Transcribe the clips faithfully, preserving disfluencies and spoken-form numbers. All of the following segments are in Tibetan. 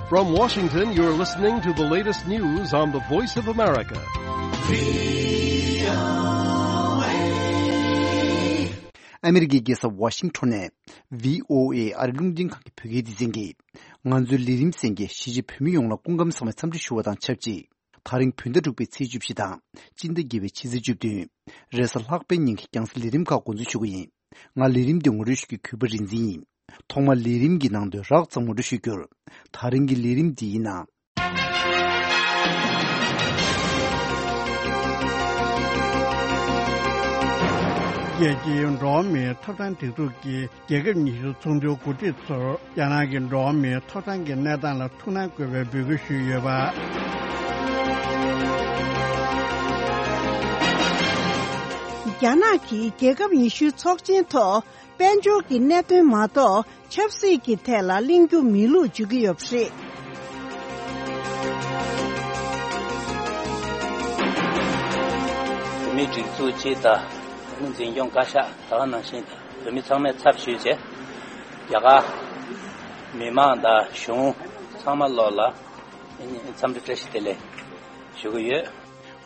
From Washington, you're listening to the latest news on the Voice of America. ཨ་མི་རི་ཀའི་རྒྱལ་ས་ཝ་ཤིང་ཊོན་ནས་བྷི་ཨོ་ཨེ་ཨ་རིའི་རླུང་འཕྲིན་ཁང་གི་བོད་སྐད་སྡེ་ཚན་གྱིས། ང་ཚོའི་ལས་རིམ་གསན་མཁན་གཞིས་བྱེས་བོད་མི་ཡོངས་ལ་སྐུ་ཁམས་བཟང་བའི་འཚམས་འདྲི་ཞུ་བ་དང་ཆབས་ཅིག་དེ་རིང་བོད་ཟླ་དྲུག་པའི་ཚེས་བཅུ་བཞི་དང་སྤྱི་ཟླ་བརྒྱད་པའི་ཕྱི་ཚེས་བཅུ་བདུན། རེས་གཟའ་ལྷག་པའི་ཉིན་གྱི་རྒྱང་སྲིང་ལས་རིམ་ཁག་འགོ་འཛུགས་ཞུ་གི་ཡིན། ང་ལས་རིམ་འདི་ངོ་སྤྲོད་ཞུ་རྒྱུའི་གུས་པ་རིག་འཛིན་ཡིན། ཐོག་མར་ལས་རིམ་གྱི་ནང་དོན་རགས་ཙམ་ངོ་སྤྲོད་ཞུ་རྒྱུར། དེ་རིང་གི་ལས་རིམ་འདི་ཡིན་ན། རྒྱལ་སྤྱིའི་འགྲོ་བ་མིའི་ཐོབ་ཐང་སྒྲིག་འཛུགས་ཀྱི་རྒྱལ་ཁབ་ཉི་ཤུ་ཚོགས་འདུའི་འགོ་ཁྲིད་ཚོར་རྒྱ་ནག་གི་འགྲོ་བ་མིའི་ཐོབ་ཐང་གི་གནས་སྟངས་ལ་ཐུགས་སྣང་དགོས་པའི་འབོད་སྐུལ་ཞུས་ཡོད་པ། རྒྱ་ནག་གིས་རྒྱལ་ཁབ་ཉི་ཤུའི་ཚོགས་ཆེན་ཐོག་དཔལ་འབྱོར་གྱི་གནད་དོན་མ་གཏོགས་ཆབ་སྲིད་ཀྱི་ཐད་ལ་གླེང་རྒྱུ་མེད་ལུགས་བརྗོད་ཀྱི་ཡོད་པ་རེད། བོད་མིའི་སྒྲིག་འཛུགས་སྤྱི་དང་། བོད་མི་འཛིན་སྐྱོང་བཀའ་ཤག་ད་ག་ནང་བཞིན་བོད་མི་ཚང་མའི་ཚབ་ཞུས་བྱས། རྒྱ་གར་མི་མང་དང་གཞུང་ཚང་མ་ལོག་ལ་འཚམས་འདྲི་བཀྲ་ཤིས་བདེ་ལེགས་ཞུ་གི་ཡོད།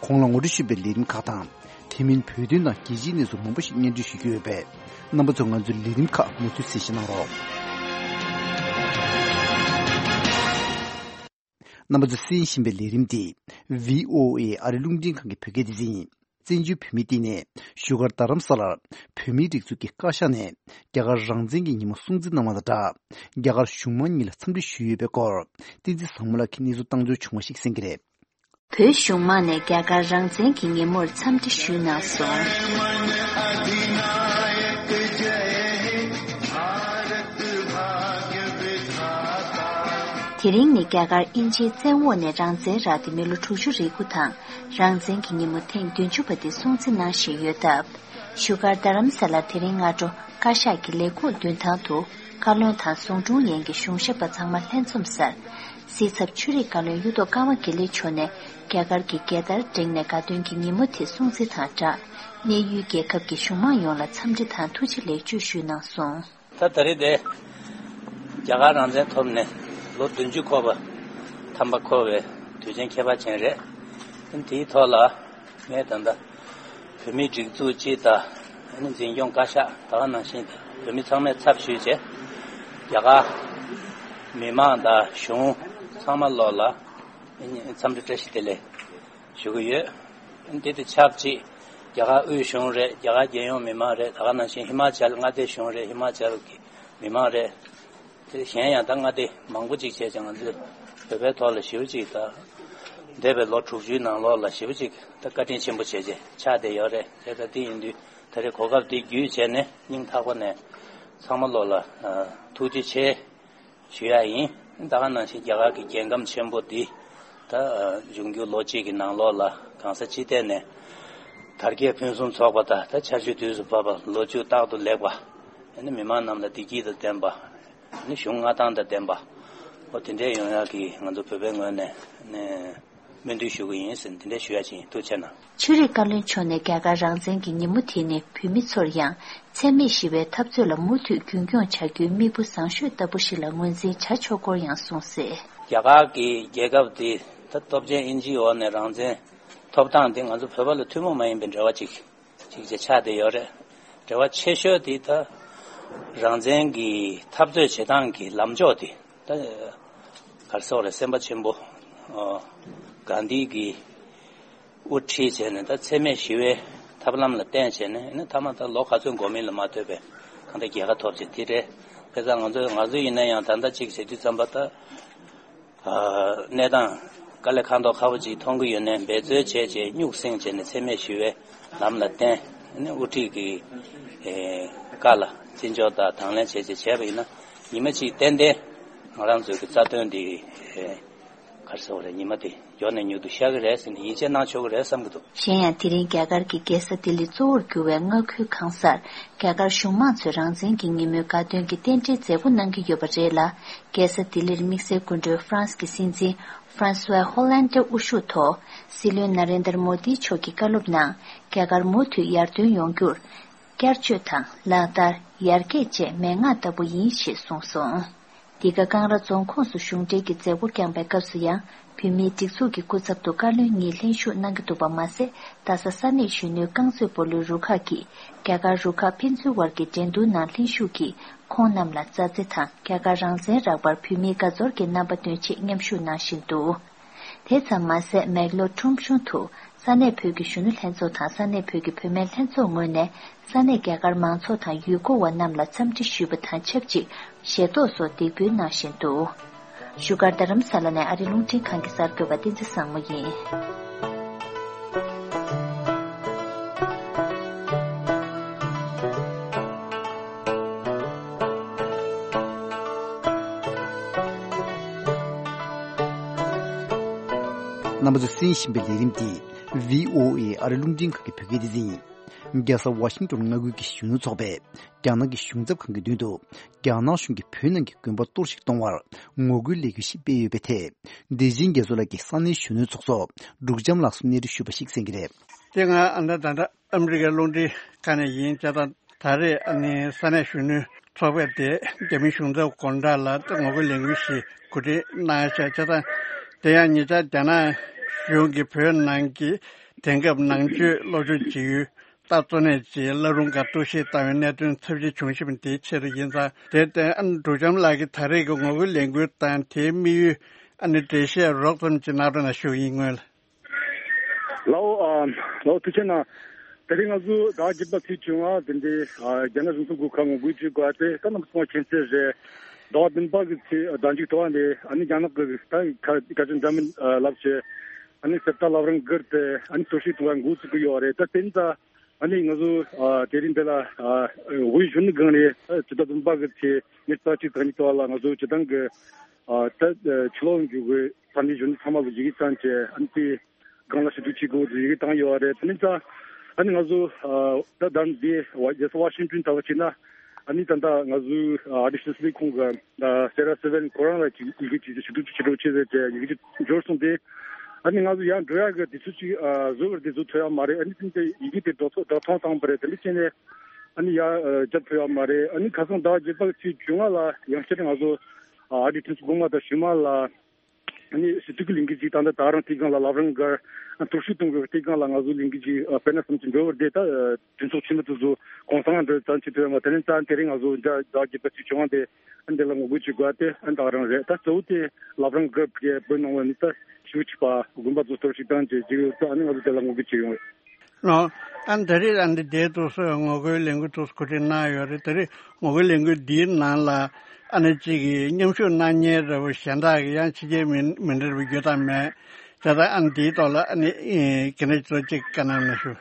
གོང་ལ་ངོ་སྤྲོད་ཞུས་པའི་ལས་རིམ་ཁག་དང་། དེ་མིན་བོད་དོན་དང་རྒྱལ་སྤྱིའི་གནས་ཚུལ་མང་པོ་ཞིག་སྙན་སྒྲོན་ཞུ་རྒྱུ་ཡོད་པས། རྣམ་པ་ཚོས་ང་ཚོའི་ལས་རིམ་ཁག་མུ་མཐུད་གསན་བཞེས་གནང་རོགས། རྣམ་པ་ཚོས་གསན་བཞིན་པའི་ལས་རིམ་འདི་བྷི་ཨོ་ཨེ་ཨ་རིའི་རླུང་འཕྲིན་ཁང་གི་བོད་སྐད་སྡེ་ཚན་ཡིན། བཙན་བྱོལ་བོད་མིའི་སྟེང་ནས་བཞུགས་སྒར་རྡ་རམ་ས་ལར་བོད་མིའི་སྒྲིག་འཛུགས་ཀྱི་བཀའ་ཤག་ནས་རྒྱ་གར་རང་བཙན་གྱི་ཉིན་མོ་སྲུང་བརྩི་གནང་བ་དང་སྦྲགས། རྒྱ་གར་གཞུང་མང་གཉིས་ལ་འཚམས་འདྲི་ཞུས་ཡོད་པའི་སྐོར། བསྟན་འཛིན་བཟང་མོ་ལགས་ཀྱིས་གནས་ཚུལ་བཏང་འབྱོར་བྱུང་བ་ཞིག་གསན་གྱི་རེད། བོད་གཞུང་མང་ནས་རྒྱ་གར་རང་བཙན་གྱི་ཉིན་མོར་འཚམས་འདྲི་ཞུས་གནང་སོང་། དེ་རིང་ནི་རྒྱ་གར་དབྱིན་ཇིའི་བཙན་འོག་ནས་རང་བཙན་རག་སྟེ་མི་ལོ་དྲུག་ཅུ་རེ་དགུ་དང་། རང་བཙན་གྱི་ཉིན་མོ་ཐེངས་བདུན་ཅུ་པ་དེ་སྲུང་བརྩི་གནང་བཞིན་ཡོད་སྟབས། བཞུགས་སྒར་རྡ་རམ་ས་ལར་དེ་རིང་སྔ་དྲོ་བཀའ་ཤག་གི་ལས་ཁུངས་མདུན་ཐང་དུ་བཀའ་བློན་དང་ཟུང་དྲུང་ཡན་གྱི་གཞུང་ཞབས་པ་ཚང་མ་ལྷན་འཛོམས་སར། སྲིད་ཚབ་ཆོས་རིག་བཀའ་བློན་གཡུ་ཐོག་ཀརྨ་དགེ་ལེགས་མཆོག་ནས་རྒྱ་གར་གྱི་རྒྱལ་དར་བསྒྲེངས་ནས་དགའ་སྟོན་གྱི་ཉིན་མོ་དེ་སྲུང་བརྩི་དང་སྦྲགས། གནས་ཡུལ་རྒྱལ་ཁབ་ཀྱི་གཞུང་མང་ཡོངས་ལ་འཚམས་འདྲི་དང་ཐུགས་རྗེ་ལེགས་བརྗོད་ཞུས་གནང་སོང་། ད་ད་རེས་དེ་རྒྱ་གར་རང་བཙན་ཐོབ་ནས་ལོ་བདུན་ཅུ་འཁོར་བ། ཐམ་པ་འཁོར་བའི་དུས་ཆེན་ཁྱད་པར་ཅན་རེད། དེའི་ཐོག་ལ་ངས་ད་ལྟ་བོད་མིའི་སྒྲིག་འཛུགས་སྤྱི་དང་། ཨ་ནི་འཛིན་སྐྱོང་བཀའ་ཤག་ད་ག་ནང་བཞིན་བོད་མི་ཚང་མའི་ཚབ་ཞུས་བྱས། རྒྱ་གར་མི་མང་དང་གཞུང་ཚང་མ་ལོག་ལ་འཚམས་འདྲི་བཀྲ་ཤིས་བདེ་ལེགས་ཞུ་གི་ཡོད། འདི་དང་ཆབས་ཅིག་རྒྱ་གར་དབུས་གཞུང་རེད། རྒྱ་གར་རྒྱལ་ཡོངས་མི་མང་རེད། ད་ག་ནང་བཞིན་ཧི་མ་ཅལ་མངའ་སྡེ་གཞུང་རེད། ཧི་མ་ཅལ་གྱི་མི་མང་རེད། དེ་གཞན་ཡང་ད་མངའ་སྡེ་མང་པོ་ཅིག་བྱས་ཀྱང་ང་ཚོས་བོད་པའི་ཐོག་ལ་ཞེ་པོ་ཅིག་ད་འདས་པའི་ལོ་དྲུག་ཅུའི་ནང་ལོགས་ལ་ཞེ་པོ་ཅིག་ད་བཀའ་དྲིན་ཆེན་པོ་བྱས་བྱས་ཆགས་བསྡད་ཡོད་རེད། དེ་ད་དེ་ཡིན་དུས་ད་རེས་གོ་སྐབས་འདི་བརྒྱུད་བྱས་ནས་སྙིང་ཐག་པ་ནས་ཚང་མ་ལོག་ལ་ཐུགས་རྗེ་ཆེ་ཞུ་ཡ་ཡིན། ད་ག་ནང་བཞིན་རྒྱ་གར་གྱི་རྒྱལ་ཁམས་ཆེན་པོ་འདི་ད་འབྱུང་འགྱུར་ལོ་གཅིག་གི་ནང་ལོགས་ལ་གང་ས་ཅི་ཐད་ནས་དར་རྒྱས་ཕུན་སུམ་ཚོགས་པ་དང་། ད་ཆར་ཆུ་དུས་སུ་བབ་པ། ལོ་ཕྱུགས་རྟག་ཏུ་ལེགས་པ། ཨ་ནི་མི་མང་རྣམས་ལ་བདེ་སྐྱིད་དང་ལྡན་པ། ཨ་ནི་གཞུང་མངའ་ཐང་དང་ལྡན་པ། འོ་དེ་འདྲའི་ཡོང་ཡག་གི་ང་ཚོ་བོད་པའི་ངོས་ནས་ནས་སྨོན་འདུན་ཞུ་གི་ཡིན་ཟེར་འདི་འདྲ་ཞུ་ཡག་ཅིག་ཡིན། ཐུགས་རྗེ་གནང་། ཆོས་རིག་བཀའ་བློན་མཆོག་ནས་རྒྱ་གར་རང་བཙན་གྱི་ཉིན་མོ་དེ་ནི་བོད་མི་ཚོར་ཡང་འཚེ་མེད་ཞི་བའི་འཐབ་རྩོད་ལ་མུ་མཐུད་རྒྱུན་འཁྱོངས་བྱ་རྒྱུའི་མིག་དཔེ་བཟང་ཤོས་ལྟ་བུ་ཞིག་ལ་ངོས་འཛིན་བྱ་ཆོག་སྐོར་ཡང་གསུངས་གསལ། རྒྱ་གར་གྱི་རྒྱལ་ཁབ་འདི་ད་སྟོབས་ཆེན་དབྱིན་ཇིའི་འོག་ནས་རང་བཙན་ཐོབ་སྟངས་འདི་ང་ཚོ་བོད་པ་ལ་ཐུན་མོང་མ་ཡིན་པའི་འབྲེལ་བ་ཅིག་ཅིག་ཅིག་ཆགས་བསྡད་ཡོད་རེད། འབྲེལ་བ་ཆེ་ཤོས་དེ་ད་རང་བཙན་གྱི་འཐབ་རྩོད་བྱེད་སྟངས་ཀྱི་ལམ་ཕྱོགས་དེ་ད་ག་རེ་ཟེར་དགོས་རེད། སེམས་དཔའ་ཆེན་པོ་ཨ་གྷན་དྷི་གིས་དབུ་ཁྲིད་བྱས་ནས་ད་འཚེ་མེད་ཞི་བའི་ཐབས་ལམ་ལ་བརྟེན་བྱས་ནས། ཨ་ནི་མཐའ་མ་ད་ལོ་ག་ཚོད་འགོར་མིན་ལ་མ་ལྟོས་པའི་གང་ལྟར་རྒྱལ་ཁ་ཐོབ་བྱས་དེ་རེད། དཔེ་བཞག་ང་ཚོ་ང་ཚོ་ཡིན་ན་ཡང་ད་ལྟ་ཅིག་བྱེད་དུས་ཙམ་པ་ད། ཨ་གནས་སྟངས་དཀའ་ལས་ཁག་མདོག་ཁ་པོ་ཅིག་མཐོང་གི་ཡོད་ནའི་འབད་རྩོལ་བྱས་བྱས་སྨྱུག་སེང་བྱས་ནས་འཚེ་མེད་ཞི་བའི་ལམ་ལ་བརྟེན། ཨ་ནི་དབུ་ཁྲིད་ཀྱི་ཨེ་བཀའ་ལ་བརྩི་འཇོག་དང་དང་ལེན་བྱས་བྱས་བྱས་པ་ཡིན་ན། ཉི་མ་གཅིག་ཏན་ཏན་ང་རང་ཚོའི་གི་རྩ་དོན་འདི་ཨེ་ག་རེ་ཟེར་དགོས་རེད། ཉི་མ་དེ་མགྱོགས་ནས་མྱུར་དུ་ཤར་གི་རེད་ཟེར་ནས་ཡིད་ཆེས་གནང་ཆོག་གི་རེད་བསམ་གྱི་འདུག། གཞན་ཡང་དེ་རིང་རྒྱ་གར་གྱི་རྒྱལ་ས་ལྡི་ལི་གཙོ་བོར་གྱུར་བའི་མངའ་ཁུལ་གང་སར་རྒྱ་གར་གཞུང་མང་ཚོས་རང་བཙན་གྱི་ཉིན་མོའི་དགའ་སྟོན་གྱི་རྟེན་འབྲེལ་མཛད་སྒོ་གནང་གི་ཡོད་པ་རེད་ལ། རྒྱལ་ས་ལྡི་ལིར་དམིགས་བསལ་སྐུ་མགྲོན་ཧྥ་རན་སི་གི་སྲིད་འཛིན་ཧྥ་རན་སུ་ཝ་ཧོ་ལན་ཏེ་དབུ་བཞུགས་ཐོག་སྲིད་བློན་ན་རེན་དར་མོ་དི་མཆོག་གིས་བཀའ་སློབ་ནང་རྒྱ་གར་མུ་མཐུད་ཡར་ཐོན་ཡོང་རྒྱུར་བསྐྱར་བཅོས་དང་ལག་བསྟར་ཡར་རྒྱས་བཅས་མན་ངག་ལྟ་བུ་ཡིན་ཞེས་གསུངས་སོང་། འདི་ག་ཀང་ར་རྫོང་ཁོངས་སུ་གཞུང་འབྲེལ་གྱི་མཛད་སྒོ་བསྐྱངས་པའི་སྐབས་སུ་ཡང་། བོད་མིའི་སྒྲིག་འཛུགས་ཀྱི་སྐུ་ཚབ་ཏུ་བཀའ་བློན་གཉིས་ལྷན་ཞུགས་གནང་གི་འདུག་པ་མ་ཟད། རྡ་ས་ས་གནས་གཞོན་ནུའི་རྐང་རྩེད་སྤོ་ལོའི་རུ་ཁག་གིས་རྒྱ་གར་རུ་ཁག་ཕན་ཚུན་དབར་གྱི་འགྲན་བསྡུར་ནང་ལྷན་ཞུགས་ཀྱིས། ཁོང་རྣམས་ལ་མཛའ་བརྩེ་དང་རྒྱ་གར་རང་བཙན་རག་པར་བོད་མིའི་དགའ་ཚོར་གྱི་རྣམ་པ་སྟོན་ཆེད་མཉམ་ཞུགས་གནང་བཞིན་འདུག་དེ་ཙམ་མ་ཟད། མེག་ལོར་ཁྲོམ་གཞུང་དུ་ས་གནས་བོད་ཀྱི་གཞོན་ནུ་ལྷན་ཚོགས་དང་ས་གནས་བོད་ཀྱི་བུད་མེད་ལྷན་ཚོགས་ངོས་ནས་ས་གནས་རྒྱ་གར་མང་ཚོགས་དང་ཡུལ་སྐོར་བ་རྣམས་ལ་འཚམས་འདྲི་ཞུས་པ་དང་ཆབས་ཅིག་ཞལ་ཏོག་སོགས་འདེགས་འབུལ་གནང་བཞིན་འདུག་བཞུགས་སྒར་རྡ་རམ་ས་ལ་ནས་ཨ་རི་རླུང་འཕྲིན་ཁང་གི་གསར་འགོད་པ་བསྟན་འཛིན་བཟང་མོ་ཡིན། རྣམ་པ་ཚོས་གསན་བཞིན་པའི་ལས་རིམ་འདི་བྷི་ཨོ་ཨེ་ཨ་རི་རླུང་འཕྲིན་ཁང་གི་བོད་སྐད་སྡེ་ཚན་ཡིན། རྒྱལ་ས་ཝ་ཤིང་ཏོན་མངའ་ཁུལ་གྱི་གཞོན་ནུ་ཚོགས་པས་རྒྱ་ནག་གི་གཞུང་ཚབ་ཁང་གི་མདུན་དུ་རྒྱ་ནག་གཞུང་གིས་བོད་ནང་གི་དགོན་པ་གཏོར་བཤིག་གཏོང་བར་ངོ་རྒོལ་ལས་འགུལ་ཞིག་སྤེལ་ཡོད་པའི་ཐད། བདེ་ཆེན་རྒྱ་མཚོ་ལགས་ཀྱིས་ས་གནས་གཞོན་ནུ་ཚོགས་གཙོ་འབྲུག་བྱམས་ལགས་སུ་གནས་འདྲི་ཞུས་པ་ཞིག་གསན་གྱི་རེད། དེ་སྔ་ཨ་ནི་ད་ལྟ་ཨ་མི་རི་ཀའི་རླུང་འཕྲིན་ཁང་ནས་ཡིན་བྱས་ཙང་། ད་རེས་ཨ་ནི་ས་གནས་གཞོན་ནུ་ཚོགས་པས་དེ་རྒྱ་མིའི་གཞུང་ཚབ་དགོང་དག་ལ་ངོ་རྒོལ་ལས་འགུལ་ཞིག་གོ་སྒྲིག་གནང་ཡ་བྱས་བྱས་ཙང་། དེ་ཡང་ཉེ་ཆར་རྒྱ་ནག་གཞུང་གིས་བོད་ནང་གི་དེང་སྐབས་ནང་ཆོས་སློབ་སྦྱོང་བྱེད་ཡུལ་ད་གཙོ་གནད་ཀྱི་བླ་རུང་སྒར་གཏོར་བཤིག་བཏང་བའི་གནད་དོན་ཚབས་ཆེ་བྱུང་བཞིན་པ་དེའི་ཆེད་དུ་ཡིན་ཙང་། དེར་བརྟེན་ཨ་ནི་འབྲུག་བྱམས་ལགས་ཀྱིས་ད་རེས་ཀྱི་ངོ་རྒོལ་ལས་འགུལ་དང་དེའི་དམིགས་ཡུལ་ཨ་ནི་འགྲེལ་བཤད་རོབ་ཙམ་ཅིག་གནང་རོགས་གནང་ཞུ་གི་ཡིན། སྔོན་ལ། ལའོ། ཨ། ལའོ་ཐུགས་རྗེ་གནང་། དེ་རིང་ང་ཚོ་ཟླ་བ་བརྒྱད་པ་ཚེས་བཅོ་ལྔ་དེ་འདྲའི་ཨ་རྒྱ་ནག་གཞུང་ཚབ་སྒོ་ཁར་ངོ་རྒོལ་བྱེད་དགོས་ཏེ། ད་རྣམ་པ་ཚང་མ་མཁྱེན་གསལ་རེད། ཟླ་བ་བདུན་པ་གི་ཚེས་ཟླ་མཇུག་ཏུ་བ་ནས་ཨ་ནི་རྒྱ་ནག་གི་ད་ཁ་ཁ་ཆེ་འདྲ་མིན་ལབ་བྱས། ཨ་ནི་གསེར་རྟ་བླ་བྲང་སྒར་དེ་ཨ་ནི་གཏོར་བཤིག་གཏོང་བའི་འགོ་བཙུགས་ཀྱི་ཡོད་རེད། ད་དེ་ནི་ད་ཨ་ནི་ང་ཚོ་ཨ་དེ་རིང་འདི་ལ་ཨ་དབུས་གཞོན་ནུ་སྒང་ནས་ད་ཕྱི་ཟླ་བདུན་པ་གི་ཚེས་ཉེར་གཅིག་དང་གཉིས་ཚོ་ལ་ང་ཚོ་སྤྱི་བཏང་གི་ཨ་ད་ཕྱི་ལོགས་འཇུག་དགོས། ས་གནས་གཞོན་ནུ་ཚང་མ་ལ་ཡི་གེ་བཏང་བྱས། ཨ་ནི་དེ་སྒང་ལ་ཞུ་གཏུག་བྱེད་དགོས་ཡི་གེ་བཏང་ཡོད་རེད། དེ་ནི་ད་ཨ་ནི་ང་ཚོ་ཨ་ད་ལྟ་འདི་རྒྱལ་ས་ཝ་ཤིང་ཏོན་ལྟ་བུ་བྱས་ན། ཨ་ནི་ད་ལྟ་ང་ཚོའི་ཨ་ཨ་རི་ཕྱི་སྲིད་ཁང་གི་ཨ་སེ་ར་སེ་ཝན་ཁོ་རང་ལ་ཅིག་ཡི་གེ་ཅིག་ཞུ་གཏུག་ཅིག་བྱེད་རོགས་བྱེད་ཟེར་བྱས་ཡི་གེ་ཅིག་འབྱོར་སོང་སྟེ། ཨ་ནི་ང་ཚོ་ཡར་འགྲོ་ཡག་གི་དུས་ཚོད་ཅིག་ཨ་བཟོ་བར་དེ་བཟོ་ཐུབ་ཡག་མ་རེད། ཨ་ནི་དེ་འདྲ་ཡི་གེ་དེ་འགྲོ་ཐོ་འགྲོ་ཐོང་བཏང་བ་རེད། དེ་འདྲ་བྱས་ནས་ཨ་ནི་ཡར་ཨ་རྒྱབ་ཐུབ་ཡག་མ་རེད། ཨ་ནི་ཁ་སང་ཟླ་བ་བརྒྱད་པ་ཚེས་བཅོ་ལྔ་ལ་ཡང་བསྐྱར་ང་ཚོ་ཨ་ཨ་རིའི་གྲོས་ཚོགས་སྒོ་ང་དང་ཞུ་མ་ལ། ཨ་ནི་ཞུ་གཏུག་གི་ལས་འགུལ་ཅིག་ད་ལྟ་ད་རང་དེ་སྒང་ལ་བླ་བྲང་སྒར་ཨ་གཏོར་བཤིག་གཏོང་དགོས་པའི་དེ་སྒང་ལ་ང་ཚོ་ལས་འགུལ་ཅིག་ཨ་སྤེལ་ན་བསམ་གྱི་འགྲོ་བར་བསྡད། ད་ཨ་གྲོས་ཚོགས་ཆེན་མོ་དེ་ཚོ་གུང་སེང་འགྲོ་ཙང་ཆེད་དུ་ཡོང་བ། དེ་ནས་ཙང་དེ་རིང་ང་ཚོ་འདྲ་ཟླ་བ་བརྒྱད་པ་ཚེས་བཅོ་ལྔ་དེ་ཨ་འདི་ལ་ངོ་རྒོལ་བྱེད་དགོས་ཏེ་ཨ་ད་རང་རེད། ད་གཙོ་བོ་དེ་བླ་བྲང་སྒར་བར་བོད་ནང་བ་ནི་ད་ཞུ་ཆེ་བ་དགོན་པ་ཚོ་གཏོར་བཤིག་བཏང་བྱས་ཅིག་ཡོད་ཙང་། ཨ་ནི་ང་ཚོ་དེ་ལ་ངོ་རྒོལ་བྱེད་ཡོང་བས། ལོ། ཨ་ནི་ད་རེས་ཨ་ནི་དེ་དུས་སུ་ངོ་རྒོལ་ལས་འགུལ་དུས་སུ་གོ་སྒྲིག་གནང་ཡོད་རེད། ད་རེས་ངོ་རྒོལ་ལས་འགུལ་འདིའི་ནང་ལ་ཨ་ནི་གཅིག་གི་མཉམ་ཞུགས་གནང་མཁན་འདྲ་བོ་གཞན་དག་གི་ཡང་ཕྱི་རྒྱལ་མི་མི་འདྲ་བོ་ཡོད་དམ་མེད། ད་ལྟ་ཨ་ནི་འདིའི་ཐོག་ལ་ཨ་ནི་ཨེ་ག་འདྲ་ཅིག་བཀའ་གནང་གནང་ཞུ།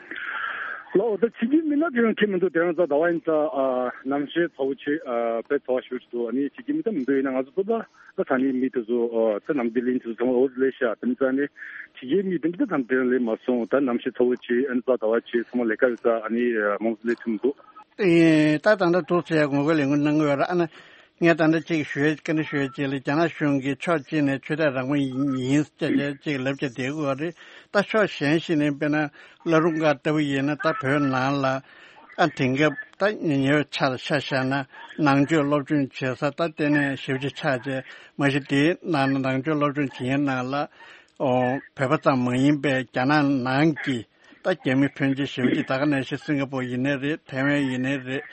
ལོ། ད་ཕྱི་རྒྱལ་མི་སྣ་དེ་རང་ཁྱད་མི་འདུག་དེ་རིང་གཟའ་ཟླ་བ་ཡིན་ཙང་ཨ་གནམ་གཤིས་ཚ་བོ་ཆེ་ཨ་དཔེ་ཚ་བ་ཞེ་པོ་ཅིག་འདུག་ཨ་ནི་ཕྱི་རྒྱལ་མི་སྣ་མི་འདུག་ཡིན་ན་ང་ཚོ་བོད་པ། ད་ས་གནས་མི་དེ་ཚོ་ཨ་ད་ནམ་ཟླའི་ལན་དེ་ཚོ་ཚང་མ་འོ་ཟི་ལས་ཤག་དེ་ནི་ཙང་ནི་ཕྱི་རྒྱལ་མི་དེ་འདྲ་ཙམ་དེ་རིང་ལས་མ་སོང་། ད་གནམ་གཤིས་ཚ་བོ་ཆེ་ཨ་ནི་གཟའ་ཟླ་བ་ཆེ་ཚང་མ་ལས་ཀ་ཡོད་ཙང་ཨ་ནི་མང་ཟི་ལས་ཐུབ་མི་འདུག་ཨེ་ད་ད་ལྟ་འདུག་ཟེར་ངོ་རྒོལ་ལས་འགུལ་གནང་གི་ཡོད་ར། ཨ་ནི་ངས་ད་ལྟ་ཅིག་ཞུས་ཀ་ནི་ཞུས་ཅིག་ལ་རྒྱ་ནག་གཞུང་གིས་ཕྱོགས་གཅིག་ནས་ཆོས་དད་རང་དབང་ཡིན་ཟེར་ཅིག་ལབ་ཀྱི་བསྡད་ཀྱི་ཡོད་རེད། ད་ཕྱོགས་གཞན་ཞིག་ནས་དཔེར་ན་བླ་རུང་སྒར་ལྟ་བུ་ཡིན་ན་ད་བོད་ནང་ལ། ཨ་དེང་སྐབས་ད་ཉེ་བའི་ཆར་ཆ་བཞག་ན་ནང་ཆོས་སློབ་སྦྱོང་བྱེད་ས་ད་ལྟེ་གནས་ཞེ་པོ་ཅིག་ཆགས་རྗེས་མ་གཞི་དེའི་ནང་ན་ནང་ཆོས་སློབ་སྦྱོང་བྱེད་མཁན་ནང་ལ་ཨོ་བོད་པ་ཙམ་མ་ཡིན་པའི་རྒྱ་ནག་ནང་གི་ད་རྒྱ་མི་ཕོན་ཆེ་ཞེ་པོ་ཅིག་ད་ག་ནང་བཞིན་སིང་ག་པོར་ཡིན་ནའི་རེད། ཐའེ་ཝན་ཡིན་ནའི་རེད།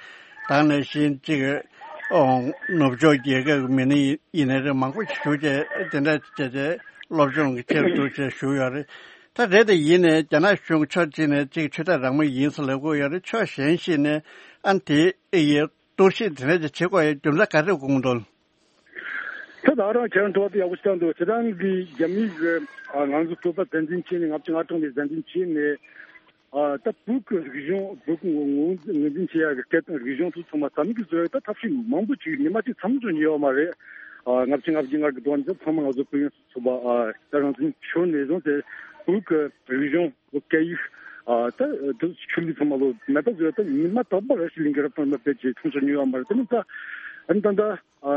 ད་ག་ནང་བཞིན་ཅིག་ཨོ་ནུབ་ཕྱོགས་རྒྱལ་ཁབ་ཀྱི་མི་སྣ་ཡིན་ནའི་རེད། མང་པོ་ཞིག་བཞུགས་བྱས་དེ་འདྲ་བྱས་བྱས་སློབ་སྦྱོང་གི་ཆེད་དུ་བྱས་བཞུགས་ཡོད་རེད། ད་རེད་དེ་ཡིན་ནའི་རྒྱ་ནག་གཞུང་ཕྱོགས་གཅིག་ནས་གཅིག་ཆོས་དད་རང་མོས་ཡིན་ཟེར་ལབ་ཀྱི་ཡོད་རེད། ཕྱོགས་གཞན་ཞིག་ནས་ཨ་དེ་ཨེ་ཡེ་གཏོར་བཤིག་དེ་འདྲ་ཅིག་བྱེད་དགོས་ཡ་རྒྱུ་མཚན་ག་རེ་དགོངས་འདུག་ད་ད་རང་ཁྱེད་རང་དྲི་བ་དེ་ཡག་པོ་ཞིག་བཏང་འདུག་སྤྱིར་བཏང་གི་རྒྱ་མིའི་གི་ང་ཚོ་བོད་པ་བཙན་འཛུལ་བྱས་ནས་ལྔ་བཅུ་ང་གྲངས་ནས་བཙན་འཛུལ་བྱས་ནས་ད་བོད་ཀྱི་རིག་གཞུང་བོད་ཀྱི་ངོས་ངོས་འཛིན་བྱེད་ཡ་གི་སྐད་དང་རིག་གཞུང་དེ་ཚང་མ་རྩ་མེད་ཀྱི་བཟོ་ཡ་ད་ཐབས་ཤེས་མང་པོ་ཅིག་ཉི་མ་གཅིག་མཚམས་འཇོག་ཉེ་བ་མ་རེད། ལྔ་བཅུ་ང་བརྒྱད་ལྔ་གི་དོན་དེ་ཚང་མ་ང་ཚོ་བོད་ཡོངས་སུ་ཚོགས་པ་ད་རང་བཙན་ཤོར་ནས་བཟུང་སྟེ་བོད་ཀྱི་རིག་གཞུང་བོད་སྐད་ཡིག་ད་དེ་ཆོས་ལུགས་ཚང་མ་ལོ་མེད་པ་བཟོས་ད་ཉི་མ་རྟག་པར་ར་ཤི་ལིང་གི་རབ་དང་རིམ་པ་བེད་ཀྱི་མཚམས་སུ་ཉུལ་བ་མ་རེད། དེ་ནི་ད་ཨ་ནི་ད་ད་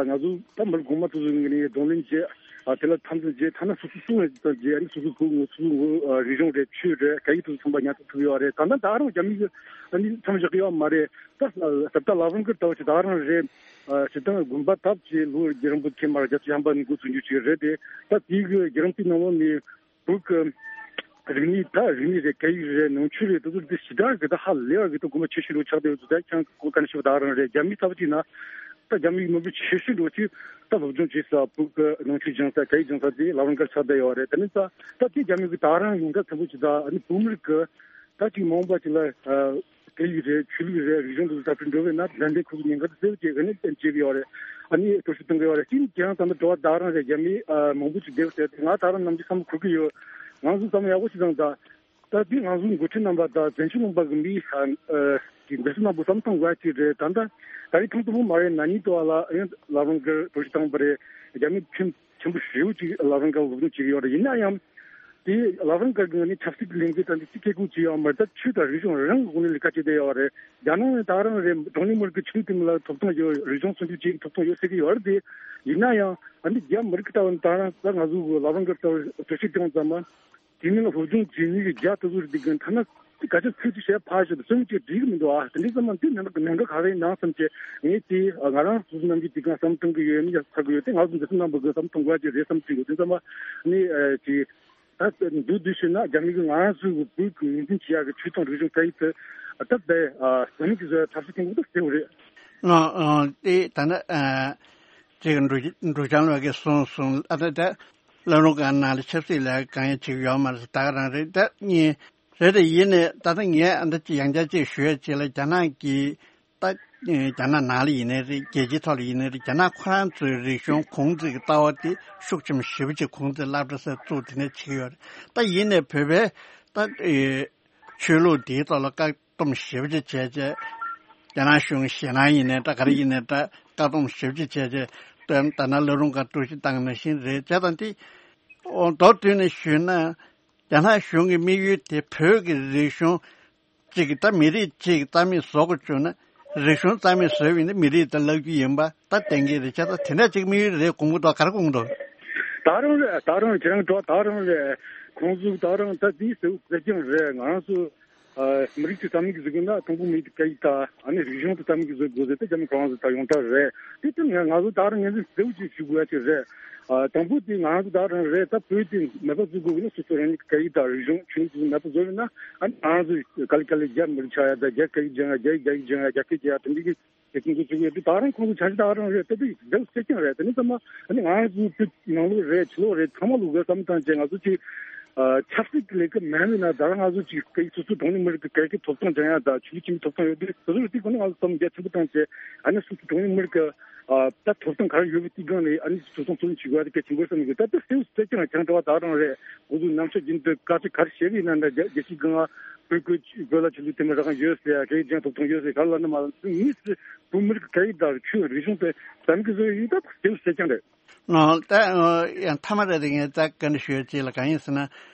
ང་ཚོ་ད་མི་རབས་གོང་མ་ཚོ་ཚོ་ངས་ནི་གདོང་ལེན་བྱས་ ཨ་དེ་ལ་འཐབ་འཛིང་བྱས། ཐ་ན་སོ་སོ་སུ་ཡིན་ཙང་བྱས། ཨ་ནི་སོ་སོའི་བུ་ངོ་སོ་སོའི་ངོ་ཨ་རིག་གཞུང་རེད། ཆོས་རེད། སྐད་ཡིག་དེ་ཚོ་ཚང་མ་ཉར་ཚགས་ཐུབ་ཡོད་རེད། ད་ལྟ་ད་རུང་རྒྱ་མི་གིས་ཨ་ནི་མཚམས་བཞག་གི་ཡོད་མ་རེད། ད་ད་ལྟ་ལ་ཝང་ཀར་ལྟ་བུ་ཅིག་ད་རང་རེད། ཨ་སྤྱིར་བཏང་དགོན་པ་བཏབ་བྱས་ལོ་བརྒྱ་རིང་པོ་ཁེལ་མ་རེད། བརྒྱད་ཅུ་ཐམ་པ་ནས་འགོ་ཚུགས་རྒྱུ་ཅིག་རེད་དེ། ད་དེའི་གི་རྒྱུན་རིང་པོའི་ནང་ལོགས་ནས་བོད་ཀྱི་རིག་གནས། ད་རིག་གནས་རེད། སྐད་ཡིག་རེད། ནང་ཆོས་རེད། དེ་ཚོ་དེ་ཞེ་དྲག་གི་ད་ཧ་ལས་པ་གི་ད་དགོས་པ་ཆེ་ཤོས་འདྲ་ཆགས་བསྡད་ཡོད་ཚུལ་ད་ཁྱེད་རང་གིས་གོ་ག་ནས་ཤེས་པ། ད་རང་རེད། རྒྱ་མི་ལྟ་བུ་ཅིག་ན་ད་རྒྱ་མིའི་མི་བུ་ཆེ་ཤོས་འདྲ་ཅིག་ད་སློབ་སྦྱོང་བྱེད་ས། བོད་ཀྱི་ནང་ཆོས་སྦྱང་ས། སྐད་ཡིག་སྦྱང་ས་དེ་ལ་ཝང་ཀར་ཆགས་བསྡད་ཡོད་རེད། དེ་ནི་ད་ད་དེ་རྒྱ་མི་གི་ད་རང་ཡོངས་གྲགས་ཚན་པོ་ཅིག་ད་ཨ་ནི་བོད་མི་རིགས་ཀྱི་ད་ཅིག་མ་འོངས་པ་ཅིག་ལ་ཨ་སྐད་ཡིག་རེད། ཆོས་ལུགས་རེད། རིག་གཞུང་དེ་ཚོ་དར་སྤེལ་འགྲོ་བས་ན། དེ་འདྲའི་ཁོ་ཚོ་ཉེན་ཁ་དེ་སེལ་བྱེད་ག་ནས་བསྟན་བྱེད་ཀྱི་ཡོད་རེད། ཨ་ནི་གྲོས་ཞིབ་གཏོང་གི་ཡོད་རེད། ཅིག་ཁྱེད་རང་ད་ལྟ་དྲི་བ་ད་རང་རེད། རྒྱ་མི་ཨ་མང་པོ་ཅིག་བསྡད་ཟེར་དེ། ང་ད་རང་ནམ་རྒྱུན་བསམ་བློ་འཁོར་གི་ཡོད། ང་ཚོ་བསམ་བློ་ཡག་པོ་ཞིག་བཏང་ད། ད་དེ་ང་ཚོའི་འགོ་ཁྲིད་རྣམ་པ་དང་བཙན་བྱོལ་གླིང་པ་གི་མི་ཨ་ཨ་གི་འདི་ཚོ་རྣམ་པ་བསམ་བློ་གཏོང་དགོས་ཅིག་རེད། ད་ལྟ་ད་རེས་ཐེངས་དང་པོ་མ་རེད། ན་ནིང་དུ་བ་ལ་ཡང་ལ་ཝང་ཀར་གྲོས་ཞིབ་བཏང་བ་རེད། རྒྱ་མི་ཁྲིམས་ཆེན་པོ་ཞེ་པོ་ཅིག་ལ་ཝང་ཀར་སློབ་སྦྱོང་བྱེད་ཀྱི་ཡོད་རེད། ཡིན་ན་ཡང་དེ་ལ་ཝང་ཀར་གྱི་ནི་ཆབ་སྲིད་ཀྱི་ལས་འགུལ་དང་དེ་ཅི་སྐད་སྐུལ་བྱེད་ཡོད་མ་རེད། ད་ཆོས་དང་རིག་གཞུང་རང་གི་སྒོ་ནས་ལས་ཀ་བྱེད་བསྡད་ཡོད་རེད། རྒྱ་ནག་ནི་ད་རང་རེད། གྲངས་ཉུང་མི་རིགས་ཀྱི་ཆོས་དེ་མི་ལ་ཐོབ་ཐང་ཡོད། རིག་གཞུང་སྲུང་སྐྱོབ་བྱེད་ཐོབ་ཐང་ཡོད་ཟེར་གྱི་ཡོད་རེད་དེ། ཡིན་ན་ཡང་ཨ་ནི་རྒྱ་མི་རིགས་ཀྱི་ལྟ་བ་ནི་ད་རང་ད་ང་ཚོ་གི་ལ་ཝང་ཀར་ལྟ་བུ་གྲོས་ཆོད་བཏང་ཙམ་པ། དེ་མིན་ལ་སློབ་སྦྱོང་བྱེད་མི་གི་རྒྱ་དེ་ཚོ་རེད། དེ་གི་ཐ་ན་དེ་ག་ཚོད་ཚིག་ཅིག་བཤད་ཕར་ཞོག་དེ་སེམས་ཀྱི་འགྲིག་གི་མི་འདུག་ཨ། དེ་འདྲའི་ཙམ་མ་དེ་ནང་གི་ནང་ག་ག་རེ་ནང་བསམ་བྱས། ངས་དེ་ང་རང་སོ་སོ་ནམ་རྒྱུན་དེ་གང་བསམ་གཏོང་གི་ཡོད། མི་ཡག་ཚ་གི་ཡོད་དེ། ང་ཚོ་འདི་ཚོ་རྣམ་པ་གི་བསམ་གཏོང་དགོས་ཀྱི་རེད་བསམ་གྱི་ཡོད། དེ་ཙམ་མ་ནི་ཨ་ཅིག་ད་འདུག་འདུག་ཞུས་ན་རྒྱ་མི་གི་ང་རང་ཚོའི་བོད་ཀྱི་ངོས་འཛིན་བྱེད་ཡག་གི་ཆོས་དང་རིག་གཞུང་སྐད་ཡིག་དེ་ད་དེ་ཨ་ཟམ་གྱི་བཟོ་ཡ་ཐབས་ཤེས་གཏོང་དགོས་ད་གསལ་བོ་རེད། ཨ་ཨ་དེ་ད་ནི་ཨ་ཅིག་འབྲུག་འབྲུག་བྱང་ལགས་ཀྱིས་གསུངས་སོང་། ཨ་ད་ད་སློབ་སྦྱོང་ཁང་ནང་ལ་ཆབ་སྲིད་ལས་ཀ་གང་ཡང་བྱེད་ཀྱི་ཡོད་མ་རེད། ད་ག་རང་རེད། ད་གཉིས་རེད། དེ་ཡིན་ནའི་ད་ལྟ་ངས་ཨ་འདི་ཅིག་ཡང་བསྐྱར་ཅིག་ཞུ་ཡ་ཅིག་ལ། རྒྱ་ནག་གིས་ད་རྒྱ་ནག་ནང་ལ་ཡིན་ནའི་རེད། རྒྱལ་སྤྱིའི་ཐོག་ལ་ཡིན་ནའི་རེད། རྒྱ་ནག་ཁོ་རང་ཚོའི་རིག་གཞུང་གོང་བུ་གཅིག་གི་ལྟ་བ་དེ་ཤུགས་ཆེན་པོ་ཞེ་པོ་ཅིག་གོང་དུ་སློབ་གྲྭ་སོགས་བཙུགས་དེ་ནས་བྱེད་ཀྱི་ཡོད་རེད། ད་ཡིན་ནའི་བོད་པའི་ད་ཆོས་ལུགས་འདིའི་ཐོག་ལ་བཀག་སྡོམ་ཞེ་པོ་ཅིག་བྱས་བྱས། རྒྱ་ནག་གཞུང་ཞེད་སྣང་ཡིན་ནའི་འདྲ། ག་རེ་ཡིན་ནའི་འདྲ། བཀག་སྡོམ་ཞེ་པོ་ཅིག་བྱས་བྱས། ད་ད་ནང་སློབ་སྦྱོང་ཁང་གྲོས་གཞི་བཏང་ནང་བཞིན་རེད་བྱས། ད་འདི་མདོར་བསྡུས་ནས་ཞུས་ན། རྒྱ་ནག་གཞུང་གི་དམིགས་ཡུལ་དེ་བོད་ཀྱི་རིག་གཞུང་གཅིག་གི་ད་མི་རིགས་གཅིག་གི་རྩ་མེད་བཟོ་དགོས་བྱུང་ན། རིག་གཞུང་རྩ་མེད་བཟོས་པ་ཡིན་ན་མི་རིགས་དེ་བརླག་རྒྱུ་ཡིན་པ་ད་གཏན་འཁེལ་རེད་བྱས། ད་དེ་འདྲ་ཅིག་དམིགས་ཡུལ་རེད། དགོངས་ཀྱི་འདུག་ག་རེ་དགོངས་ཀྱི་འདུག་ད་རང་རེད། ད་རང་ཁྱེད་རང་འགྲོ་ད་རང་རེད། ཁོང་ཚོ་ད་རང་ད་དེའི་ཟེར་ཟེར་ཀྱང་རེད། ང་རང་ཚོ་ཨ་མི་རིགས་དེ་རྩ་མེད་ཀྱི་བཟོ་དགོས་ན་དང་པོ་མི་རིགས་དེ་སྐད་ཡིག་དང་ཨ་ནི་རིག་གཞུང་དེ་རྩ་མེད་ཀྱི་བཟོ་དགོས་ཟེར་དེ་རྒྱ་མི་ཁོ་རང་ཚོ་ད་ཡོངས་གྲགས་རེད། དེ་ལྟར་ང་ང་ཚོ་ད་རང་ངོས་འཛིན་གསལ་བོ་ཅིག་ཞུ་དགོས་ཡ་ཅིག་རེད། ཨ་དང་པོ་དེ་ང་རང་ཚོ་ད་རང་རེད། ད་བོད་དེ་མེད་པ་བཟོ་དགོས་ཀྱི་ན་སོ་སོ་རང་ཉིད་ཀྱི་སྐད་ཡིག་དང་རིག་གཞུང་ཆོས་ལུགས་དེ་མེད་པ་བཟོ་བས་ན་ཨ་ནི་ང་རང་ཚོ་ག་ལེ་ག་ལེ་རྒྱ་མི་རིགས་ཆགས་ཡ་དང་། རྒྱ་སྐད་ཡིག་སྦྱང་ཡ། རྒྱ་ཡིག་རྒྱ་ཡིག་སྦྱང་ཡ། རྒྱ་སྐད་རྒྱག་ཡ་དེ་འདྲ་གི་རྒྱ་ཁྱིམ་ཚོ་ཚུགས་ཡོད་དུས་ད་རང་ཁོང་ཚོ་བྱ་གཞི་ད་རང་རེད། ད་དེ་རྒྱ་སེ་ཀྱང་རེད། དེ་ནས་ཚང་མ་ཨ་ནི་ང་ཚོའི་བོད་ནང་ལོགས་རེད། ཕྱི་ལོགས་རེད། ཚང་མ་ལོགས་ཀྱི་བསམ་བཏང་བྱས་ང་ཚོ་ཅིག་ཨ་ཆབ་སྲིད་ཀྱི་ལས་ཀ་མེད་ནས་ན་ད་རང་ང་ཚོ་ཅིག་སྐད་ཡིག་སོ་སོའི་གྲངས་ཉུང་མི་རིགས་ཀྱི་སྐད་ཀྱི་ཐོབ་ཐང་སྦྱང་ཡ་དང་ཆོས་ལུགས་ཁྱིམ་གྱི་ཐོབ་ཐང་ཡོད་དུས་དེ་ཚོ་རེད། དེ་ཁོ་ན་ང་ཚོ་བསམ་རྒྱ་ཆེན་པོ་བཏང་བྱས་ཨ་ནི་སོ་སོའི་གྲངས་ཉུང་མི་རིགས་ཀྱི་ཨ་ད་ཐོབ་ཐང་ག་རེ་ཡོད་པའི་དེའི་སྒང་ནས་ཨ་ནི་ཐོབ་ཐང་ཚོ་ལེན་བྱེད་དགོས་ཡ་དེ་གལ་ཆེན་པོ་བསམ་གི། ད་དེ་སེའུ་སེ་ཀྱང་ཁྱང་གྲོ་བ་ད་རང་རེད། ཁོ་ཚོའི་ནམ་ཕྱོགས་རྒྱུན་དུ་དཀའ་སྤྱད་ག་རེ་བྱེད་ཀྱི་ཡིན་ན་འདྲ། རྒྱ་རྒྱལ་སྤྱིའི་སྒང་ལ་བོད་ཀྱི་བོད་ལ་ཆོས་ལུགས་དེ་མི་རང་ཡོད་ཟེར་ཡ། སྐད་ཡིག་ཅན་ཐོབ་ཐང་ཡོད་ཟེར་ག་ལ་ནི་མ་ལ་མི་སི་བོད་མི་རིགས་སྐད་ཡིག་དང་ཆོས་རིག་གཞུང་དེ་བསམ་གི་བཟོ་ཡིན། ད་སེའུ་སེ་ཀྱང་རེད། ཨོ་ད་ཨོ་ཡང་མཐའ་མ་རེད། དེ་ངས་ད་བཀའ་འདྲི་ཞུ་ཡ་ཅིག་ལ་གང་ཡིན་ཟེར་ན།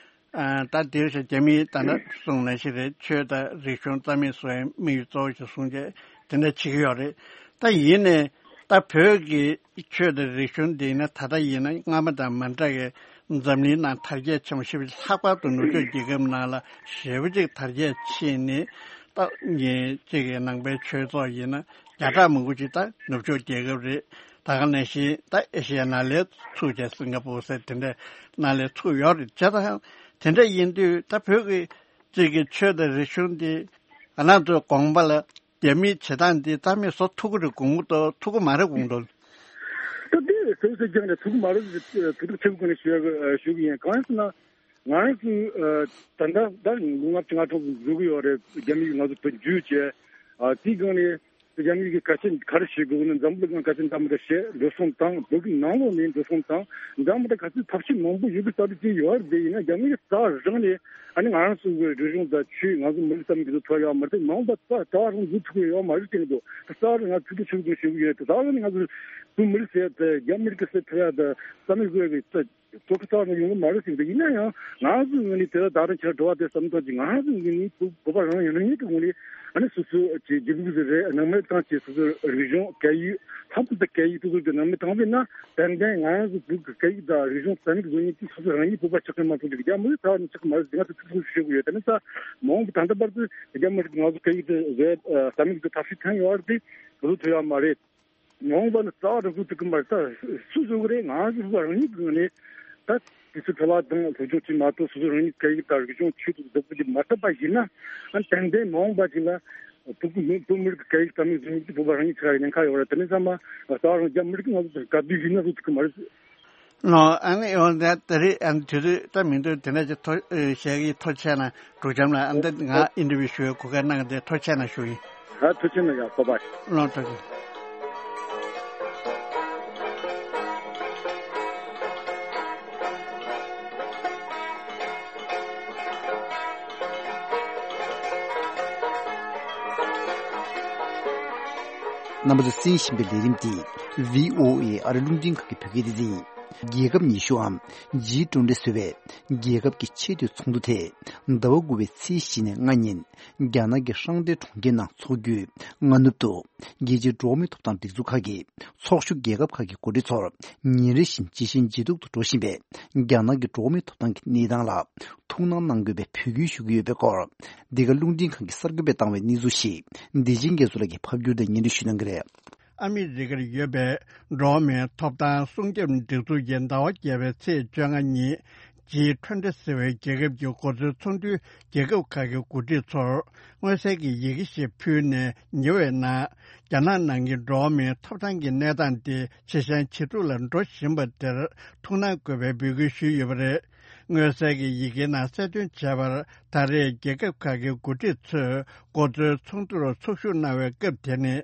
ཨ་ད་དེར་ཞིག་རྒྱ་མིའི་ད་ནི་གསུང་ནང་བཞིན་རེད། ཆོས་དང་རིག་གཞུང་རྩ་མེད་བཟོ་ཡའི་དམིགས་ཡུལ་གཙོ་བོ་ཞིག་བཟུང་བྱས་དེ་འདྲ་བྱེད་ཀྱི་ཡོད་རེད། ད་ཡིན་ནའི་ད་བོད་ཀྱི་ཆོས་དང་རིག་གཞུང་འདི་ནི་ད་ལྟ་ཡིན་ན་སྔ་མ་དང་མ་འདྲ་བའི་འཛམ་གླིང་ནང་དར་རྒྱས་ཆེན་པོ་ཞེ་པོ་ཅིག་ལྷག་པར་དུ་ནུབ་ཕྱོགས་རྒྱལ་ཁབ་ནང་ལ་ཞེ་པོ་ཅིག་དར་རྒྱས་ཕྱིན་ནས། ད་ངས་གཅིག་གི་ནང་པའི་ཆོས་ཚོགས་ཡིན་ན་བརྒྱ་ཕྲག་མང་པོ་ཅིག་ད་ནུབ་ཕྱོགས་རྒྱལ་ཁབ་རེད། ད་ག་ནང་བཞིན་ད་ཨེ་ཤེ་ཡ་ནང་ལ་ཚུགས་བྱས་སིང་ག་པུར་ཟེར་དེ་འདྲ་ནང་ལ་ཚུགས་ཡོད་རེད། བྱས་ཙང་དེ་འདྲ་ཡིན་དུས་ད་བོད་ཀྱི་གཅིག་གི་ཆོས་དང་རིག་གཞུང་འདི་ང་རང་ཚོའི་དགོངས་པ་ལ་རྒྱ་མིའི་བྱེད་སྟངས་འདི་རྩ་མེད་བཟོ་ཐུབ་ཀྱི་རེད་དགོངས་ཀྱི་འདུག་ཐུབ་ཀྱི་མ་རེད་དགོངས་འདུག་ད་དེ་སོ་སོ་ཀྱང་ནས་ཐུབ་ཀྱི་མ་རེད། ཐུབ་ཐུབ་ཆེ་བོ་ཀུན་ནས་ཞུ་ཡ་ཞུ་གི་ཡིན། གང་ཡིན་ཟེར་ན། ང་རང་ཚོའི་ད་ལྟ་ད་ལོ་ལྔ་བཅུ་ང་གྲངས་འཛུལ་གི་ཡོད་རེད། རྒྱ་མི་ཡིས་ང་ཚོ་བོད་བསྒྱུར་བྱས། དེའི་སྒང་ནས་རྒྱ་མི་ཡིས་ག་ཆེ་ག་རེ་བྱེད་དགོས་ན། འཛམ་བུ་གླིང་ག་ཆེ་འདྲ་མི་འདྲ་བྱས་འགྲོ་སོང་བཏང་། བོད་ཀྱི་ནང་ལོགས་ནས་འགྲོ་སོང་བཏང་། འདྲ་མི་འདྲ་ག་ཚོད་ཐབས་ཤེས་མང་པོ་ཡོད་པའི་རྩ་དེ་ཅིག་ཡོད་རེད། དེ་ཡིན་ན་རྒྱ་མི་ཡིས་རྩ་རང་ནས་ཨ་ནི་ང་རང་ཚོའི་རིག་གཞུང་དང་ཆོས། ང་ཚོ་མི་རིགས་ཙམ་གྱི་ཚོ་ཐོག་ཡོད་མ་རེད། མང་པ་རྩ་རྩ་རང་འཛུལ་ཐུབ་ཀྱི་ཡོད་མ་རེད་དྲན་གྱི་འདུག་རྩ་རང་ང་ཚོས་ཐུགས་ཁུར་ཞུ་གི་ཡོད་དེ། རྩ་རང་ནས་ང་ཚོ་བོད་མི་རིགས་ཟེར་དེ་རྒྱ་མི་རིགས་ཀྱི་སེ་ཐུབ་ཡ་དང་རྩ་མེད་བཟོ་ཡ་གི་རྩ། དོ་ཁུར་རྩ་བ་ནས་ཡོང་གི་མ་རེད་ཟེར་གྱི་འདུག་ཡིན་ན་ཡང་ང་ཚོའི་ངོས་ནས་དེ་ལ་ད་རུང་ཁྱེད་འགྲོ་བ་དེ་བསམ་ཐོག་ཅིག་ང་ཚོའི་ངོས་ནས་བོད་བོད་པ་རང་ཡིན་རང་ཉིད་ཀྱི་ངོས་ནས་ཨ་ནི་སོ་སོའི་ཅིག་རྒྱུད་ལུགས་ཟིག་རེད། ནང་མི་ཐང་ཅིག་སོ་སོའི་རིག་གཞུང་སྐད་ཡིག་ ཁམས་ཁུལ་དུ་སྐད་ཡིག་སོ་སོ་གི་ནང་མི་དང་པོ་ཡིན་ན་ཏན་ཏན་ང་རང་ཚོ་བོད་ཀྱི་སྐད་ཡིག་དང་རིག་གཞུང་རྩ་མེད་བཟོ་མཁན་གྱི་སོ་སོ་རང་ཉིད་བོད་པ་ཆགས་མཁན་མ་གཏོགས་ཀྱི་རྒྱ་མི་རིགས་ཚ་བ་ནས་ཆགས་ཀྱི་མ་རེད་ཟེར་ང་ཚོ་ཐུགས་སུ་ཞུ་གི་ཡོད། དེ་ནི་ས་མ་འོངས་པ་ད་ལྟ་བར་དུ་རྒྱ་མི་རིགས་ང་ཚོ་སྐད་ཡིག་དེ་བཟོས་རྩ་མེད་ཀྱི་ཐབས་ཤེས་ཐོན་ཡོད་རེད་དེ་ག་ཚོད་ཐུབ་ཡོད་མ་རེད། མ་འོངས་པ་ལ་རྩ་བ་རང་སོ་ཐུག་གི་མ་རེད། ད་སུ་བཟོ་གི་རེད། ང་རང་ཚོ་བོད་པ་རང་ཉིད་ཀྱི་ངོས་ནས་ད་དུས་ཚོད་འཕྲོ་བརླག་དང་སློབ་སྦྱོང་བྱེད་མ་གཏོགས་སོ་སོ་རང་ཉིད་སྐད་ཡིག་དང་རིག་གཞུང་ཆེད་དུ་བདག་པོ་བྱེད་མ་ཐུབ་པ་ཡིན་ན་ཨ་ཏན་ཏན་མ་འོངས་པ་ཅིག་ལ་བོད་ཀྱི་མི་བོད་མི་རིགས་ཀྱི་སྐད་ཡིག་རྩ་མེད་བཟོ་ཡག་གི་བོད་པ་རང་ཉིད་ཆགས་ཡག་ཉེན་ཁ་ཡོད་རེད། དེ་ནས་ཚང་མ་རྩ་བ་རང་རྒྱ་མི་རིགས་ཀྱི་ང་ཚོ་ག་དུས་ཡིན་ན་བཟོ་ཐུབ་ཀྱི་མ་རེད། ཨོ། ཨ་ནི་ཨོ་ད་ད་རེས་ཨ་ནི་དུས་ཚོད་ད་མི་འདུག་དེ་འདྲ་ཅིག་ཐོ་ཨེ་བཤད་ཀྱི་ཐུགས་རྗེ་ཆེ་གནང་། འབྲུག་རྒྱམ་ལགས། ཨ་ནི་ད་ང་ཨིན་ཊར་བིའུ་ཞུ་བའི་གོ་སྐབས་གནང་གི་དེ་ཐུགས་རྗེ་ཆེ་གནང་ཞུ་ཡིན། ཨ་ཐུགས་རྗེ་གནང་ཡ། ཁོ་པ། ལོ་ཐུགས་རྗེ་ཆེ། རྣམ་པ་ཚོས་གསན་བཞིན་པའི་ལས་རིམ་འདི་བྷི་ཨོ་ཨེ་ཨ་རི་རླུང་འཕྲིན་ཁང་གི་བོད་སྐད་སྡེ་ཚན་ཡིན། རྒྱལ་ཁབ་ཉི་ཤུའམ་ཇི་ཀྲུའུ་ཏི་ཟེར་བའི་རྒྱལ་ཁབ་ཀྱི་ཆེས་མཐོའི་ཚོགས་འདུ་དེ་ཟླ་བ་དགུ་པའི་ཚེས་བཞི་ནས་ལྔ་ཉིན་རྒྱ་ནག་གི་ཧྲང་ཏེ་གྲོང་ཁྱེར་ནང་འཚོགས་རྒྱུའི་སྔ་ནུབ་ཏུ། རྒྱལ་སྤྱིའི་འགྲོ་བ་མིའི་ཐོབ་ཐང་སྒྲིག་འཛུགས་ཁག་གི་ཚོགས་ཞུགས་རྒྱལ་ཁབ་ཁག་གི་འགོ་ཁྲིད་ཚོར་ཉིན་རེ་བཞིན་ཇེ་ཞན་ཇེ་སྡུག་ཏུ་འགྲོ་བཞིན་པའི་རྒྱ་ནག་གི་འགྲོ་བ་མིའི་ཐོབ་ཐང་གི་གནས་སྟངས་ལ་ཐུགས་སྣང་གནང་དགོས་པའི་འབོད་སྐུལ་ཞུ་གི་ཡོད་པའི་སྐོར། འདི་ག་རླུང་འཕྲིན་ཁང་གི་གསར་འགོད་པས་བཏང་བའི་གནས་ཚུལ་ཞིག་བདེ་ཆེན་རྒྱ་མཚོ་ལགས་ཀྱིས་ཕབ་བསྒྱུར་དང་སྙན་སྒྲོན་ཞུ་གནང་གི་རེད། ཨ་མི་རི་ཀར་ཡོད་པའི་འགྲོ་བ་མིའི་ཐོབ་ཐང་སྲུང་སྐྱོབ་སྒྲིག་འཛུགས་ཀྱིས་ཟླ་བ་བརྒྱད་པའི་ཚེས་བཅོ་ལྔ་ཉིན་ཇི་ཀྲུའུ་ཏི་ཟེར་བའི་རྒྱལ་ཁབ་ཀྱི་འགོ་གཙོའི་ཚོགས་འདུའི་རྒྱལ་ཁབ་ཁག་གི་འགོ་ཁྲིད་ཚོར་མངོན་གསལ་གྱི་ཡི་གེ་ཞིག་ཕུལ་ནས་ཉེ་བའི་ནང་རྒྱ་ནག་ནང་གི་འགྲོ་བ་མིའི་ཐོབ་ཐང་གི་གནས་སྟངས་དེ་ཇེ་ཞན་ཇེ་སྡུག་ལ་འགྲོ་བཞིན་པ་དེར་ཐུགས་སྣང་དགོས་པའི་འབོད་སྐུལ་ཞུས་ཡོད་པ་རེད། མངོན་གསལ་གྱི་ཡི་གེའི་ནང་གསལ་སྟོན་བྱས་པར་ད་རེས་རྒྱལ་ཁབ་ཁག་གི་འགོ་ཁྲིད་ཚོས་འགོ་གཙོའི་ཚོགས་འདུར་ཚོགས་ཞུགས་གནང་བའི་སྐབས་དེ་ནི།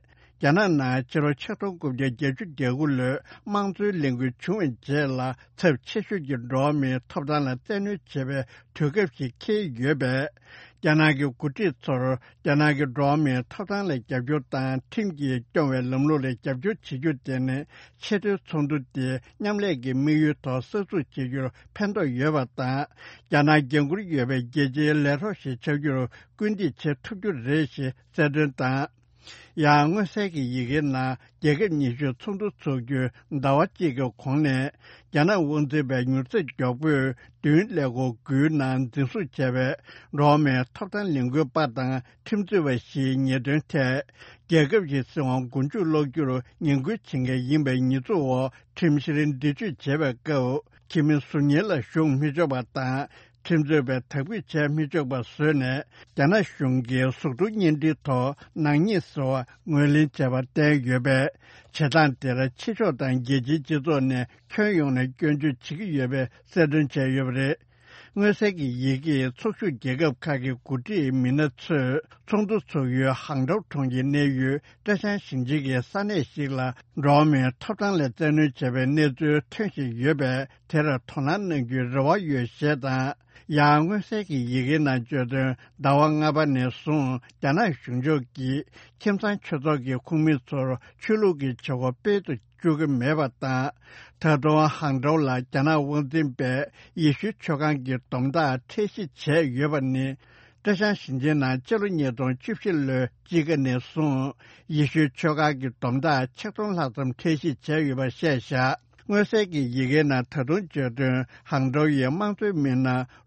རྒྱ་ནག་ནང་ཕྱི་ལོ་ཆིག་སྟོང་དགུ་བརྒྱ་བརྒྱད་ཅུ་གྱ་དགུ་ལོའི་དམངས་གཙོའི་ལས་འགུལ་བྱུང་བའི་རྗེས་ལ་ཚབས་ཆེ་ཤོས་ཀྱི་འགྲོ་བ་མིའི་ཐོབ་ཐང་ལ་བཙན་གནོན་བྱེད་པའི་དུས་སྐབས་ཤིག་འཁེལ་ཡོད་པས། རྒྱ་ནག་གི་འགོ་ཁྲིད་ཚོར་རྒྱ་ནག་གི་འགྲོ་བ་མིའི་ཐོབ་ཐང་ལ་རྒྱབ་སྐྱོར་དང་ཁྲིམས་ཀྱིས་སྐྱོང་བའི་ལམ་ལུགས་ལ་རྒྱབ་སྐྱོར་བྱེད་རྒྱུ་དེ་ནི་ཆེས་མཐོའི་ཚོགས་འདུ་དེ་མཉམ་ལས་ཀྱི་དམིགས་ཡུལ་ཐོག་གསར་འཛུགས་བྱེད་རྒྱུར་ཕན་ཐོགས་ཡོད་པ་དང་། རྒྱ་ནག་འགན་འཁུར་ཡོད་པའི་རྒྱལ་སྤྱིའི་ལས་རོགས་ཤིག་ཆགས་རྒྱུར་སྐུལ་འདེད་བྱེད་ཐུབ་རྒྱུ་རེད་ཞེས་གསལ་སྟོན་དང་། ཡང་མངོན་གསལ་གྱི་ཡི་གེའི་ནང་རྒྱལ་ཁབ་ཉི་ཤུའི་ཚོགས་འདུ་འཚོགས་རྒྱུའི་ཟླ་བ་གཅིག་གི་གོང་ནས་རྒྱ་ནག་དབང་འཛིན་པའི་མྱུར་ཚད་མགྱོགས་པོས་མདུན་ཀླད་ཀོར་དགུའི་ནང་འཛིན་བཟུང་བྱས་པའི་འགྲོ་བ་མིའི་ཐོབ་ཐང་ལས་འགུལ་པ་དང་ཁྲིམས་རྩོད་པ་ཞིག་ཉེས་དོན་ཐད་རྒྱལ་ཁབ་ཀྱི་སྲིད་དབང་མགོ་མཇུག་སློག་རྒྱུར་ངན་སྐུལ་བྱེད་མཁན་ཡིན་པའི་ཉེས་འཛུགས་འོག་ཁྲིམས་བཤེར་འདྲི་གཅོད་བྱེད་པའི་སྐབས་ཁྱིམ་མི་ཟུར་ཉེ་ལ་ཞུགས་མི་ཆོག་པ་དང་། ཁྲིམས་རྩོད་པའི་དག་འབུད་བྱས་མི་ཆོག་པ་བཟོས་ནས་རྒྱ་ནག་གཞུང་གིས་གཟུགས་མཐོང་བརྙན་འཕྲིན་ཐོག་ནག་ཉེས་ཟེར་བ་ངོས་ལེན་བྱས་པ་བསྟན་ཡོད་པས། བྱེད་སྟངས་དེར་ཕྱི་ཕྱོགས་དང་རྒྱལ་སྤྱིའི་སྤྱི་ཚོགས་ནས་ཁྱོན་ཡོངས་ནས་སྐྱོན་བརྗོད་བྱེད་ཀྱི་ཡོད་པའི་གསལ་སྟོན་བྱས་ཡོད་པ་རེད། མངོན་གསལ་གྱི་ཡི་གེས་ཚོགས་ཞུགས་རྒྱལ་ཁབ་ཁག་གི་འགོ་ཁྲིད་མི་སྣ་ཚོས་ཚོགས་འདུ་འཚོགས་ཡུལ་ཧང་ཀྲོའུ་གྲོང་ཁྱེར་གནས་ཡུལ་ཀྲེ་ཅང་ཞིང་ཆེན་གྱི་ས་གནས་ཤིག་ལ་འགྲོ་བ་མིའི་ཐོབ་ཐང་ལ་བཙན་གནོན་བྱས་པའི་གནས་ཚུལ་ཐོན་བཞིན་ཡོད་པས། དེར་དོ་སྣང་གནང་རྒྱུའི་རེ་བ་ཡོད་ཞེས་དང་། ཡང་མངོན་གསལ་གྱི་ཡི་གེའི་ནང་བརྗོད་དོན། ཟླ་བ་ལྔ་པ་ནས་བཟུང་རྒྱ་ནག་གཞུང་ཕྱོགས་ཀྱིས་ཁྱིམ་ཚང་ཆོས་ཚོགས་ཀྱི་ཁོངས་མི་ཚོར་ཆོས་ལུགས་ཀྱི་བྱེད་སྒོ་སྤེལ་དུ་བཅུག་གི་མེད་པ་དང་། ད་དུང་ཧང་ཀྲོའུ་ལ་རྒྱ་ནག་དབང་འཛིན་པས་ཡེ་ཤུའི་ཆོས་ཁང་གི་སྡོམ་རྟགས་ཁྲལ་གཞི་བྱས་ཡོད་པ་ནི། ཀྲེ་ཅང་ཞིང་ཆེན་ནང་སྤྱི་ལོ་ཉིས་སྟོང་བཅུ་བཞི་ལོའི་དཔྱིད་ཀ་ནས་བཟུང་ཡེ་ཤུའི་ཆོས་ཁང་གི་སྡོམ་རྟགས་ཆིག་སྟོང་ལྷག་ཙམ་ཁྲལ་གཞི་བྱས་ཡོད་པ་བཤད་བཞག་མངོན་གསལ་གྱི་ཡི་གེའི་ནང་ད་དུང་བརྗོད་དོན། ཧང་ཀྲོའུ་ཡི་དམངས་གཙོའི་མི་སྣ་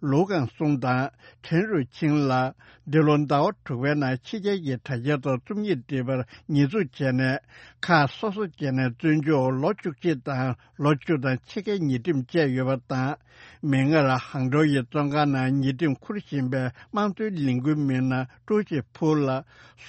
ལུའུ་ཀང་སུང་དང་ཁྲེན་རུའུ་ཆིང་ལ། འདི་ལོ་ཟླ་བ་དྲུག་པའི་ནང་ཕྱི་རྒྱལ་གྱི་དྲ་རྒྱའི་ཐོག་རྩོམ་ཡིག་བྲིས་པར་ཉེས་འཛུགས་བྱས་ནས། ཁག་སོ་སོ་བྱས་ནས་བཙོན་འཇུག་ལོ་བཅུ་གཅིག་དང་ལོ་བཅུ་དང་ཕྱེད་ཀའི་ཉེས་ཁྲིམས་བཅད་ཡོད་པ་དང་། མིག་སྔར་ཧང་ཀྲོའུ་ཡི་བཙོན་ཁང་ནང་ཉེས་ཁྲིམས་འཁུར་བཞིན་པའི་དམངས་གཙོའི་ལས་འགུལ་མི་སྣ་ཀྲུའུ་ཅི་ཕུའུ་ལ་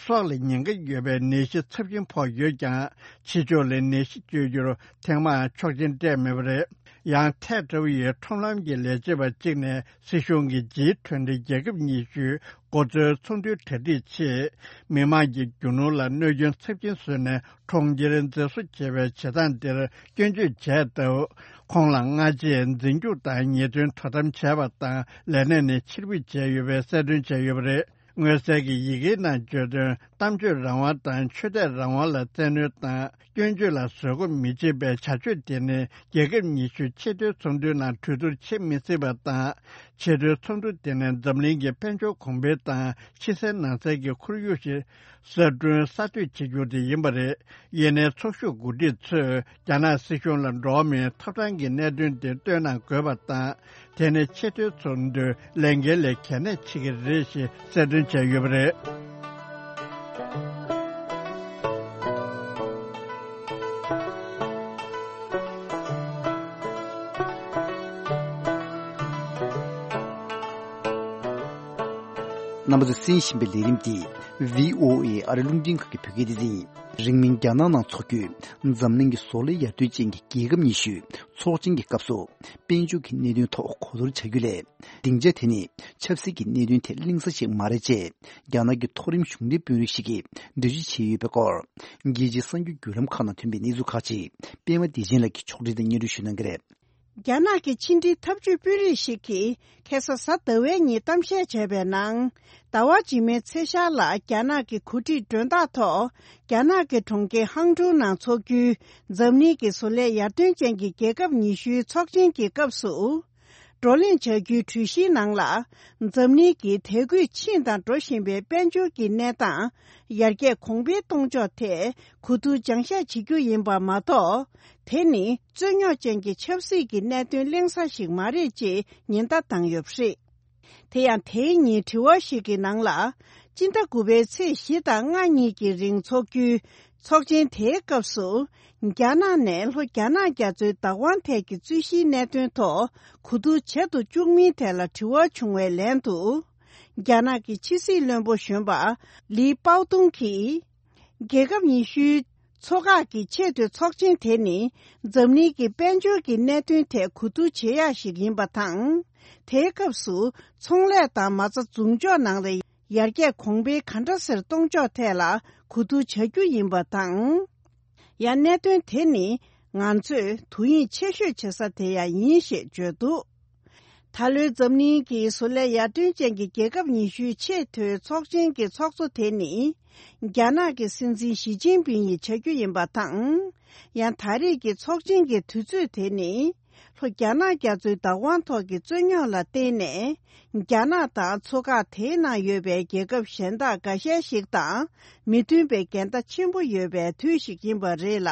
སྲོག་ལ་ཉེན་ཁ་ཡོད་པའི་ནད་གཞི་ཚབས་ཆེན་ཕོག་ཡོད་ཀྱང་། ཕྱི་ཕྱོགས་ལ་ནད་གཞི་བཅོས་རྒྱུར་ཐེངས་མང་ཆོག་མཆན་སྤྲད་མེད་པ་རེད། ཡང་ཐེ་ཀྲོའུ་ཡི་ཁྲོམ་ལམ་གྱི་ལས་བྱེད་པ་གཅིག་ནས་སྲིད་གཞུང་གིས་ཇི་ཊུན་ཊི་རྒྱལ་ཁབ་ཉི་ཤུའི་འགོ་གཙོའི་ཚོགས་འདུའི་གྲ་སྒྲིག་ཆེད། མི་དམངས་ཀྱི་རྒྱུ་ནོར་ལ་གནོད་སྐྱོན་ཚབས་ཆེན་བཟོས་ནས་གྲོང་ཁྱེར་མཛེས་བཟོ་བྱེད་པའི་བྱེད་སྟངས་དེར་སྐྱོན་བརྗོད་བྱས་སྟབས། ཁོང་ལ་སྔ་རྗེས་འཛིན་སྐྱོང་དང་ཉེས་དོན་དོ་དམ་བྱས་པ་དང་ལས་གནས་ནས་ཕྱིར་འབུད་བྱས་ཡོད་པའི་གསལ་སྟོན་བྱས་ཡོད་པ་རེད། མངོན་གསལ་གྱི་ཡི་གེའི་ནང་བརྗོད་དོན། གཏམ་བརྗོད་རང་དབང་དང་ཆོས་དད་རང་དབང་ལ་བཙན་གནོན་དང་། སྐྱོན་བརྗོད་ལ་བཟོད་སྒོམ་མི་བྱེད་པའི་བྱ་སྤྱོད་དེ་ནི་རྒྱལ་ཁབ་ཉི་ཤུའི་ཆེས་མཐོའི་ཚོགས་འདུའི་ནང་གྲོས་བསྡུར་བྱེད་མི་སྲིད་པ་དང་ ཆེས་མཐོའི་ཚོགས་འདུ་དེ་ནི་འཛམ་གླིང་གི་དཔལ་འབྱོར་གོང་འཕེལ་དང་ཕྱི་གསལ་ནང་གསལ་གྱི་ཁོར་ཡུག་ཞིག་གསར་སྐྲུན་གསར་གཏོད་བྱེད་རྒྱུ་དེ་ཡིན་པ་རེད། ཡིན་ནའི་ཚོགས་ཞུགས་འགོ་ཁྲིད་ཚོས་རྒྱ་ནག་སྲིད་གཞུང་ལ་འགྲོ་བ་མིའི་ཐོབ་ཐང་གི་གནད་དོན་དེ་བཏོན་གནང་དགོས་པ་དང་། དེ་ནི་ཆེས་མཐོའི་ཚོགས་འདུའི་ལས་འགན་ལས་གལ་གནད་ཆེ་གི་རེད་ཞེས་གསལ་སྟོན་བྱས་ཡོད་པ་རེད། རྣམ་པ་ཚོས་གསན་བཞིན་པའི་ལས་རིམ་འདི་བྷི་ཨོ་ཨེ་ཨ་རི་རླུང་འཕྲིན་ཁང་གི་བོད་སྐད་སྡེ་ཚན་ཡིན། རིང་མིན་རྒྱ་ནག་ནང་འཚོགས་རྒྱུའི་འཛམ་གླིང་གི་བཟོ་ལས་ཡར་ཐོན་ཅན་གྱི་རྒྱལ་ཁབ་ཉི་ཤུའི་ཚོགས་ཆེན་གྱི་སྐབས་སུ། དཔལ་འབྱོར་གྱི་གནད་དོན་ཐོག་གོ་བསྡུར་བྱ་རྒྱུ་ལས། སྡིངས་ཆ་དེ་ནི་ཆབ་སྲིད་ཀྱི་གནད་དོན་ཐད་གླེང་ས་ཞིག་མ་རེད་ཅེས། རྒྱ་ནག་གི་མཐོ་རིམ་གཞུང་འབྲེལ་དཔོན་རིགས་ཤིག་གིས་འགྲེལ་བརྗོད་བྱས་ཡོད་པའི་སྐོར། རྒྱལ་སྤྱིའི་གསར་འགྱུར་བརྒྱུད་ལམ་ཁག་ནང་ཐོན་པའི་གནས་ཚུལ་ཁག་ཅིག་པད་མ་བདེ་ཆེན་ལགས་ཀྱིས་ཕྱོགས་སྒྲིག་དང་སྙན་སྒྲོན་ཞུ་གནང་གི་རེད། རྒྱ་ནག་གི་ཕྱི་འབྲེལ་ཐབས་ཇུས་དཔོན་རིགས་ཤིག་གིས་ཁ་སང་གཟའ་ཟླ་བའི་ཉིན་གཏམ་བཤད་བྱས་པའི་ནང་། ཟླ་བ་རྗེས་མའི་ཚེས་ཤར་ལ་རྒྱ་ནག་གི་གོ་སྒྲིག་མགྲོན་བདག་ཐོག་རྒྱ་ནག་གི་གྲོང་ཁྱེར་ཧང་ཀྲོའུ་ནང་འཚོགས་རྒྱུའི་འཛམ་གླིང་གི་བཟོ་ལས་ཡར་ཐོན་ཅན་གྱི་རྒྱལ་ཁབ་ཉི་ཤུའི་ཚོགས་ཆེན་གྱི་སྐབས་སུ། བགྲོ་གླེང་བྱ་རྒྱུའི་གྲོས་གཞིའི་ནང་ལ། འཛམ་གླིང་གི་དེ་དགོས་ཕྱིན་དང་འགྲོ་བཞིན་པའི་དཔལ་འབྱོར་གྱི་གནས་སྟངས། ཡར་རྒྱས་གོང་འཕེལ་གཏོང་ཕྱོགས་ཐད་གོ་བསྡུར་སྦྱང་བཤད་བྱེད་རྒྱུ་ཡིན་པ་མ་གཏོགས། དེ་ནི་རྩོད་རྙོག་ཅན་གྱི་ཆབ་སྲིད་ཀྱི་གནད་དོན་གླེང་ས་ཞིག་མ་རེད་ཅེས་ཉེན་བརྡ་བཏང་ཡོད་པ་རེད། དེ་ཡང་དེའི་ཉིན་དྲི་བ་ཞིག་གི་ནང་ལ། སྤྱི་ཟླ་དགུ་པའི་ཚེས་བཞི་དང་ལྔ་གཉིས་ཀྱི་རིང་འཚོགས་རྒྱུའི་ཚོགས་ཆེན་དེའི་སྐབས་སུ། རྒྱ་ནག་ནས་ལྷོ་རྒྱ་ནག་རྒྱ་མཚོའི་བདག་དབང་ཐད་ཀྱི་རྩོད་གཞིའི་གནད་དོན་ཐོག་གོ་བསྡུར་བྱེད་དུ་བཅུག་མིན་ཐད་ལ་དྲི་བ་བྱུང་བའི་ལན་དུ། རྒྱ་ནག་གི་ཕྱི་སྲིད་བློན་པོ་གཞོན་པ་ལི་པའོ་ཏུང་གིས། རྒྱལ་ཁབ་ཉི་ཤུའི་ཚོགས་ཁག་གི་ཆེས་མཐོའི་ཚོགས་ཆེན་དེ་ནི་འཛམ་གླིང་གི་དཔལ་འབྱོར་གྱི་གནད་དོན་ཐད་གོ་བསྡུར་བྱེད་ཡག་ཞིག་ཡིན་པ་དང་། དེའི་སྐབས་སུ་ཚོང་ལས་དང་མ་རྩ་འཛུགས་འཇོག་ནང་ལ་ཡར་རྒྱས་གོང་འཕེལ་ག་འདྲ་སེ་གཏོང་ཕྱོགས་ཐད་ལ་གོ་བསྡུར་བྱ་རྒྱུ་ཡིན་པ་དང་། ཡང་གནད་དོན་དེ་ནི་ང་ཚོས་དོ་དབྱིངས་ཆེ་ཤོས་བྱེད་ས་དེ་ཡང་ཡིན་ཞེས་བརྗོད་འདུག་ད་ལོའི་འཛམ་གླིང་གི་བཟོ་ལས་ཡར་ཐོན་ཅན་གྱི་རྒྱལ་ཁབ་ཉི་ཤུའི་ཆེས་མཐོའི་ཚོགས་ཆེན་གྱི་ཚོགས་གཙོ་དེ་ནི། རྒྱ་ནག་གི་སྲིད་འཛིན་ཞི་ཅིན་ཕིང་ཡིས་བྱ་རྒྱུ་ཡིན་པ་དང་། ཡང་ད་རེས་ཀྱི་ཚོགས་ཆེན་གྱི་དུས་ཚོད་དེ་ནི། ལྷོ་རྒྱ་ནག་རྒྱ་མཚོའི་བདག་དབང་ཐོག་གི་རྩོད་རྙོག་ལ་བརྟེན་ནས། རྒྱ་ནག་དང་ཚོགས་ཁག་དེའི་ནང་ཡོད་པའི་རྒྱལ་ཁབ་གཞན་དག་འགའ་ཤས་ཤིག་དང་མི་མཐུན་པའི་འགལ་ཟླ་ཆེན་པོ་ཡོད་པའི་དུས་ཤིག་ཡིན་པ་རེད་ལ།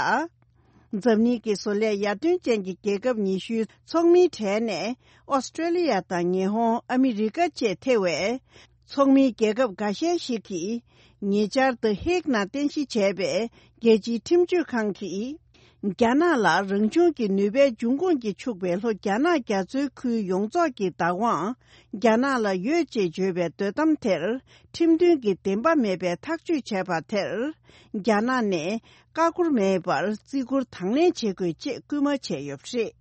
འཛམ་གླིང་གི་བཟོ་ལས་ཡར་ཐོན་ཅན་གྱི་རྒྱལ་ཁབ་ཉི་ཤུའི་ཚོགས་མིའི་གྲས་ནས་ཨོ་སི་ཀྲེ་ལི་ཡ་དང་ཉི་ཧོང་། ཨ་མི་རི་ཀ་བཅས་ཐེ་བའི་ཚོགས་མིའི་རྒྱལ་ཁབ་འགའ་ཤས་ཤིག་གིས་ཉེ་ཆར་ད་ཧེག་ནང་རྟེན་གཞི་བྱས་པའི་རྒྱལ་སྤྱིའི་ཁྲིམས་གཅོད་ཁང་གིས། རྒྱ་ནག་ལ་རང་བྱུང་གི་ནུས་པའི་འབྱུང་ཁུངས་ཀྱིས་ཕྱུག་པའི་ལྷོ་རྒྱ་ནག་རྒྱ་མཚོའི་ཁུལ་ཡོངས་རྫོགས་ཀྱི་བདག་དབང་རྒྱ་ནག་ལ་ཡོད་ཅེས་བརྗོད་པའི་འདོད་གཏམ་དེར་ཁྲིམས་མཐུན་གྱི་བདེན་པ་མེད་པའི་ཐག་གཅོད་བྱས་པ་དེར། རྒྱ་ནག་ནས་བཀག་འགོག་མེད་པར་བརྩི་བཀུར་དང་ལེན་བྱེད་དགོས་ཅེས་སྐུལ་མ་བྱས་ཡོད་པ་རེད།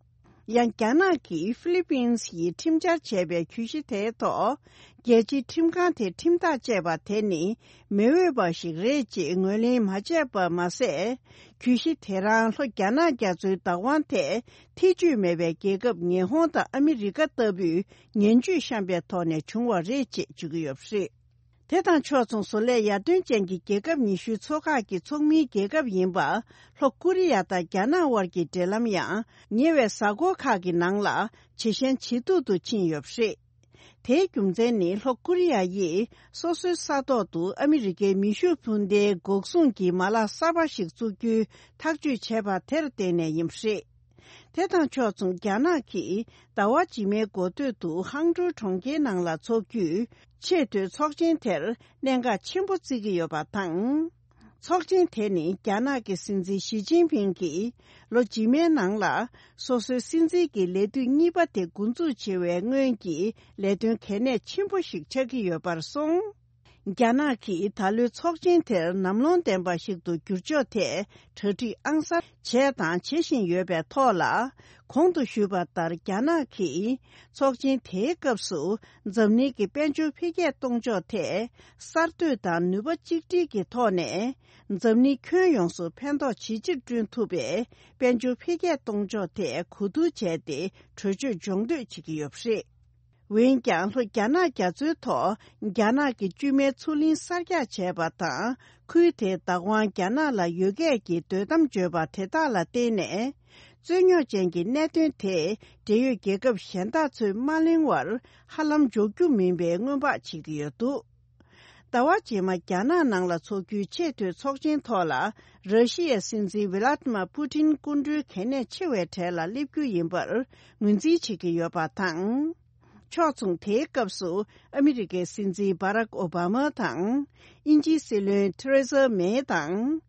ཡང་རྒྱ་ནག་གིས་ཧྥི་ལི་པིན་ཡིས་ཁྲིམས་འཆར་བྱས་པའི་གྱོད་གཞི་དེའི་ཐོག་རྒྱལ་སྤྱིའི་ཁྲིམས་ཁང་དེ་ཁྲིམས་ཐག་བཅད་པ་དེ་ནི་མི་འོས་པ་ཞིག་རེད་ཅེས་ངོས་ལེན་མ་བྱས་པ་མ་ཟད། གྱོད་གཞི་དེ་རང་ལྷོ་རྒྱ་ནག་རྒྱ་མཚོའི་བདག་དབང་ཐད་ཐེ་བྱུས་མེད་པའི་རྒྱལ་ཁབ་ཉི་ཧོང་དང་ཨ་མི་རི་ཀ་ལྟ་བུས་ངན་ཇུས་བཤམས་པའི་ཐོག་ནས་བྱུང་བ་རེད་ཅེས་བརྗོད་ཀྱི་ཡོད་པ་རེད། དེ་དང་ཕྱོགས་མཚུངས་བཟོ་ལས་ཡར་ཐོན་ཅན་གྱི་རྒྱལ་ཁབ་ཉི་ཤུའི་ཚོགས་ཁག་གི་ཚོགས་མིའི་རྒྱལ་ཁབ་ཡིན་པ་ལྷོ་ཀོ་རི་ཡ་དང་རྒྱ་ནག་དབར་གྱི་འབྲེལ་ལམ་ཡང་ཉེ་བའི་གཟའ་འཁོར་ཁག་གི་ནང་ལ་ཇེ་ཞན་ཇེ་སྡུག་ཏུ་ཕྱིན་ཡོད་པ་རེད། དེའི་རྒྱུ་མཚན་ནི་ལྷོ་ཀོ་རི་ཡ་ཡིས་སོ་སོའི་ས་ཐོག་ཏུ་ཨ་མི་རི་ཀའི་མེ་ཤུགས་འཕུར་མདེལ་འགོག་སྲུང་གི་མ་ལག་གསར་པ་ཞིག་བཙུགས་རྒྱུའི་ཐག་གཅོད་བྱས་པ་དེར་བརྟེན་ནས་ཡིན་པ་རེད། དེ་དང་ཕྱོགས་མཚུངས་རྒྱ་ནག་གིས་ཟླ་བ་རྗེས་མའི་འགོ་སྟོད་དུ་ཧང་ཀྲོའུ་གྲོང་ཁྱེར་ནང་ལ་འཚོགས་རྒྱུའི་ཆེས་མཐོའི་ཚོགས་ཆེན་དེར་གནད་འགག་ཆེན་པོ་བརྩི་གི་ཡོད་པ་དང་། ཚོགས་ཆེན་དེ་ནི་རྒྱ་ནག་གི་སྲིད་འཛིན་ཞི་ཅིན་ཕིང་གིས་ལོ་རྗེས་མའི་ནང་ལ་སོ་སོའི་སྲིད་འཛིན་གྱི་ལས་དུས་གཉིས་པ་དེ་འགོ་འཛུགས་བྱེད་པའི་སྔོན་གྱི་ལས་དོན་གལ་གནད་ཆེན་པོ་ཞིག་ཆགས་ཀྱི་ཡོད་པར་སོང་། རྒྱ་ནག་གིས་ད་ལོའི་ཚོགས་ཆེན་དེར་ནམ་ལངས་ལྡན་པ་ཞིག་ཏུ་འགྱུར་ཕྱོགས་ཐད་གྲ་སྒྲིག་ཨང་གསར་བྱས་དང་བྱེད་བཞིན་ཡོད་པའི་ཐོག་ལ། གོང་དུ་ཞུས་པ་ལྟར་རྒྱ་ནག་གིས་ཚོགས་ཆེན་དེའི་སྐབས་སུ་འཛམ་གླིང་གི་དཔལ་འབྱོར་འཕེལ་རྒྱས་གཏོང་ཕྱོགས་ཐད་གསར་གཏོད་དང་ནུས་པ་གཅིག་སྒྲིལ་གྱི་ཐོག་ནས་འཛམ་གླིང་ཁྱོན་ཡོངས་སུ་ཕན་ཐོགས་ཇི་ཆེར་བསྐྲུན་ཐུབ་པའི་དཔལ་འབྱོར་འཕེལ་རྒྱས་གཏོང་ཕྱོགས་ཐད་གོ་བསྡུར་བྱས་ཏེ་གྲོས་ཆོད་སྦྱོང་འདོད་བྱེད་ཀྱི་ཡོད་པ་རེད། འོན་ཀྱང་ལྷོ་རྒྱ་ནག་རྒྱ་མཚོའི་ཐོག་རྒྱ་ནག་གི་བཅོས་མའི་མཚོ་གླིང་གསར་རྒྱག་བྱས་པ་དང་ཁུལ་དེའི་བདག་དབང་རྒྱ་ནག་ལ་ཡོད་སྐད་ཀྱི་འདོད་གཏམ་བརྗོད་པ་དེ་དག་ལ་བརྟེན་ནས། རྩོད་རྙོག་ཅན་གྱི་གནད་དོན་དེ་འབྲེལ་ཡོད་རྒྱལ་ཁབ་གཞན་དག་ཚོས་མ་གླེང་བར་ཧ་ལམ་འཇོག་རྒྱུ་མིན་པའི་སྔོན་དཔག་བྱེད་ཀྱི་ཡོད་འདུག་ཟླ་བ་རྗེས་མ་རྒྱ་ནག་ནང་ལ་འཚོགས་རྒྱུའི་ཆེས་མཐོའི་ཚོགས་ཆེན་ཐོག་ལ། ར་ཤི་ཡའི་སྲིད་འཛིན་ཝི་ལ་ཏི་མ་པུ་ཏིན་སྐུ་མགྲོན་གལ་གནད་ཆེ་བའི་གྲས་ལ་སླེབས་རྒྱུ་ཡིན་པར་ངོས་འཛིན་བྱེད་ཀྱི་ཡོད་པ་དང་། ཕྱོགས་མཚུངས་དེའི་སྐབས་སུ་ཨ་མི་རི་ཀའི་སྲིད་འཛིན་བྷ་རག་ཨོ་བྷ་མ་དང་། དབྱིན་ཇིའི་སྲིད་བློན་ཐེ་རེ་ཟ་མེ་དང་།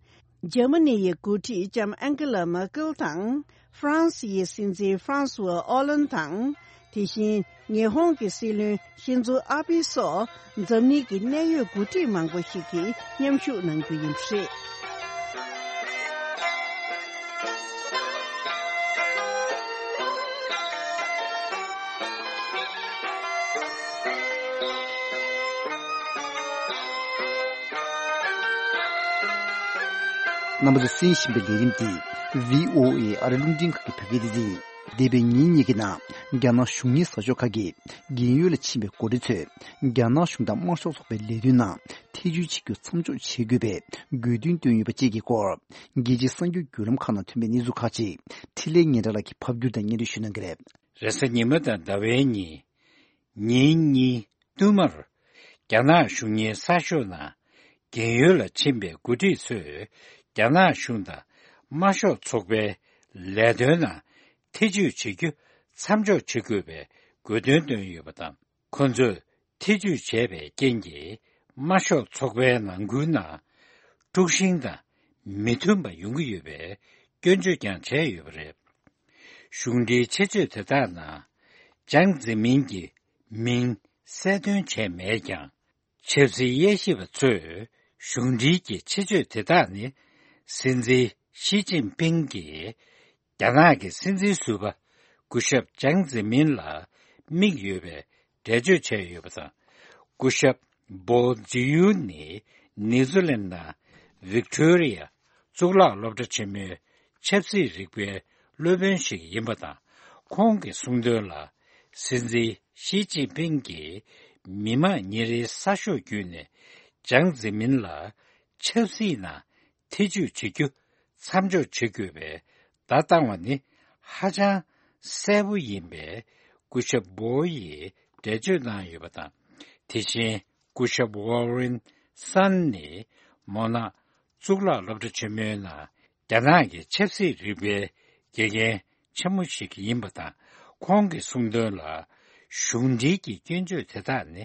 འཇར་མ་ནི་ཡི་འགོ་ཁྲིད་ལྕམ་ཨན་ཀེ་ལ་མར་ཀེལ་དང་། ཧྥ་རན་སི་ཡི་སྲིད་འཛིན་ཧྥ་རན་སུ་ཨོ་ལན་དང་། དེ་བཞིན་ཉི་ཧོང་གི་སྲིད་བློན་ཤིན་ཛོ་ཨ་བྷི་སོགས་འཛམ་གླིང་གི་གནད་ཡོད་འགོ་ཁྲིད་མང་པོ་ཞིག་གིས་མཉམ་ཞུགས་གནང་རྒྱུ་ཡིན་པ་རེད། རྣམ་པ་ཚོས་གསན་བཞིན་པའི་ལས་རིམ་འདི་བྷི་ཨོ་ཨེ་ཨ་རི་རླུང་འཕྲིན་ཁང་གི་བོད་སྐད་སྡེ་ཚན་ཡིན། འདས་པའི་ཉིན་གཉིས་ཀྱི་ནང་རྒྱ་ནག་གཞུང་གཉེར་གསར་ཤོག་ཁག་གིས་རྒན་ཡོལ་ལ་ཕྱིན་པའི་འགོ་ཁྲིད་ཚོས་རྒྱ་ནག་གཞུང་དང་དམར་ཤོག་ཚོགས་པའི་ལས་དོན་ནང་ཐེ་བྱུས་བྱེད་རྒྱུ་མཚམས་འཇོག་བྱེད་དགོས་པའི་དགོས་འདུན་བཏོན་ཡོད་པ་བཅས་ཀྱི་སྐོར། རྒྱལ་སྤྱིའི་གསར་འགྱུར་བརྒྱུད་ལམ་ཁག་ནང་ཐོན་པའི་གནས་ཚུལ་ཁག་ཅིག་འཕྲིན་ལས་སྙན་གྲགས་ལགས་ཀྱིས་ཕབ་བསྒྱུར་དང་སྙན་སྒྲོན་ཞུ་གནང་གི་རེད། རེས་གཟའ་ཉི་མ་དང་ཟླ་བའི་ཉིན། ཉིན་གཉིས་བསྟུད་མར། རྒྱ་ནག་གཞུང་གཉེར་གསར་ཤོག་ནང་རྒན་ཡོལ་ལ་ཕྱིན་པའི་འགོ་ཁྲིད་ཚོས་རྒྱ་ནག་གཞུང་དང་དམར་ཤོག་ཚོགས་པའི་ལས་དོན་ནང་ཐེ་བྱུས་བྱེད་རྒྱུ་མཚམས་འཇོག་བྱེད་དགོས་པའི་དགོས་འདུན་བཏོན་ཡོད་པ་དང་། ཁོ་ཚོས་ཐེ་བྱུས་བྱས་པའི་རྐྱེན་གྱིས་དམར་ཤོག་ཚོགས་པའི་ནང་ཁུལ་ནང་དཀྲུག་ཤིང་དང་མི་མཐུན་པ་ཡོང་གི་ཡོད་པའི་སྐྱོན་བརྗོད་ཀྱང་བྱས་ཡོད་པ་རེད། གཞུང་འབྲེལ་ཆེད་བརྗོད་དེ་དག་ནང་ཅང་ཙེ་མིན་གྱི་མིང་གསལ་སྟོན་བྱས་མེད་ཀྱང་། ཆབ་སྲིད་དབྱེ་ཞིབ་པ་ཚོས་གཞུང་འབྲེལ་གྱི་ཆེད་བརྗོད་དེ་དག་ནི་སྲིད་འཛིན་ཞི་ཅིན་ཕིང་གིས་རྒྱ་ནག་གི་སྲིད་འཛིན་ཟུར་པ་སྐུ་ཞབས་ཅང་ཙེ་མིན་ལ་དམིགས་ཡོད་པའི་འགྲེལ་བརྗོད་བྱས་ཡོད་པ་དང་། སྐུ་ཞབས་པོ་ཛི་ཡུ་ནི་ནེ་ཛུ་ལན་ནང་ཝིག་ཏོ་རི་ཡ་གཙུག་ལག་སློབ་གྲྭ་ཆེན་མོའི་ཆབ་སྲིད་རིག་པའི་སློབ་དཔོན་ཞིག་ཡིན་པ་དང་། ཁོང་གིས་གསུངས་དོན་ལ། སྲིད་འཛིན་ཞི་ཅིན་ཕིང་གིས་མི་དམངས་ཉིན་རེའི་གསར་ཤོག་བརྒྱུད་ནས་ཅང་ཙེ་མིན་ལ་ཆབ་སྲིད་ནང་ཐེ་བྱུས་བྱེད་རྒྱུ་མཚམས་འཇོག་བྱེད་དགོས་པའི་བརྡ་བཏང་བ་ནི་ཧ་ཅང་གསལ་པོ་ཡིན་པའི་སྐུ་ཞབས་པོ་ཡིས་འགྲེལ་བརྗོད་གནང་ཡོད་པ་དང་། དེ་བཞིན་སྐུ་ཞབས་ཝོ་རེན་སན་ནི་མོ་ན་གཙུག་ལག་སློབ་གྲྭ་ཆེན་མོའི་ནང་རྒྱ་ནག་གི་ཆབ་སྲིད་རིག་པའི་དགེ་རྒན་ཆེན་མོ་ཞིག་ཡིན་པ་དང་། ཁོང་གིས་གསུངས་དོན་ལ། གཞུང་འབྲེལ་གྱི་སྐྱོན་བརྗོད་དེ་དག་ནི་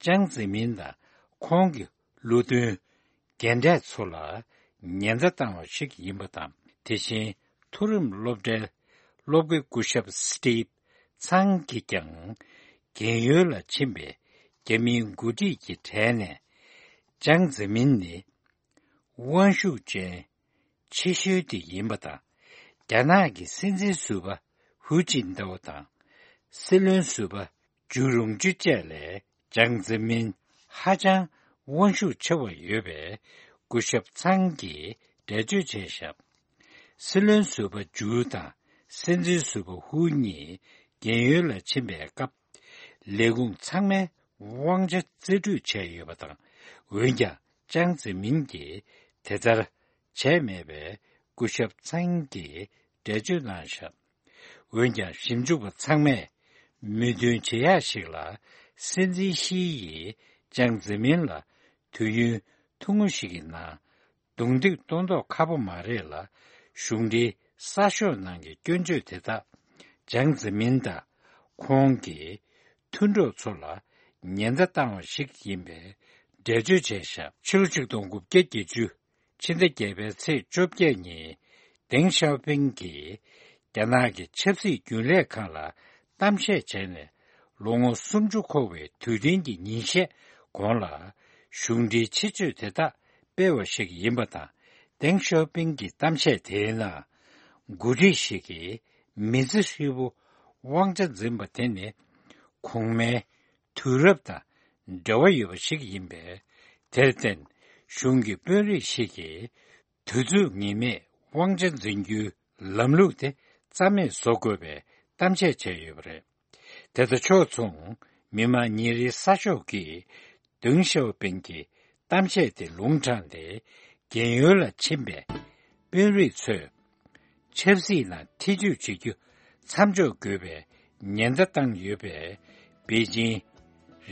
ཅང་ཙེ་མིན་དང་ཁོང་གི་བློ་མཐུན་རྒན་གྲས་ཚོ་ལ་ཉེན་བརྡ་བཏང་བ་ཞིག་ཡིན་པ་དང་། དེ་བཞིན་མཐོ་རིམ་སློབ་གྲྭའི་སློབ་དགེ་སྐུ་ཞབས་སི་ཏིབ་ཚང་གིས་ཀྱང་རྒན་ཡོལ་ལ་ཕྱིན་པའི་རྒྱ་མིའི་འགོ་ཁྲིད་ཀྱི་གྲས་ནས་ཅང་ཙེ་མིན་ནི། དབང་ཤུགས་ཅན་ཆེ་ཤོས་དེ་ཡིན་པ་དང་། རྒྱ་ནག་གི་སྲིད་འཛིན་ཟུར་པ་ཧུའུ་ཅིན་ཏའོ་དང་། སྲིད་བློན་ཟུར་པ་ཇུ་རུང་ཅུ་བཅས་ལས་ཅང་ཙེ་མིན་ཧ་ཅང་དབང་ཤུགས་ཆེ་བ་ཡོད་པའི་སྐུ་ཞབས་ཚང་གིས་འགྲེལ་བརྗོད་བྱས་ཤག་སྲིད་བློན་ཟུར་པ་ཇུ་དང་སྲིད་འཛིན་ཟུར་པ་ཧུའུ་གཉིས་རྒན་ཡོལ་ལ་ཕྱིན་པའི་སྐབས། ལས་ཁུངས་ཚང་མའི་དབང་ཆ་རྩིས་སྤྲོད་བྱས་ཡོད་པ་དང་། འོན་ཀྱང་། ཅང་ཙེ་མིན་གྱིས་དེ་ལྟར་བྱས་མེད་པའི་སྐུ་ཞབས་ཚང་གིས་འགྲེལ་བརྗོད་གནང་བཞག་འོན་ཀྱང་། ཞིབ་འཇུག་པ་ཚང་མས་མོས་མཐུན་བྱེད་ཡག་ཞིག་ལ། སྲིད་འཛིན་ཞི་ཡིས་ཅང་ཙེ་མིན་ལ་དུས་ཡུན་ཐུང་ངུ་ཞིག་གི་ནང་རྡུང་རྡེག་གཏོང་མདོག་ཁ་པོ་མ་རེད་ལ། གཞུང་འབྲེལ་གསར་ཤོག་ནང་གི་སྐྱོན་བརྗོད་དེ་དག་ཅང་ཙེ་མིན་དང་ཁོང་གི་མཐུན་གྲོགས་ཚོ་ལ་ཉེན་བརྡ་བཏང་བ་ཞིག་ཡིན་པའི་འགྲེལ་བརྗོད་བྱས་ཤག་ཕྱི་ལོ་ཆིག་སྟོང་དགུ་བརྒྱ་བརྒྱད་ཅུ་ཕྱི་ཟླ་བརྒྱད་པའི་ཚེས་བཅོ་བརྒྱད་ཉིན། ཏེང་ཞའོ་ཕིང་གིས་རྒྱ་ནག་གི་ཆབ་སྲིད་རྒྱུན་ལས་ཁང་ལ་གཏམ་བཤད་བྱས་ནས། ལོ་ངོ་སུམ་ཅུ་འཁོར་བའི་དུས་དྲན་གྱི་ཉིན་ཤས་གོང་ལ། གཞུང་འབྲེལ་ཆེད་བརྗོད་དེ་དག་སྤེལ་བ་ཞིག་ཡིན་པ་དང་། ཏེང་ཞའོ་ཕིང་གི་གཏམ་བཤད་དེའི་ནང་། འགོ་ཁྲིད་ཞིག་གིས་མི་ཚེ་ཧྲིལ་པོ་དབང་ཆ་འཛིན་པ་དེ་ནི། གོང་མའི་དུས་རབས་དང་འབྲེལ་བ་ཡོད་པ་ཞིག་ཡིན་པས། དེར་བརྟེན། གཞུང་གི་དཔོན་རིགས་ཤིག་གིས། དུས་ཚོད་ངེས་མེད་དབང་ཆ་འཛིན་རྒྱུའི་ལམ་ལུགས་དེ་རྩ་མེད་བཟོ་དགོས་པའི་གཏམ་བཤད་བྱས་ཡོད་པ་རེད། དེ་དང་ཕྱོགས་མཚུངས། མི་དམངས་ཉིན་རེའི་གསར་ཤོག་གིས། ཏེང་ཞའོ་ཕིང་གི་གཏམ་བཤད་དེ་ལུང་དྲངས་ཏེ། རྒན་ཡོལ་ལ་ཕྱིན་པའི་དཔོན་རིགས་ཚོས། ཆབ་སྲིད་ལ་ཐེ་ཇུས་བྱེད་རྒྱུ་མཚམས་འཇོག་དགོས་པའི་ཉེན་བརྡ་བཏང་ཡོད་པས། པེ་ཅིང་།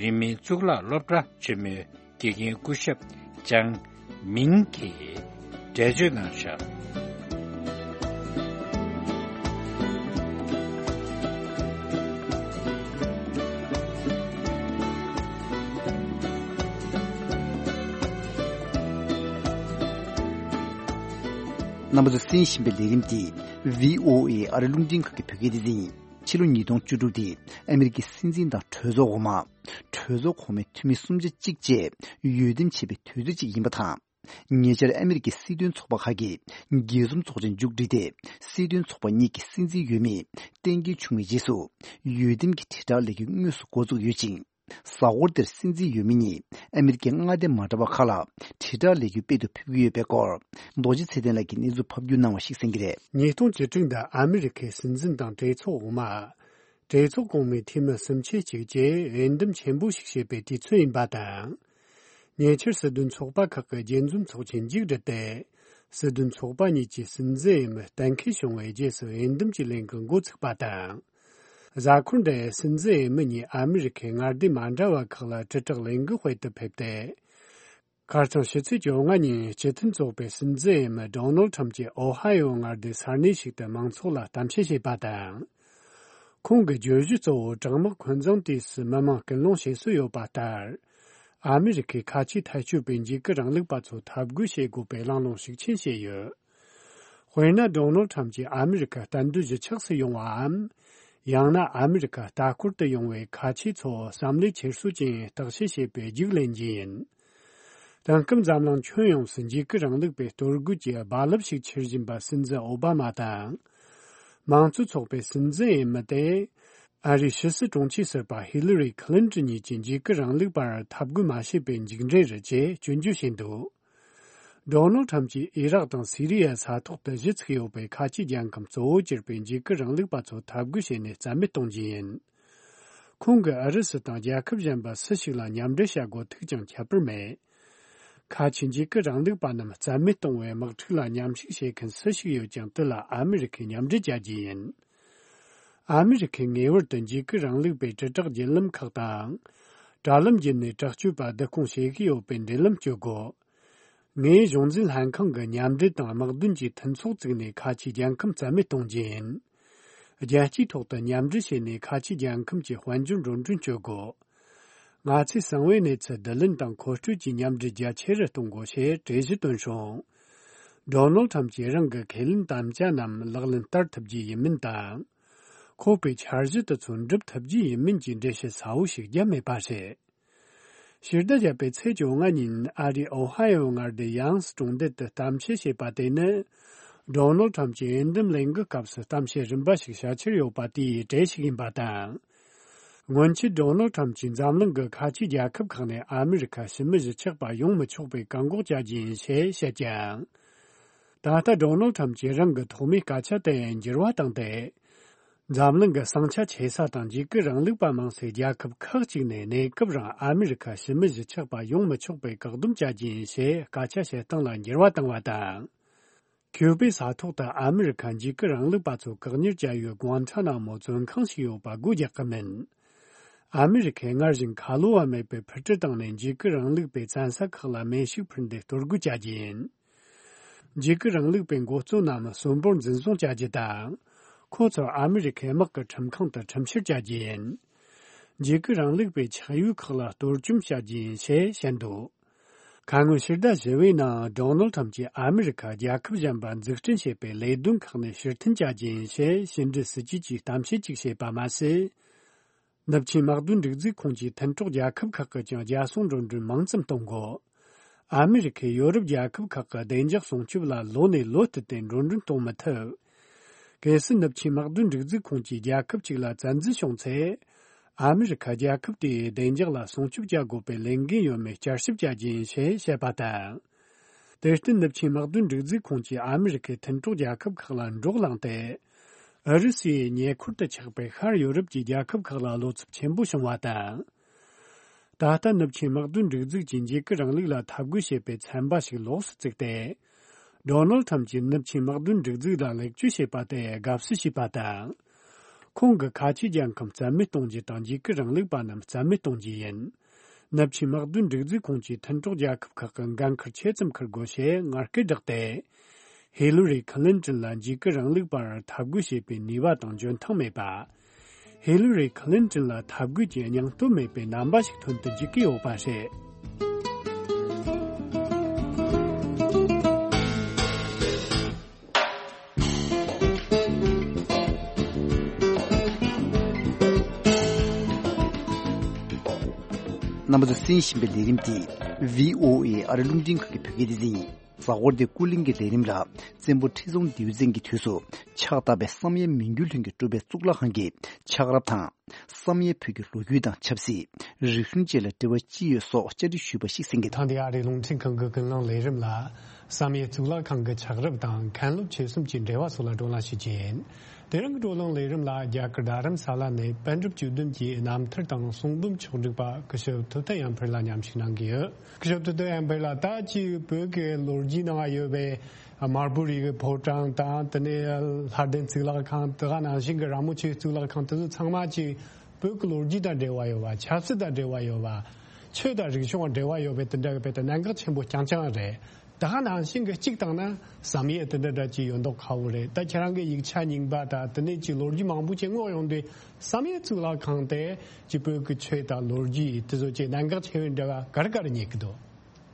རིང་མིན་གཙུག་ལག་སློབ་གྲྭ་ཆེན་མོའི་དགེ་རྒན་སྐུ་ཞབས་ཅང་མིང་གིས་འགྲེལ་བརྗོད་གནང་བཞག་རྣམ་པ་ཚོས་གསན་བཞིན་པའི་ལས་རིམ་འདི་བྷི་ཨོ་ཨེ་ཨ་རི་རླུང་འཕྲིན་ཁང་གི་བོད་སྐད་སྡེ་ཚན་ཡིན། ཕྱི་ལོ་ཉིས་སྟོང་བཅུ་དྲུག་འདི་ཨ་མེ་རི་ཀའི་སྲིད་འཛིན་དང་གྲོས་ཚོགས་འོག་མ། གྲོས་ཚོགས་གོང་མའི་འཐུས་མི་སུམ་ཆ་གཅིག་བཅས་འོས་འདེམས་བྱས་པའི་དུས་ཚོད་ཅིག་ཡིན་པ་དང་། ཉེ་ཆར་ཨ་མེ་རི་ཀའི་སྲིད་དོན་ཚོགས་པ་ཁག་གིས་རྒྱས་འཛོམས་ཚོགས་ཆེན་མཇུག་བསྒྲིལ་ཏེ། སྲིད་དོན་ཚོགས་པ་གཉིས་ཀྱི་སྲིད་འཛིན་འོས་མི་གཏན་འཁེལ་བྱུང་བའི་རྗེས་སུ། འོས་འདེམས་ཀྱི་དྲིལ་བསྒྲགས་ལས་འགུལ་དངོས་སུ་འགོ་འཛུགས་ཡོད་ཅིང་། གཟའ་འཁོར་འདིར་སྲིད་འཛིན་འོས་མི་གཉིས་ཨ་མེ་རི་ཀའི་མངའ་སྡེ་མ་འདྲ་བ་ཁག་ལ་དྲིལ་བསྒྲགས་ལས་འགུལ་སྤེལ་དུ་ཕེབས་ཀྱི་ཡོད་པའི་སྐོར། རྡོ་རྗེ་ཚེ་བརྟན་ལགས་ཀྱིས་གནས་ཚུལ་ཕབ་སྒྱུར་གནང་བ་ཞིག་གསན་གྱི་རེད། ཉིས་སྟོང་བཅུ་དྲུག་འདི་ཨ་མེ་རི་ཁའི་སྲིད་འཛིན་དང་གྲོས་ཚོགས་འོག་མ། གྲོས་ཚོགས་གོང་མའི་འཐུས་མི་སུམ་ཆ་གཅིག་བཅས་འོས་འདེམས་ཆེན་པོ་ཞིག་བྱེད་པའི་དུས་ཚོད་ཡིན་པ་དང་། ཉེ་ཆར་སྲིད་དོན་ཚོགས་པ་ཁག་གི་རྒྱས་འཛོམས་ཚོགས་ཆེན་མཇུག་བསྒྲིལ་ཏེ། སྲིད་དོན་ཚོགས་པ་གཉིས་ཀྱི་སྲིད་འཛིན་འོས་མི་གཏན་འཁེལ་བྱུང་བའི་རྗེས་སུ་འོས་འདེམས་ཀྱི་ལས་འགུལ་འགོ་ཚུགས་པ་དང་། གཟའ་འཁོར་འདིར་སྲིད་འཛིན་འོས་མི་གཉིས་ཨ་མེ་རི་ཁའི་མངའ་སྡེ་མ་འདྲ་བ་ཁག་ལ་དྲིལ་བསྒྲགས་ལས་འགུལ་སྤེལ་དུ་ཕེབས་ཏེ། ཁ་སང་ཕྱི་ཚེས་བཅོ་ལྔ་ཉིན་སྤྱི་མཐུན་ཚོགས་པའི་སྲིད་འཛིན་འོས་མི་ཌོ་ནལ་ཁྲམ་གྱིས་ཨོ་ཧ་ཡོ་མངའ་སྡེའི་ས་གནས་ཤིག་ཏུ་མང་ཚོགས་ལ་གཏམ་བཤད་བྱས་པ་དང་། ཁོང་གི་བརྗོད་གཞི་གཙོ་བོ་དྲག་དམག་འཁོན་འཛིན་དུས་སུ་མི་མང་སྐུལ་སློང་བྱེད་སྲོལ་ཡོད་པ་ལྟར། ཨ་མེ་རི་ཁའི་ཁ་ཆེའི་འཐབ་ཇུས་པས་འཇིགས་སྐུལ་རིང་ལུགས་པ་ཚོ་འཐབ་རྒོལ་བྱེད་དགོས་པའི་གླེང་སློང་ཤུགས་ཆེན་བྱས་ཡོད། དཔེར་ན། ཌོ་ནལ་ཁྲམ་གྱིས་ཨ་མེ་རི་ཁ་གཏན་སྡོད་གཞིས་ཆགས་སུ་ཡོང་བའམ། ཡང་ན་ཨ་མེ་རི་ཁ་ལྟ་སྐོར་དུ་ཡོང་བའི་ཁ་ཆེ་ཚོ་བསམ་བློའི་འཁྱེར་སོ་ཅན་བརྟག་དཔྱད་བྱེད་པའི་རྒྱུགས་ལེན་རྒྱུ་ཡིན། དེང་སྐབས་འཛམ་གླིང་ཁྱོན་ཡོངས་སུ་འཇིགས་སྐུལ་རིང་ལུགས་པའི་གཏོར་རྒོལ་གྱི་རྦ་རླབས་ཤིག་འཕྱུར་བཞིན་པ་སྲིད་འཛིན་ཨོ་བྷ་མ་དང་། མང་གཙོ་ཚོགས་པའི་སྲིད་འཛིན་འོས་མི་དེ། ཨ་རིའི་ཕྱི་སྲིད་དྲུང་ཆེ་ཟུར་པ་ཧི་ལི་རི་ཁི་ལིན་ཏོན་གཉིས་ཀྱིས་འཇིགས་སྐུལ་རིང་ལུགས་པར་འཐབ་རྒོལ་མ་བྱས་པའི་མཇུག་འབྲས་རེད་ཅེས་སྐྱོན་བརྗོད་བྱས་འདུག་ཌོ་ནལ་ཁྲམ་གྱིས་ཨི་རག་དང་སི་རི་ཡའི་ས་ཐོག་ཏུ་གཞི་ཚུགས་ཡོད་པའི་ཁ་ཆེ་རྒྱལ་ཁམས་གཙོ་བོ་གྱུར་པའི་འཇིགས་སྐུལ་རིང་ལུགས་པ་ཚོ་འཐབ་རྒོལ་བྱས་ནས་རྩ་མེད་གཏོང་རྒྱུ་ཡིན། ཁོང་གིས་ཨུ་རུ་སུ་དང་རྒྱལ་ཁབ་གཞན་པ་སུ་ཞིག་ལ་མཉམ་འབྲེལ་བྱ་དགོས་ཐུག་ཀྱང་ཁྱད་པར་མེད། ཁ་ཆེ་འཇིགས་སྐུལ་རིང་ལུགས་པ་རྣམས་རྩ་མེད་གཏོང་བའི་དམག་འཁྲུག་ལ་མཉམ་ཞུགས་བྱེད་མཁན་སུ་ཞིག་ཡོད་ཀྱང་། དེ་ལ་ཨ་མི་རི་ཁས་མཉམ་འབྲེལ་བྱ་རྒྱུ་ཡིན། ཨ་མི་རི་ཁས་ངེས་པར་དུ་འཇིགས་སྐུལ་རིང་ལུགས་པའི་དྲིལ་བསྒྲགས་བརྒྱུད་ལམ་ཁག་དང་། དྲ་ལམ་བརྒྱུད་ནས་དྲག་སྤྱོད་པ་བསྡུ་སྐོང་བྱེད་ཀྱི་ཡོད་པའི་འབྲེལ་ལམ་གཅོད་དགོས། ངས་གཞུང་འཛིན་ལྷན་ཁང་གི་མཉམ་འབྲེལ་དང་དམག་དོན་གྱི་མཐུན་ཚོགས་བཙུགས་ནས་ཁ་ཆེའི་རྒྱལ་ཁམས་རྩ་མེད་གཏོང་རྒྱུ་ཡིན། རྒྱལ་སྤྱིའི་ཐོག་ཏུ་མཉམ་འབྲེལ་བྱས་ནས་ཁ་ཆེའི་རྒྱལ་ཁམས་ཀྱི་དཔལ་འབྱོར་འགྲོ་གྲོན་གཅོད་དགོས། ང་ཚོས་གསང་བའི་གནས་ཚུལ་བསྡུ་ལེན་དང་མཁོ་སྤྲོད་ཀྱི་མཉམ་འབྲེལ་རྒྱ་ཆེ་རུ་གཏོང་དགོས་ཞེས་གྲོས་གཞི་བཏོན་བྱུང་། ཌོ་ནལ་ཁྲམ་གྱིས་རང་གི་ཁས་ལེན་དམ་བཅའ་རྣམས་ལག་ལེན་བསྟར་ཐུབ་རྒྱུ་ཡིན་མིན་དང་། ཁོ་པའི་འཆར་གཞི་དེ་ཚོ་འགྲུབ་ཐུབ་རྒྱུ་ཡིན་མིན་གྱི་འགྲེལ་བཤད་གསལ་བོ་ཞིག་བརྒྱབ་མེད་པ་རེད། ཕྱི་ཟླ་བརྒྱད་པའི་ཚེས་བཅོ་ལྔ་ཉིན་ཨ་རིའི་ཨོ་ཧ་ཡོ་མངའ་སྡེའི་ཡང་སི་གྲོང་རྡལ་དུ་གཏམ་བཤད་བྱས་པ་དེ་ནི། ཌོ་ནལ་ཁྲམ་གྱི་འོས་འདེམས་ལས་འགུལ་སྐབས་སུ་གཏམ་བཤད་རིམ་པ་ཞིག་བྱ་འཆར་ཡོད་པ་དེའི་གྲས་ཤིག་ཡིན་པ་དང་། སྔོན་ཆད་ཌོ་ནལ་ཁྲམ་གྱིས་འཛམ་གླིང་གི་ཁ་ཆེའི་རྒྱལ་ཁབ་ཁག་ནས་ཨ་མི་རི་ཁ་ཕྱི་མི་གཞིས་ཆགས་པ་ཡོང་མི་ཆོག་པའི་བཀག་འགོག་བྱ་རྒྱུ་ཡིན་ཞེས་བཤད་ཀྱང་། ད་ལྟ་ཌོ་ནལ་ཁྲམ་གྱིས་རང་གི་ཐོག་མའི་སྐད་ཆ་དེ་འགྱུར་བ་བཏང་སྟེ། འཛམ་གླིང་གི་ཟིང་ཆ་ཆེ་ས་དང་འཇིགས་སྐུལ་རིང་ལུགས་པ་མང་སའི་རྒྱལ་ཁབ་ཁག་ཅིག་ནས་གནས་སྐབས་རིང་ཨ་མི་རི་ཁ་ཕྱི་མི་གཞིས་ཆགས་པ་ཡོང་མི་ཆོག་པའི་བཀག་སྡོམ་བྱ་རྒྱུ་ཡིན་ཞེས་སྐད་ཆ་བཤད་སྟངས་ལ་འགྱུར་བ་བཏང་བ་དང་། ཁྱུ་པའི་ས་ཐོག་ཏུ་ཨ་མི་རི་ཁ་འཇིགས་སྐུལ་རིང་ལུགས་པ་ཚོ་བཀག་ཉར་བྱ་ཡུལ་གུང་ཁྲ་ན་མོ་བཙོན་ཁང་ཞིག་ཡོད་པ་སྒོ་རྒྱག་གི་མིན། ཨ་མི་རི་ཁས་སྔར་བཞིན་ཁ་ལོ་བ་མེད་པའི་འཕུར་གྲུ་བཏང་ནས་འཇིགས་སྐུལ་རིང་ལུགས་པའི་བཙན་ས་ཁག་ལ་མེ་ཤུགས་འཕུར་མདེ་གཏོར་རྒོལ་བྱ་རྒྱུ་ཡིན། འཇིགས་སྐུལ་རིང་ལུགས་པའི་འགོ་གཙོ་རྣམས་གསོན་པོར་འཛིན་བཟུང་བྱ་རྒྱུ་དང་། ཁོ་ཚོར་ཨ་མི་རི་ཁའི་དམག་གི་ཁྲིམས་ཁང་དུ་ཁྲིམས་བཤེར་བྱ་རྒྱུ་ཡིན། འཇིགས་སྐུལ་རིང་ལུགས་པའི་ཆགས་ཡུལ་ཁག་ལ་གཏོར་བཅོམ་བྱ་རྒྱུ་ཡིན་ཞེས་བཤད་འདུག་ཁ་སྔོན་ཕྱི་ཟླ་བཞི་པའི་ནང་ཌོ་ནལ་ཁྲམ་གྱིས་ཨ་མི་རི་ཁ་རྒྱལ་ཁབ་གཞན་པ་འཛུགས་སྐྲུན་བྱེད་པའི་ལས་དོན་ཁག་ནས་ཕྱིར་འཐེན་བྱ་རྒྱུ་ཡིན་ཞེས་ཕྱི་འབྲེལ་སྲིད་ཇུས་ཀྱི་གཏམ་བཤད་ཅིག་བྱས་པ་མ་ཟད། ནུབ་ཆིངས་དམག་དོན་སྒྲིག་འཛུགས་ཁོངས་ཀྱི་མཐུན་གྲོགས་རྒྱལ་ཁབ་ཁག་གིས་ཀྱང་རྒྱལ་སྲུང་འགྲོ་གྲོན་མང་ཙམ་གཏོང་དགོས། ཨ་མི་རི་ཁས་ཡོ་རོབ་རྒྱལ་ཁབ་ཁག་གི་བདེ་འཇགས་སྲུང་སྐྱོབ་ལ་ལོ་ནས་ལོ་བསྟུད་དེ་འགྲོ་གྲོན་གཏོང་མི་ཐུབ། གལ་སྲིད་ནུབ་ཆིངས་དམག་དོན་སྒྲིག་འཛུགས་ཁོངས་ཀྱི་རྒྱལ་ཁབ་ཅིག་ལ་བཙན་འཛུལ་བྱུང་ཚེ། ཨ་མི་རི་ཁ་རྒྱལ་ཁབ་དེའི་བདེ་འཇགས་ལ་སྲུང་སྐྱོབ་བྱ་དགོས་པའི་ལས་འགན་ཡོད་མེད་བསྐྱར་ཞིབ་བྱ་རྒྱུ་ཡིན་ཞེས་བཤད་པ་དང་། དེར་བརྟེན་ནུབ་ཆིངས་དམག་དོན་སྒྲིག་འཛུགས་ཁོངས་ཀྱི་ཨ་མི་རི་ཁའི་མཐུན་གྲོགས་རྒྱལ་ཁབ་ཁག་ལ་འདྲོག་ལངས་ཏེ། ཨུ་རུ་སུའི་ཉེ་འཁོར་དུ་ཆགས་པའི་ཤར་ཡོ་རོབ་ཀྱི་རྒྱལ་ཁབ་ཁག་ལ་བློ་འཚབ་ཆེན་པོ་བྱུང་བ་དང་། ད་ལྟ་ནུབ་ཆིངས་དམག་དོན་སྒྲིག་འཛུགས་ཀྱིས་འཇིགས་སྐུལ་རིང་ལུགས་ལ་འཐབ་རྒོལ་བྱེད་པའི་ཚན་པ་ཞིག་ལོགས་སུ་བཙུགས་ཏེ། ཌོ་ནལ་ཁྲམ་གྱིས་ནུབ་ཆིངས་དམག་དོན་སྒྲིག་འཛུགས་ལ་ལེགས་བཅོས་བྱས་པ་དེ་དགའ་བསུ་བྱས་པ་དང་། ཁོང་གིས་ཁ་ཆེའི་རྒྱལ་ཁམས་རྩ་མེད་གཏོང་རྒྱུ་དང་འཇིགས་སྐུལ་རིང་ལུགས་པ་རྣམས་རྩ་མེད་གཏོང་རྒྱུ་ཡིན། ནུབ་ཆིངས་དམག་དོན་སྒྲིག་འཛུགས་ཁོངས་ཀྱི་མཐུན་གྲོགས་རྒྱལ་ཁབ་ཁག་གིས་འགན་འཁུར་ཆེ་ཙམ་འཁུར་དགོས་ཞེས་ངར་སྐད་བསྒྲགས་ཏེ། ཧི་ལི་རི་ཁི་ལིན་ཏོན་ལ་འཇིགས་སྐུལ་རིང་ལུགས་པར་འཐབ་རྒོལ་བྱེད་པའི་ནུས་པ་དང་འཇོན་ཐང་མེད་པ། ཧི་ལི་རི་ཁི་ལིན་ཏོན་ལ་འཐབ་རྒོལ་གྱི་སྙིང་སྟོབས་མེད་པའི་རྣམ་པ་ཞིག་ཐོན་དུ་འཇུག་གི་ཡོད་པ་རེད། རྣམ་པ་ཚོ་གསན་བཞིན་པའི་ལས་རིམ་འདི་བྷི་ཨོ་ཨེ་ཨ་རི་རླུང་འཕྲིན་ཁང་གི་བོད་སྐད་སྡེ་ཚན་ཡིན། གཟའ་འཁོར་འདིའི་ཀུན་གླེང་གི་ལས་རིམ་ལ། བཙན་པོ་ཁྲི་སྲོང་ལྡེའུ་བཙན་གྱི་དུས་སུ་ཕྱག་བཏབ་པའི་བསམ་ཡས་མི་འགྱུར་ལྷུན་གྱིས་གྲུབ་པའི་གཙུག་ལག་ཁང་གི་ཕྱག་རབས་དང་། བསམ་ཡས་བོད་ཀྱི་ལོ་རྒྱུས་དང་ཆབ་སྲིད། རིག་གཞུང་བཅས་ལ་འབྲེལ་བ་ཅི་ཡོད་སོགས་བཅར་འདྲི་ཞུས་པ་ཞིག་གསན་གྱི་འདུག་ཐེངས་འདིའི་ཨ་རིའི་རླུང་འཕྲིན་ཁང་གི་ཀུན་གླེང་ལས་རིམ་ལ། བསམ་ཡས་གཙུག་ལག་ཁང་གི་ཕྱག་རབས་དང་མཁན་སློབ་ཆོས་གསུམ་གྱི་འབྲེལ་བ་སོགས་ལ་བགྲོ་གླེང་ཞུ་རྒྱུ་ཡིན། དེ་རིང་གི་བགྲོ་གླེང་ལས་རིམ་ལ་རྒྱ་གར་རྡ་རམ་ས་ལ་ནས་པཎ་གྲུབ་བཅུ་བདུན་གྱི་རྣམ་ཐར་དང་གསུང་འབུམ་ཕྱོགས་བསྒྲིགས་པ་སྐུ་ཞབས་ཐུབ་བསྟན་དབྱངས་འཕེལ་ལགས་མཉམ་ཞུགས་གནང་གི་ཡོད། སྐུ་ཞབས་ཐུབ་བསྟན་དབྱངས་འཕེལ་ལགས། ད་ཅིག་བོད་ཀྱི་ལོ་རྒྱུས་ནང་ཡོད་པའི་དམར་པོ་རིགས་ཀྱི་ཕོ་བྲང་དང་། དེ་ནས་ལྷ་ལྡན་གཙུག་ལག་ཁང་། དེ་ག་ནང་བཞིན་གྱི་ར་མོ་ཆེའི་གཙུག་ལག་ཁང་། དེ་ཚོ་ཚང་མ་ཅིག་བོད་ཀྱི་ལོ་རྒྱུས་དང་འབྲེལ་བ་ཡོད་པ། ཆབ་སྲིད་དང་འབྲེལ་བ་ཡོད་པ། ཆོས་དང་རིག་གཞུང་དང་འབྲེལ་བ་ཡོད་པའི་དེ་འདྲ་གི་དཔེ་དེ་གནད་འགག་ཆེན་པོ་རྐྱང་རྐྱང་རེད། ད་ག་ནང་བཞིན་གྱི་གཅིག་བཏང་ན་བསམ་ཡས་དེ་འདྲ་འདྲ་ཅིག་ཡོད་མདོག་ཁ་པོ་རེད། ད་ཁྱེད་རང་གི་ཡིག་ཆ་རྙིང་པ་དང་དེ་ནས་ཅིག་ལོ་རྒྱུས་མང་པོ་ཅིག་སྔོག་ཡོང་དུས། བསམ་ཡས་གཙུག་ལག་ཁང་དེ་ཅིག་བོད་ཀྱི་ཆོས་དང་ལོ་རྒྱུས་དེ་ཚོ་ཅིག་གནད་འགག་ཆེ་བའི་འབྲེལ་བ་ག་རེ་ག་རེ་རྙེད་ཀྱི་འདུག་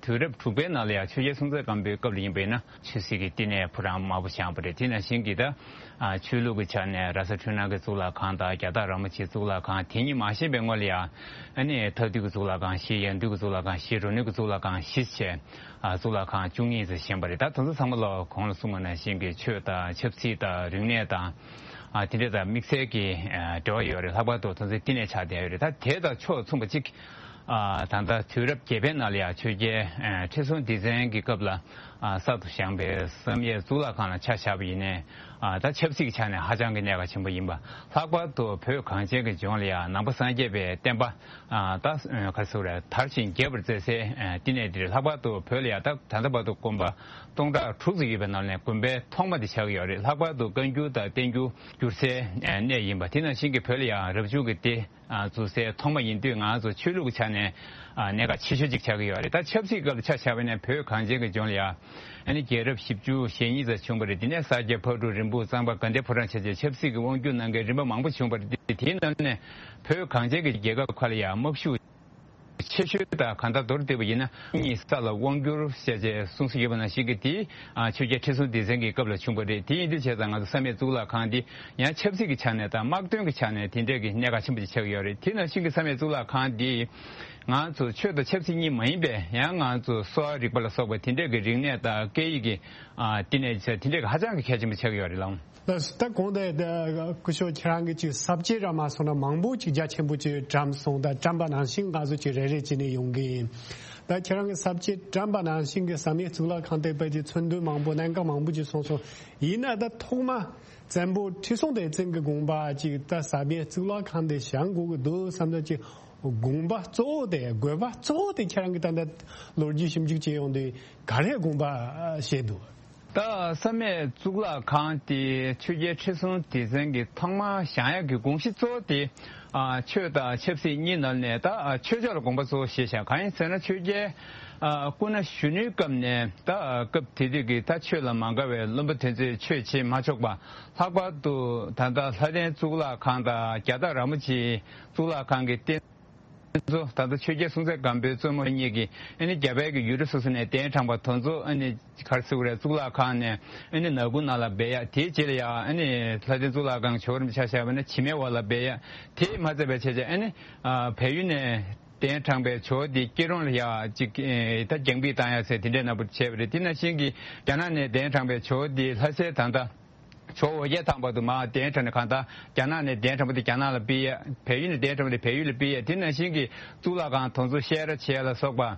དུས་རབས་དྲུག་པའི་ནང་ལ་ཡང་ཆོས་རྒྱལ་སྲོང་བཙན་སྒམ་པོའི་སྐབས་ལ་ཡིན་པ་ཡིན་ན། ཆོས་སྲིད་ཀྱི་བསྟི་གནས་ཕོ་བྲང་དམར་པོ་བཞེངས་པ་རེད། དེ་ནང་བཞིན་གྱི་ད། ཨ། ཆོས་ལུགས་ཀྱི་ཆ་ནས་ར་ས་འཕྲུལ་སྣང་གི་གཙུག་ལག་ཁང་དང་རྒྱ་སྟག་ར་མོ་ཆེའི་གཙུག་ལག་ཁང་། དེ་གཉིས་མ་བཞེངས་པའི་སྔོན་ལ་ཡང་། ཨ་ནི་མཐའ་འདུལ་གྱི་གཙུག་ལག་ཁང་བཞི། ཡང་འདུལ་གྱི་གཙུག་ལག་ཁང་བཞི། རོ་ནུས་ཀྱི་གཙུག་ལག་ཁང་བཞི་བྱས། ཨ། གཙུག་ལག་ཁང་བཅུ་གཉིས་ཙམ་བཞེངས་པ་རེད། ད་དེ་ཚོ་ཚང་མ་ལ་གོང་ལ་གསུངས་པ་ནང་བཞིན་གྱི་ཆོས་དང་ཆབ་སྲིད་དང་རིག་གནས་དང་། ཨ། དེ་འདྲ་དང་དམིགས་བསལ་གྱི། ཨ། འབྲེལ་བ་ཡོད་རེད། ལྷག་པར་དུ་དེ་ཚོའི་བསྟི་གནས་ཆགས་བསྡད་ཡོད་རེད། ད་དེ་དང་ཕྱོགས་མཚུངས་པ་གཅིག་ཨ། ད་ལྟ་དུས་རབས་བརྒྱད་པའི་ནང་ལ་ཡང་ཆོས་རྒྱལ། ཨ། ཁྲི་སྲོང་ལྡེ་བཙན་གྱི་སྐབས་ལ། ཨ། གསར་དུ་བཞེངས་པའི་བསམ་ཡས་གཙུག་ལག་ཁང་ལ་ཆ་བཞག་པ་ཡིན་ནའི། ཨ། ད་ཆབ་སྲིད་ཀྱི་ཆ་ནས་ཧ་ཅང་གི་གནད་འགག་ཆེན་པོ་ཡིན་པ། ལྷག་པར་དུ་བོད་གངས་ཅན་གྱི་ལྗོངས་ལ་ཡང་ནང་པ་སངས་རྒྱས་པའི་བསྟན་པ། ཨ། ད་ག་རེ་ཟེར་དགོས་རེད། དར་ཞིང་རྒྱས་པར་མཛད་སའི། ཨ། བསྟི་གནས་འདི་རེད། ལྷག་པར་དུ་བོད་ལ་ཡང་ད་ད་ལྟ་བར་དུ་དགོན་པ་སྟོང་ཕྲག་དྲུག་ཙམ་ཡོད་པའི་ནང་ནས་དགོན་པའི་ཐོག་མ་འདི་ཆགས་ཀྱི་ཡོད་རེད། ལྷག་པར་དུ་བཀའ་འགྱུར་དང་བསྟན་འགྱུར་བསྒྱུར་སའི། ཨ། གནས་ཡིན་པ། དེ་ནང་བཞིན་གྱི་བོད་ལ་ཡང་རབ་བྱུང་གི་སྡེ། ཨ། འཛུགས་སའི་ཐོག་མ་ཡིན་དུས། ང་ཚོ་ཆོས་ལུགས་ཀྱི་ཆ་ནས། ཨ། གནད་འགག་ཆེ་ཤོས་ཅིག་ཆགས་ཀྱི་ཡོད་རེད། ད་ཆབ་སྲིད་སྐབས་ལ་ཆ་བཞག་པ་ཡིན་ན། བོད་གངས་ཅན་གྱི་ལྗོངས་ལ་ཡང་། ཨ་ནི་རྒྱལ་རབས་བཞི་བཅུ་ཞེ་གཉིས་ཙམ་བྱུང་བ་རེད། དེ་ནས་ས་སྐྱ་ཕག་གྲུ་རིན་སྤུངས་གཙང་པ་དགའ་ལྡན་ཕོ་བྲང་བྱས་བྱས་ཆབ་སྲིད་ཀྱི་དབང་སྒྱུར་གནང་མཁན་རིམ་པ་མང་པོ་བྱུང་བ་རེད། དེའི་ནང་ནས་བོད་གངས་ཅན་གྱི་རྒྱལ་ཁབ་ཁག་ལ་ཡང་དམག་ཤུགས་ཆེ་ཤོས་དང་གང་ལྟར་མདོར་བསྡུས་པ་ཡིན་ན། གཉིས་ས་ལ་དབང་བསྒྱུར་བྱས་བྱས་གསུངས་སྲོལ་ཡོད་པ་ནང་བཞིན་གྱི། དེ། ཨ། ཆོས་རྒྱལ་ཁྲི་སྲོང་ལྡེ་བཙན་གྱི་སྐབས་ལ་བྱུང་བ་རེད། དེ་ཡིན་དུས་བྱས་ཙང་ང་ཚོ་བསམ་ཡས་གཙུག་ལག་ཁང་འདི་ཡང་ཆབ་སྲིད་ཀྱི་ཆ་ནས་དང་དམག་དོན་གྱི་ཆ་ནས་དེ་འདྲས་ཀྱི་གནད་འགག་ཆེན་པོ་ཅིག་ཆགས་ཀྱི་ཡོད་རེད། དེ་ནང་བཞིན་གྱི་བསམ་ཡས་གཙུག་ལག་ཁང་འདི་ང་ཚོ་ཆོས་དང་ཆབ་སྲིད་གཉིས་མ་ཡིན་པའི། ཡང་ང་ཚོ་གསོ་བ་རིག་པ་ལ་སོགས་པ་དེ་འདྲས་ཀྱི་རིག་གནས་དང་སྐད་ཡིག་གི། ཨ། བསྟི་གནས་ཆ་དེ་འདྲས་ཀྱི་ཧ་ཅང་གི་གལ་ཆེན་པོ་ཆགས་ཀྱི་ཡོད་རེད་ལགས། ལགས་སོ། ད་གོང་དུ་སྐུ་ཞབས་ཁྱེད་རང་གིས་ཅིག་ས་བཅད་ར་མ་སོང་ན་མང་པོ་ཅིག་རྒྱ་ཆེན་པོ་ཅིག་བཀྲམ་སོང་། ད་བཀྲམ་པ་ནང་བཞིན་ང་ཚོ་ཅིག་རེ་རེ་བྱས་ནས་ཡོང་གི་ཡིན། ད་ཁྱེད་རང་གིས་ས་བཅད་བཀྲམ་པ་ནང་བཞིན་གྱི་བསམ་ཡས་གཙུག་ལག་ཁང་དེ་དཔེ་ཅིག་མཚོན་དོན་མང་པོ། གནད་འགག་མང་པོ་ཅིག་གསུངས་སོང་། ཡིན་ན་ད་ཐོག་མ་བཙན་པོ་ཁྲི་སྲོང་ལྡེ་བཙན་གྱི་དགོངས་པ་ཅིག་ད་བསམ་ཡས་གཙུག་ལག་ཁང་དེ་བཞེངས་དགོས་ཀྱི་འདུག་བསམ་ད་ཅིག་དགོངས་པ་གཙོ་བོ་དེ། དགོས་པ་གཙོ་བོ་དེ་ཁྱེད་རང་གིས་ད་ལྟ་ལོ་རྒྱུས་ཞིབ་འཇུག་བྱས་ཡོང་དུས་ག་རེ་དགོངས་པ་བཞེས་འདུག་ད་བསམ་ཡས་གཙུག་ལག་ཁང་དེ་ཆོས་རྒྱལ་ཁྲི་སྲོང་ལྡེ་བཙན་གྱིས་ཐོག་མར་བཞེངས་ཡག་གི་དགོངས་གཞི་གཙོ་བོ་དེ། ཨ། ཆོས་དང་ཆབ་སྲིད་གཉིས་ནང་ནས་ད། ཨ། ཆོས་ཕྱོགས་ལ་དགོངས་པ་གཙོ་བོ་བཞེས་བཞག་གང་ཡིན་ཟེར་ན། ཆོས་རྒྱལ། ཨ། སྐུ་ན་གཞོན་ནུའི་སྐབས་ནས། ད། ཨ། སྐབས་དེ་དུས་ཀྱི་ད་ཆོས་ལ་མ་དགའ་བའི་བློན་པོ་དེ་ཚོས་ཆོས་བྱེད་མ་ཆོག་པ། ལྷག་པར་དུ་ད་ལྟ་ལྷ་ལྡན་གཙུག་ལག་ཁང་དང་རྒྱ་སྟག་ར་མོ་ཆེའི་གཙུག་ལག་ཁང་གི་རྟེན་གཙོ། ད་ལྟ་ཆོས་རྒྱལ་སྲོང་བཙན་སྒམ་པོའི་བཙུན་མོ་གཉིས་ཀྱིས། ཨ་ནི་རྒྱ་བལ་གྱི་ཡུལ་གྲུ་སོ་སོ་ནས་གདན་དྲངས་པ་དེ་ཚོ། ཨ་ནི་ག་རེ་ཟེར་དགོས་རེད། གཙུག་ལག་ཁང་ནས། ཨ་ནི་ནག་ཁུང་ནང་ལ་སྦས་ཡག་དེའི་རྗེས་ལ་ཡང་། ཨ་ནི་ལྷ་ལྡན་གཙུག་ལག་ཁང་གི་ཇོ་བོ་རིན་པོ་ཆེ་ཆ་བཞག་པ་ན་བྱེ་མའི་འོག་ལ་སྦས་ཡག་དེ་མ་ཚད་པའི་ཆ་ཆ། ཨ་ནི། ཨ། བལ་ཡུལ་ནས་གདན་དྲངས་པའི་ཇོ་བོ་དེ་སྐྱིད་གྲོང་ལ་ཡ་ཅིག་ཨེ། ད་རྒྱང་འབུད་བཏང་ཡག་ཟེར་དེ་འདྲའི་ནང་པོ་བྱས་པ་རེད། དེ་ནང་བཞིན་གྱི་རྒྱ་ནག་ནས་གདན་དྲངས་པའི་ཇོ་བོ་དེ་ལྷ་སའི། ད་ལྟ་ཇོ་བོ་ཨོ་རྒྱན་ཐང་པ་དུ་མར་གདན་དྲངས་ནས། གང་ལྟར་རྒྱ་ནག་ནས་གདན་དྲངས་པ་དེ་རྒྱ་ནག་ལ་ཕུལ་ཡག་བལ་ཡུལ་ནས་གདན་དྲངས་པ་དེ་བལ་ཡུལ་ལ་ཕུལ་ཡག་དེ་ནང་བཞིན་གྱི་གཙུག་ལག་ཁང་དེ་ཚོ་བཤས་ར་བྱེད་ཡག་ལ་སོགས་པ། ཨ།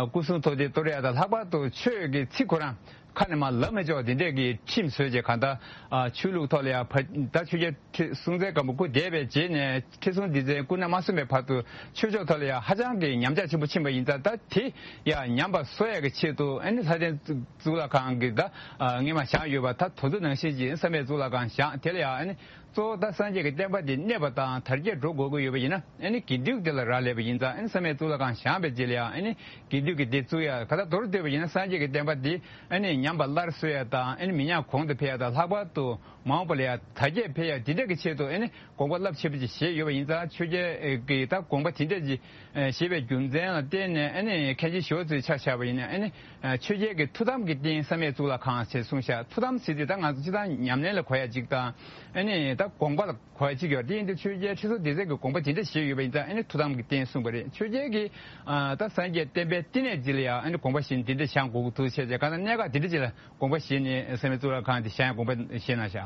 སྐུ་གསུང་ཐུགས་རྟེན་གཏོར་ཡག་དང་། ལྷག་པར་དུ་ཆོས་ཀྱི་ཚིག་ཁོ་རང་ ཁ་ནས་མར་ལབ་མི་ཆོག་དེ་འདྲས་ཀྱི་ཁྲིམས་བཟོས་རྗེས་གང་ལྟར་ཨ་ཆོས་ལུགས་ཐོག་ལ་ཡང་ཕ་ད་ཆོས་རྒྱལ་ཁྲི་སྲོང་བཙན་སྒམ་པོ་སྐུ་འདས་པའི་རྗེས་ནས་ཁྲི་སྲོང་ལྡེ་བཙན་སྐུ་ན་མ་སོན་པའི་བར་དུ་ཆོས་ཕྱོགས་ཐོག་ལ་ཡང་ཧ་ཅང་གི་ཉམས་ཆག་ཆེན་པོ་ཕྱིན་པ་ཡིན་ཙང་ད་དེ་ཡང་ཉམས་པ་གསོ་ཡག་གི་ཆེད་དུ་ཨ་ནི་ལྷ་ལྡན་གཙུག་ལག་ཁང་གི་ད་ཨ་སྔས་མ་བཞེངས་ཡོད་པ་ད་དེ་ཚོ་ནང་བཞིན་གྱི་བསམ་ཡས་གཙུག་ལག་ཁང་བཞེངས་དེ་ལ་ཡང་ཨ་ནི་གཙོ་བོ་ད་སངས་རྒྱས་ཀྱི་བསྟན་པ་འདི་གནས་པ་དང་དར་རྒྱས་འགྲོ་དགོས་ཀྱི་ཡོད་པ་ཡིན་ན་ཨ་ནི་དགེ་འདུན་དེ་ལ་རག་ལས་པ་ཡིན་ཙང་ཨ་ནི་བསམ་ཡས་གཙུག་ལག་ཁང་བཞེངས་པའི་རྗེས་ལ་ཡང་ཨ་ནི་དགེ་འདུན་གྱི་སྡེ་བཙུགས་ཡ་ག་ད་མདོར་བསྡུས་པ་ཡིན་ན་སངས་རྒྱས་ཀྱི་བསྟན་པ་འདི་ཨ་ནི་ཉམས་པ་སླར་གསོ་ཡ་དང་ཨ་ནི་མི་ཉམས་གོང་དུ་འཕེལ་ཡ་དང་ལྷག་པར་དུ་མ་འོངས་པ་ལ་ཡང་དར་རྒྱས་འཕེལ་ཡ་འདི་འདྲ་གི་ཆེད་དུ་ཨ་ནི་དགོངས་པ་རླབས་ཆེ་པོ་ཅིག་བཞེས་ཡོད་པ་ཡིན་ཙང་ཆོས་རྒྱལ་གྱི་ད་དགོངས་པ་དེ་འདྲ་ཅིག་བཞེས་པའི་རྒྱུ་མཚན་ལ་བརྟེན་ནས་ཨ་ནི་མཁན་ཆེན་ཞི་བ་འཚོས་ཆ་བཞག་པ་ཡིན་ན་ཨ་ནི་ཆོས་རྒྱལ་གྱི་ཐུགས་དམ་གྱི་རྟེན་བསམ་ཡས་གཙུག་ལག་ཁང་ཞེས་གསུངས་ཤག་ཐུགས་དམ་ཟེར་དུས་ད་ང་ཚོ་སྤྱིར་བཏང་ཉམས་ལེན་ལ་གོ་ཡ་ཅིག་དང་ཨ་ནི་ད་དགོངས་པ་ལ་གོ་ཡ་གཅིག་ཡོད་རེད། དེ་ཡིན་དུས་ཆོས་རྒྱལ་ཁྲི་སྲོང་ལྡེ་བཙན་གྱིས་དགོངས་པ་དེ་འདྲ་བཞེས་ཡོད་པ་ཡིན་ཙང་ཨ་ནི་ཐུགས་དམ་གྱི་རྟེན་གསུངས་པ་རེད། ཆོས་རྒྱལ་གྱིས་ཨ་ད་སངས་རྒྱས་བསྟན་པའི་བསྟི་གནས་འདི་ལ་ཡང་ཨ་ནི་དགོངས་པ་བཞེས་ནས་འདི་འདྲ་བཞེངས་དགོས་ཀྱི་འདུག་བྱས་ཙང་གང་ལྟར་གནད་འགག་འདི་འདྲ་ཅིག་ལ་དགོངས་པ་བཞེས་ནས་བསམ་ཡས་གཙུག་ལག་ཁང་འདི་བཞེངས་དགོངས་པ་བཞེས་གནང་ཤག་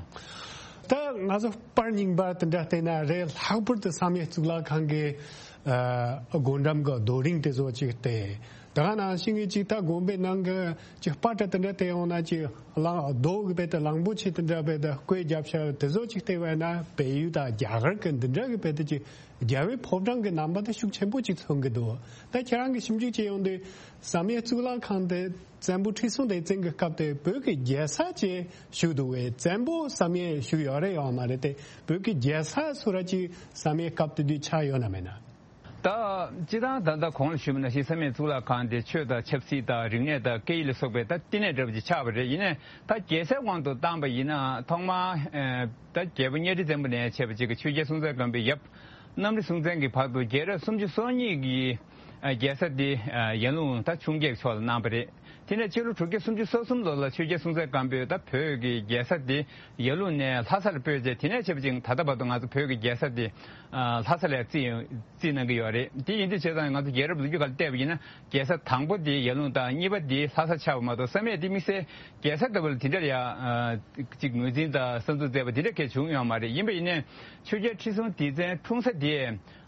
ད་ང་ཚོ་པར་རྙིང་པ་དེ་འདྲ་བལྟས་ན་རེད། ལྷག་པར་དུ་བསམ་ཡས་གཙུག་ལག་ཁང་གི་ཨ་སྒོ་འགྲམ་གྱི་རྡོ་རིང་དེ་ཚོ་ཅིག་བལྟས། ད་ག་ནང་བཞིན་གྱི་ཅིག་ད་དགོན་པའི་ནང་གི་ཅིག་པར་འདྲ་དེ་འདྲ་བལྟས་ཡོང་ན་ཅིག་གླང་རྡོ་གི་དཔེ་དེ་གླང་པོ་ཆེ་དེ་འདྲ་དཔེ་དེ་བརྐོས་བརྒྱབ་ཤག་དེ་ཚོ་ཅིག་བལྟས་པ་ན་བལ་ཡུལ་དང་རྒྱ་གར་གྱི་འདི་འདྲ་གི་དཔེ་དེ་ཅིག་རྒྱལ་བའི་ཕོ་བྲང་གི་རྣམ་པ་དེ་ཤུགས་ཆེན་པོ་ཅིག་མཚོན་གྱི་འདུག་ད་ཁྱེད་རང་གི་ཞིབ་འཇུག་བྱས་ཡོང་དུས་བསམ་ཡས་གཙུག་ལག་ཁང་དེ་བཙན་པོ་ཁྲི་སྲོང་ལྡེ་བཙན་གྱི་སྐབས་དེ་བོད་ཀྱི་རྒྱལ་ས་ཅིག་བཞུགས་འདུག་བས། བཙན་པོ་བསམ་ཡས་བཞུགས་ཡོད་རེད་ཡོད་མ་རེད་དེ། བོད་ཀྱི་རྒྱལ་ས་སུ་ར་ཅིག་བསམ་ཡས་སྐབས་དེ་དུས་ཆགས་ཡོད་ན་མེད་ན། ད་སྤྱིར་བཏང་ད་ལྟ་གོང་ལ་ཞུས་པ་ནང་བཞིན་བསམ་ཡས་གཙུག་ལག་ཁང་དེ་ཆོས་དང་ཆབ་སྲིད་དང་རིག་གནས་དང་སྐད་ཡིག་ལ་སོགས་པའི་ད་བསྟི་གནས་འདྲ་པོ་ཅིག་ཆགས་པ་རེད། ཡིན་ནའི་ད་རྒྱལ་སའི་དབང་དུ་བཏང་པ་ཡིན་ན་ཐོག་མར་ཨ་ད་རྒྱལ་པོ་གཉའ་ཁྲི་བཙན་པོ་ནས་བྱས་པ་ཅིག་གི་ཆོས་རྒྱལ་སྲོང་བཙན་སྒམ་པོའི་ཡབ་གནམ་རི་སྲོང་བཙན་གྱི་བར་དུ་རྒྱལ་རབས་སུམ་ཅུ་སོ་གཉིས་ཀྱི་ཨ་རྒྱལ་ས་དེ་ཨ་ཡར་ཀླུང་ད་ཆུང་བརྒྱད་ཕྱོགས་ལ་གནང་བ་རེད། དེ་ནས་ཕྱི་ལོ་དྲུག་བརྒྱ་སུམ་ཅུ་སོ་གསུམ་ལོ་ལ་ཆོས་རྒྱལ་སྲོང་བཙན་སྒམ་པོས་ད་བོད་ཀྱི་རྒྱལ་ས་དེ་ཡར་ཀླུང་ནས་ལྷ་སར་སྤོས་རྗེས་དེ་ནས་བྱས་པ་ཅིག་ད་ལྟ་བར་དུ་ང་ཚོ་བོད་ཀྱི་རྒྱལ་ས་དེ་ཨ་ལྷ་ས་ལ་རྩིས་རྩིས་གནང་གི་ཡོད་རེད། དེ་ཡིན་དུས་བྱས་ཙང་ང་ཚོ་རྒྱལ་རབས་ལོ་རྒྱུས་སྒང་ལ་བལྟས་པ་ཡིན་ན་རྒྱལ་ས་དང་པོ་དེ་ཡར་ཀླུང་དང་གཉིས་པ་དེ་ལྷ་ས་ཆགས་པ་མ་གཏོགས་བསམ་ཡས་དེ་དམིགས་བསལ་རྒྱལ་ས་ལྟ་བུ་ལ་དེ་འདྲ་ཡ་ཨ་ཅིག་ངོས་འཛིན་དང་བསམ་ཚུལ་མཛད་པ་དེ་འདྲ་གལ་བྱུང་ཡོད་མ་རེད། ཡིན་པ་ཡིན་ནའི་ཆོས་རྒྱལ་ཁྲི་སྲོང་ལྡེ་བཙན་འཁྲུངས་ས་དེ་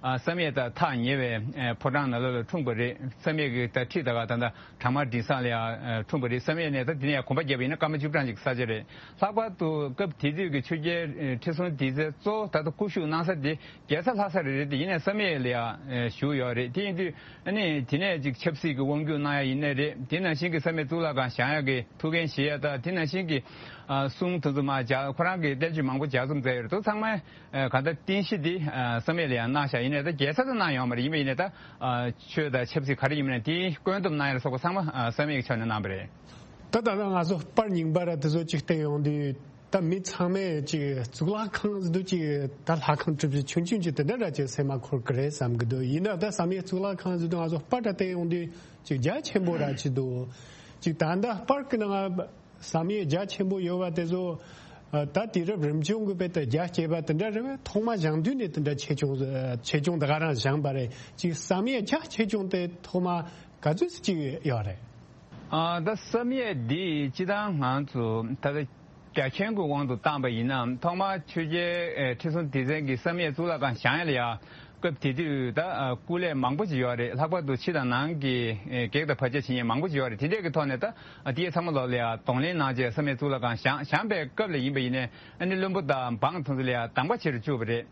ཨ་བསམ་ཡས་དང་ཐག་ཉེ་བའི་ཨ་ཕོ་བྲང་ནང་ལོགས་ལ་འཁྲུངས་པ་རེད། བསམ་ཡས་ཀྱི་ད་ཁྲི་ད་ག་ད་ལྟ་བྲག་དམར་དིང་སང་ལ་ཡང་ཨ་འཁྲུངས་པ་རེད། བསམ་ཡས་ནས་ད་དེ་ནས་ཡང་གོམ་པ་བརྒྱབ་པ་ཡིན་ན་སྐར་མ་བཅུ་གྲངས་ཅིག་ས་ཆ་རེད། ལྷག་པར་དུ་སྐབས་དེ་དུས་ཀྱི་ཆོས་རྒྱལ་ཨ་ཁྲི་སྲོང་ལྡེ་བཙན་གཙོ་བོ་ད་ལྟ་སྐུ་བཞུགས་གནང་ས་དེ་རྒྱལ་ས་ལྷ་ས་རེད་རེད་དེ། ཡིན་ནའི་བསམ་ཡས་ལ་ཡང་ཨ་བཞུགས་ཡོད་རེད། དེ་ཡིན་དུས་ཨ་ནི་དེ་ནས་ཅིག་ཆབ་སྲིད་ཀྱི་དབང་སྒྱུར་གནང་ཡ་ཡིན་ནའི་རེད། དེ་ནང་བཞིན་གྱི་བསམ་ཡས་གཙུག་ལག་ཁང་བཞེངས་ཡ་གི་ཐུགས་འགན་བཞེས་ཡ་དང་དེ་ནང་བཞིན་གྱི་ཨ་གསུང་དེ་ཚོ་མར་ལྗགས་ཁོ་རང་གིས་བསྟན་བཅོས་མང་པོ་ལྗགས་རྩོམ་མཛད་ཡོད་རེད། དེ་ཚང་མ་ཨ་གང་ལྟར་རྟེན་གཞི་འདི་ཨ་བསམ་ཡས་ལ་ཡང་གནང་ཤག་ཡིན་ནའི་ད་རྒྱལ་ས་ལ་གནང་ཡོད་མ་རེད། ཡིན་པ་ཡིན་ནའི་ད་ཨ་ཆོས་དང་ཆབ་སྲིད་ག་རེ་ཡིན་པ་ཡིན་ནའི་དེའི་བཀོད་འདོམས་གནང་ཡ་ལ་སོགས་པ་ཚང་མ་ཨ་བསམ་ཡས་ཀྱི་ཕྱོགས་ནས་གནང་བ་རེད། ད་ད་ལྟ་ང་ཚོ་པར་རྙིང་པ་ར་དེ་ཚོ་ཅིག་བལྟས་ཡོང་དུས་ད་མི་ཚང་མས་ཅིག་གཙུག་ལག་ཁང་ཟེར་དུས་ཅིག་ད་ལྷ་ཁང་གྲུ་བཞི་ཆུང་ཆུང་ཅིག་དེ་འདྲ་ར་ཅིག་སེམས་མ་འཁོར་གི་རེད་བསམ་གི་འདུག་ཡིན་ན་ད་བསམ་ཡས་གཙུག་ལག་ཁང་ཟེར་དུས་ང་ཚོ་པར་ར་བལྟས་ཡོང་དུས་ཅིག་རྒྱ་ཆེན་པོ་ར་ཅིག་འདུག་ཅིག་ད་ལྟ་པར་གི་ནང་བསམ་ཡས་རྒྱ་ཆེན་པོ་ཡོད་པ་དེ་ཚོ་ཨ་ད་དུས་རབས་རིམ་བྱུང་གི་དཔེ་དེ་རྒྱ་བསྐྱེད་པ་དེ་འདྲ་རེད་པས། ཐོག་མ་བཞེངས་དུས་ནས་དེ་འདྲ་ཆེ་ཆུང་ཆེ་ཆུང་ད་ག་རང་བཞེངས་པ་རེད། ཅིག་བསམ་ཡས་རྒྱ་ཆེ་ཆུང་དེ་ཐོག་མ་ག་ཚོད་ཅིག་ཡོད་རེད། ཨ་ད་བསམ་ཡས་འདི་སྤྱིར་བཏང་ང་ཚོ་ད་ལྟ་རྒྱ་ཁྱོན་གྱི་དབང་དུ་བཏང་པ་ཡིན་ན་ཐོག་མར་ཆོས་རྒྱལ་ཨེ་ཁྲི་སྲོང་ལྡེ་བཙན་གྱིས་བསམ་ཡས་གཙུག་ལག་ཁང་བཞེངས་ཡས་ལ་ཡ་སྐབས་དེ་དུས་ད་ཨ་སྐུ་ལས་མང་པོ་ཅིག་ཡོད་རེད། ལྷག་པར་དུ་ཕྱི་དང་ནང་གི་ཨེ་བགེགས་དང་བར་ཆད་བྱེད་མཁན་མང་པོ་ཅིག་ཡོད་རེད། དེ་འདྲས་ཀྱི་ཐོག་ནས་ད་ཨ་དེ་ཚང་མ་ལོག་ལ་ཡ་གདོང་ལེན་གནང་བྱས་བསམ་ཡས་གཙུག་ལག་ཁང་བཞེངས་བཞེངས་པའི་སྐབས་ལ་ཡིན་པ་ཡིན་ནའི་ཨ་ནི་བློན་པོ་དང་འབངས་དེ་ཚོ་ལ་ཡ་དམ་པ་ཆེ་རུ་བཅུག་པ་རེད།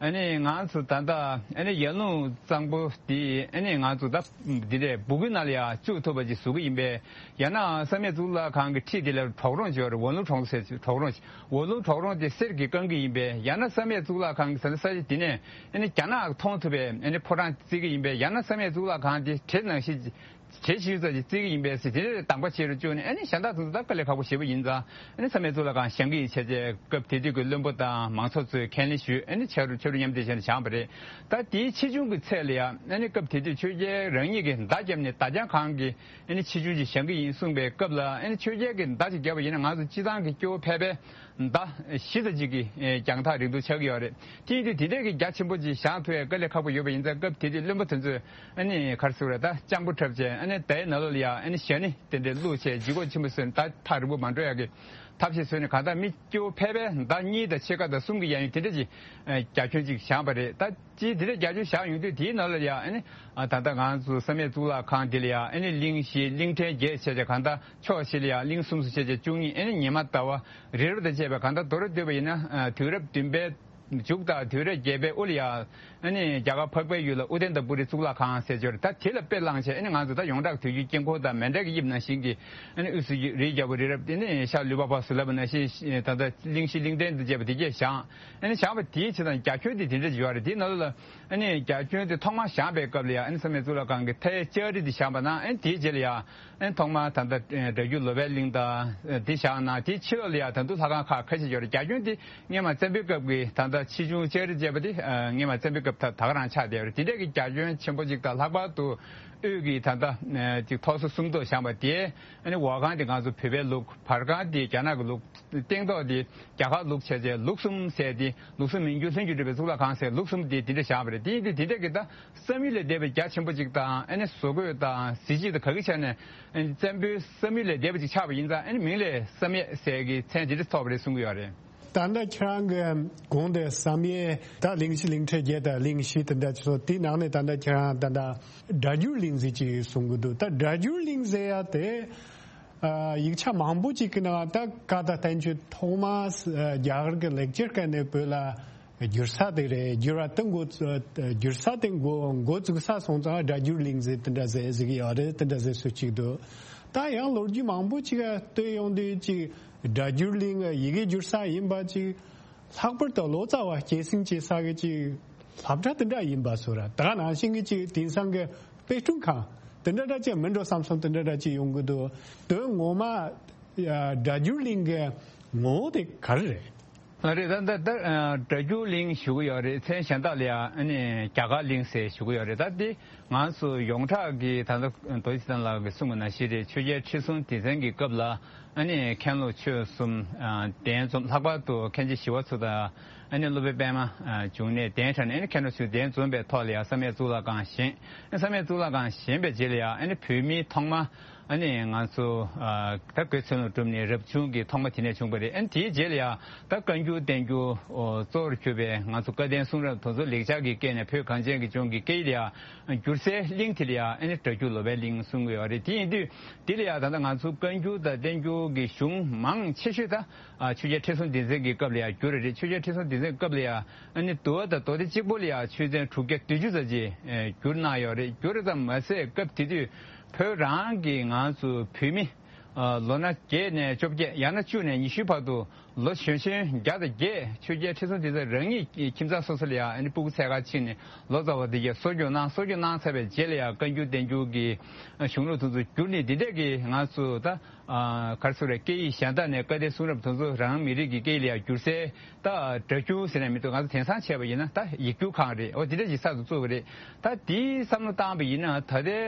ཨ་ནི་ང་ཚོ་ད་ལྟ་ཨ་ནི་ཡར་ཀླུང་གཙང་པོ་འདི་ཨ་ནི་ང་ཚོ་ད་འདི་འདྲའི་སྦུག་གུའི་ནང་ལ་ཡང་བཅུག་ཐུབ་པ་ཅིག་བཟོ་གི་ཡིན་པས། ཡང་ན་བསམ་ཡས་གཙུག་ལག་ཁང་གི་འཁྲིས་དེ་ལ་གྲོག་རོང་ཅིག་ཡོད་རེད། ཝོན་ལུང་གྲོག་རོང་ཟེར་གྲོག་རོང་ཅིག་ཝོན་ལུང་གྲོག་རོང་དེ་གསེར་གྱིས་བཀང་གི་ཡིན་པས། ཡང་ན་བསམ་ཡས་གཙུག་ལག་ཁང་གི་ས་ས་ཆ་དེ་ནས་ཨ་ནི་རྒྱ་ནག་མཐོང་ཐུབ་པའི་ཨ་ནི་ཕོ་བྲང་བརྩིགས་ཀྱི་ཡིན་པས། ཡང་ན་བསམ་ཡས་གཙུག་ལག་ཁང་དེ་བྲེ་ནང་བཞིན་གྱི་གྲས་ཤིག་ཙམ་ཅིག་བརྩིགས་ཀྱི་ཡིན་པས་ཟེར། དེ་ནས་དམ་པ་ཆེ་རུ་བཅུག་ནས་ཨ་ནི་གཞན་དག་དེ་ཚོ་ད་དཀའ་ལས་ཁག་པོ་ཞེ་པོ་ཡིན་ཙང་ཨ་ནི་བསམ་ཡས་གཙུག་ལག་ཁང་བཞེངས་ཀྱི་ཡིན་བྱས་རྗེས་སྐབས་དེ་དུས་ཀྱི་བློན་པོ་དང་མང་ཚོགས་ཚོས་ཁས་ལེན་ཞུས། ཨ་ནི་ཆ་རུ་ཆ་རུ་མཉམ་འདེགས་བྱས་ནས་བཞེངས་པ་རེད། ད་དེའི་ཆེ་ཆུང་གི་ཚད་ལ་ཡང་ཨ་ནི་སྐབས་དེ་དུས་ཆོས་རྒྱལ་རང་ཉིད་ཀྱིས་མདའ་བརྒྱབ་ནས་མདའ་རྒྱང་གང་གི་ཨ་ནི་ཆེ་ཆུང་ཅིག་བཞེངས་ཀྱི་ཡིན་གསུངས་པའི་སྐབས་ལ་ཨ་ནི་ཆོས་རྒྱལ་གྱིས་མདའ་ཅིག་བརྒྱབ་པ་ཡིན་ན་ང་ཚོ་སྤྱིར་བཏང་གི་སྐྱོ་བོ་ཕལ་པས་མདའ་བཞི་ཙམ་ཅིག་གི་ཨེ་རྒྱང་ཐག་རིང་ཐུང་ཆགས་ཀྱི་ཡོད་རེད། དེ་ཡིན་དུས་དེ་འདྲས་ཀྱི་རྒྱ་ཆེན་པོ་ཅིག་བཞེངས་ཐུབ་ཡས་དཀའ་ལས་ཁག་པོ་ཡོད་པ་ཡིན་ཙང་སྐབས་དེ་དུས་བློན་པོ་དེ་ཚོས་ཨ་ནི་ག་རེ་ཟེར་དགོས་རེད། ད་སྤྱང་པོ་འཁྲབ་བྱས་ ཨ་ནི་དེའི་ནང་ལོགས་ལ་ཡང་ཨ་ནི་ཞྭ་ནི་དེ་འདྲའི་བླུགས་བྱས་ལྗིད་ཁོག་ཆེན་པོ་བཟོས་ནས་ད་ཐག་རིང་པོ་མ་འགྲོ་ཡག་གི་ཐབས་ཤེས་བཟོས་ནས། གང་ལྟར་མི་སྐྱོ་བོ་ཕལ་པས་ཟླ་གཉིས་དང་ཕྱེད་ཀ་དང་གསུམ་གྱི་གཡས་གཡོན་དེ་འདྲ་ཅིག་རྒྱ་ཁྱོན་ཅིག་བཞེངས་པ་རེད། ད་ཅི་དེ་འདྲ་རྒྱ་ཁྱོན་བཞེངས་ཡོང་དུས། དེའི་ནང་ལ་ཡང་ཨ་ནི་ད་ལྟ་ང་ཚོ་བསམ་ཡས་གཙུག་ལག་ཁང་འདི་ལ་ཡང་ཨ་ནི་གླིང་བཞི་གླིང་ཕྲན་བརྒྱད་བྱས་བྱས། གང་ལྟར་ཕྱོགས་བཞི་ལ་ཡང་གླིང་གསུམ་བཟོ་བྱས་བྱས་བཅུ་གཉིས། ཨ་ནི་ཉི་མ་ཟླ་བ་རི་རབ་དང་བཅས་པའི། གང་ལྟར་མདོར་བསྡུས་པ་ཡིན་ན་དུས་རབས་བདུན་པའི་མཇུག་དང་དུས་རབས་བརྒྱད་པའི་དབུ་ལ་ཡང་ཨ་ནི་རྒྱ་གར་འཕགས་པའི་ཡུལ་ལ་ཨུ་ཏན་ཏ་པུ་རི་གཙུག་ལག་ཁང་ཟེར་གྱི་ཡོད་རེད། ད་དེ་ལ་དཔེ་བླངས་བྱས་ཨ་ནི་ང་ཚོ་ད་ཡོངས་གྲགས་དུས་རྒྱུན་དཀྱིལ་འཁོར་དང་མཎྜལ་གྱི་དབྱིབས་ནང་བཞིན་གྱི་ཨ་ནི་དབུས་སུ་རིའི་རྒྱལ་པོ་རི་རབ། དེ་ནས་ཤར་ལུས་འཕགས་པ་ཟེར་ལབ་པ་ནང་བཞིན། ད་ལྟ་གླིང་བཞི་གླིང་ཕྲན་དང་བཅས་པ་དེ་གྱད་བཞེངས། ཨ་ནི་བཞེངས་པ་དེའི་བྱེད་སྟངས་རྒྱ་ཁྱོན་དེ་དེ་འདྲ་ཡོད་རེད། དེའི་ནང་ལ་ཨ་ནི་རྒྱ་ཁྱོན་དེ་ཐོག་མར་བཞེངས་པའི་སྐབས་ལ་ཡང་ཨ་ནི་བསམ་ཡས་གཙུག་ལག་ཁང་གི་མཐའི་ལྕགས་རི་དེ་བཞེངས་པ་ན། ཨ་ནི་དེའི་རྗེས་ལ་ཡང་ཨ་ནི་ཐོག་མར་ད་ལྟ་སྒྲ་སྒྱུར་ལོ་པཎ་གླིང་དང་དེ་བཞེངས་ན། དེའི་ཕྱི་ལོགས་ལ་ཡང་ད་དུང་ལྷ་ཁང་ཁག་ཁ་ཤས་ཡོད་རེད། རྒྱ་ཁྱོན་དེ་སྔོན་མ་བཙན་པོའི་སྐབས་ཀྱི་ད་ལྟ་ཆེ་ཆུང་ལྕགས་རི་བཅས་པ་དེ་སྔོན་མ་བཙན་པོའི་སྐབས་ད་ད་ག་རང་ཆགས་བསྡད་ཡོད་རེད། དེ་འདྲས་ཀྱི་རྒྱ་ཁྱོན་ཆེན་པོ་ཅིག་དང་། ལྷག་པར་དུ་དབུས་ཀྱི་ད་ལྟ་ཅིག་ཐོག་སོ་སུམ་ཐོག་བཞེངས་པ་དེ་ཨ་ནི་འོག་ཁང་དེ་ང་ཚོ་བོད་པའི་ལུགས། བར་ཁང་དེ་རྒྱ་ནག་གི་ལུགས། སྟེང་ཐོག་དེ་རྒྱ་གར་ལུགས་བྱས་བྱས། ལུགས་གསུམ་ཟེར་དེ། ལུགས་གསུམ་མི་འགྱུར་ལྷུན་གྱིས་གྲུབ་པའི་གཙུག་ལག་ཁང་ཟེར། ལུགས་གསུམ་དེ་དེ་འདྲ་བཞེངས་པ་རེད། དེ་ཡིན་དུས་དེ་འདྲ་གི་ད་བསམ་ཡུལ་ལས་འདས་པའི་རྒྱ་ཆེན་པོ་ཅིག་དང་། ཨ་ནི་བཟོ་བཀོད་དང་གཟི་བརྗིད་དང་ག་གི་ཆ་ནས་བཙན་པོའི་བསམ་ཡུལ་ལས་འདས་པ་ཅིག་ཆགས་པ་ཡིན་ཙང་། ཨ་ནི་མིང་ལས་བསམ་ཡས་ཟེར་གི་མཚན་དེ་འདྲ་ཐོབ་པ་རེད་གསུང་གི་ཡོད་རེད། ད་ལྟ་ཁྱེད་རང་གི་གོང་དུ་བསམ་ཡས་ད་གླིང་བཞི་གླིང་ཕྲན་བརྒྱད་དང་གླིང་བཞི་དེ་འདྲ་ཚོ། དེའི་ནང་ནས་ད་ལྟ་ཁྱེད་རང་ད་ལྟ་སྒྲ་སྒྱུར་གླིང་ཟེར་ཅིག་གསུང་གི་འདུག་ད་སྒྲ་སྒྱུར་གླིང་ཟེར་ཡ་དེ། ཨ། ཡིག་ཆ་མང་པོ་ཅིག་གི་ནང་ད་བཀའ་དང་བསྟན་བཅོས་ཐོག་མ། ཨ། རྒྱ་གར་གྱི་ལེགས་སྦྱར་སྐད་ནས་བོད་ལ་བསྒྱུར་ས་དེ་རེད། བསྒྱུར་བ་དེ་འགོ་བཙུགས། བསྒྱུར་ས་དེ་འགོ་འགོ་བཙུགས་ས་སོང་ཙང་སྒྲ་སྒྱུར་གླིང་ཟེར་དེ་འདྲ་ཟེར་ཟེར་གྱི་ཡོད་རེད། དེ་འདྲ་ཟེར་སྲོལ་ཅིག་འདུག་ད་ཡང་ལོ་རྒྱུས་མང་པོ་ཅིག་ལ་ལྟོས་ཡོང་དུས་ཅིག་སྒྲ་སྒྱུར་གླིང་ཡི་གེ་བསྒྱུར་ས་ཡིན་པ་ཅིག་ལྷག་པར་དུ་ལོ་ཙཱ་བ་སྐྱེད་སྲིང་བྱེད་ས་གི་ཅིག་སློབ་གྲྭ་དེ་འདྲ་ཡིན་པ་བཟོ་ར། ད་ག་ནང་བཞིན་གྱི་ཅིག་དེང་སང་གི་དཔེ་སྐྲུན་ཁང་དེ་འདྲ་འདྲ་ཅིག་མིན་འགྲོ་བསམ་སོང་། དེ་འདྲ་འདྲ་ཅིག་ཡོང་གི་འདུག་དོན་ངོ་མ་ཡ་སྒྲ་སྒྱུར་གླིང་གི་ངོ་བོ་དེ་ག་རེ་རེད། ལགས་རེད། ད་ད་ད་སྒྲ་སྒྱུར་གླིང་ཞུ་གི་ཡོད་རེད། མཚན་གཞན་དག་ལ་ཡང་ཨ་ནི་རྒྱ་གར་གླིང་ཟེར་ཞུ་གི་ཡོད་རེད། ད་འདི་ང་ཚོ་ཡོངས་གྲགས་ཀྱི་ད་ལྟ་རྡོ་རྗེ་ཐེག་ལགས་ཀྱིས་གསུངས་པ་ནང་བཞིན་རེད། ཆོས་རྒྱལ་ཁྲི་སྲོང་ལྡེ་བཙན་གྱི་སྐབས་ལ་ཨ་ནི་མཁན་སློབ་ཆོས་གསུམ་གདན་འཛོམས། ལྷག་པར་དུ་མཁན་ཆེན་ཞི་བ་འཚོ་དང་ཨ་ནི་སློབ་དཔོན་པད་མ་འབྱུང་གནས་གདན་དྲངས་ནས། ཨ་ནི་མཁན་སློབ་ཆོས་གདན་འཛོམས་པའི་ཐོག་ལ་ཡང་བསམ་ཡས་གཙུག་ལག་ཁང་བཞེངས། ཨ་ནི་བསམ་ཡས་གཙུག་ལག་ཁང་བཞེངས་པའི་རྗེས་ལ་ཡང་ཨ་ནི་བོད་མི་ཐོག་མ་ཨ་ནི་ང་ཚོ་ད་སྒོས་ཚོན་སློབ་གྲུབ་ནས་རབ་བྱུང་གི་ཐོག་མ་དེ་ནས་བྱུང་བ་རེད། ཨ་ནི་དེའི་རྗེས་ལ་ཡང་ད་བཀའ་འགྱུར་བསྟན་འགྱུར་གཙོ་བོར་གྱུར་པའི་ང་ཚོ་བཀའ་བསྟན་གསུང་རབ་དེ་ཚོ་ལེགས་སྦྱར་གྱི་སྐད་ནས་བོད་གངས་ཅན་གྱི་ལྗོངས་ཀྱི་སྐད་ཡིག་ལ་ཡང་བསྒྱུར་སའི་གླིང་དེ་ལ་ཡང་ཨ་ནི་སྒྲ་སྒྱུར་ལོ་པཎ་གླིང་གསུང་གི་ཡོད་རེད། དེ་ཡིན་དུས་འདི་ལ་ཡང་ད་ལྟ་ང་ཚོ་བཀའ་འགྱུར་དང་བསྟན་འགྱུར་གྱི་གཞུང་མང་ཆེ་ཤོས་ད་ཆོས་རྒྱལ་ཁྲི་སྲོང་ལྡེ་བཙན་གྱི་སྐབས་ལ་ཡང་བསྒྱུར་རེད། ཆོས་རྒྱལ་ཁྲི་སྲོང་ལྡེ་བཙན་གྱི་སྐབས་ལ་ཡང་ཨ་ནི་འདུལ་བ་དང་མདོ་སྡེ་གཅིག་པོ་ལ་ཡང་ཆོས་ཚན་དྲུག་བརྒྱ་བདུན་ཅུ་ཙམ་ཅིག་བསྒྱུར་གནང་ཡོད་རེད། བསྒྱུར་རེད་ཙམ་མ་ཟད་སྐབས་དེ་དུས་བོད་རང་གི་ང་ཚོ་བོད་མི་ལོ་ན་བརྒྱད་ནས་བཅོ་བརྒྱད། ཡང་ན་བཅུ་ནས་ཉི་ཤུའི་བར་དུ་ལོ་གཞོན་གཞོན་བརྒྱ་དང་བརྒྱད་ཆོས་རྒྱལ་ཁྲི་སྲོང་ལྡེ་བཙན་རང་ཉིད་ཀྱི་ཁྱིམ་ཚང་སོ་སོ་ལ་ཡང་ཨ་ནི་སྤུ་གུ་འཚོལ་ག་ཕྱིན་ནས་ལོ་ཙཱ་བ་དེ་གས་གསོ་སྐྱོང་གནང་། གསོ་སྐྱོང་གནང་ཚར་བའི་རྗེས་ལ་ཡང་བཀའ་འགྱུར་བསྟན་འགྱུར་གྱི་གཞུང་ལུགས་དེ་ཚོ་བསྒྱུར་ནས་འདི་འདྲས་ཀྱི་ང་ཚོ་ད་ག་རེ་ཟེར་རེད། སྐད་ཡིག་གཞན་དག་ནས་བཀའ་བསྟན་གསུང་རབ་དེ་ཚོ་རང་མི་རིགས་ཀྱི་སྐད་ཡིག་ལ་ཡང་བསྒྱུར་སའི་ད་སྒྲ་སྒྱུར་ཟེར་ནས་མི་འདུག་ང་ཚོ་དེང་སང་བྱས་པ་ཡིན་ན་ད་ཡིག་སྒྱུར་ཁང་རེད། འོ་འདི་འདྲས་ཀྱི་གསར་དུ་བཙུགས་པ་རེད། ད་དེའི་བསམ་བློ་བཏང་བ་ཡིན་ན་ད་ལྟའི་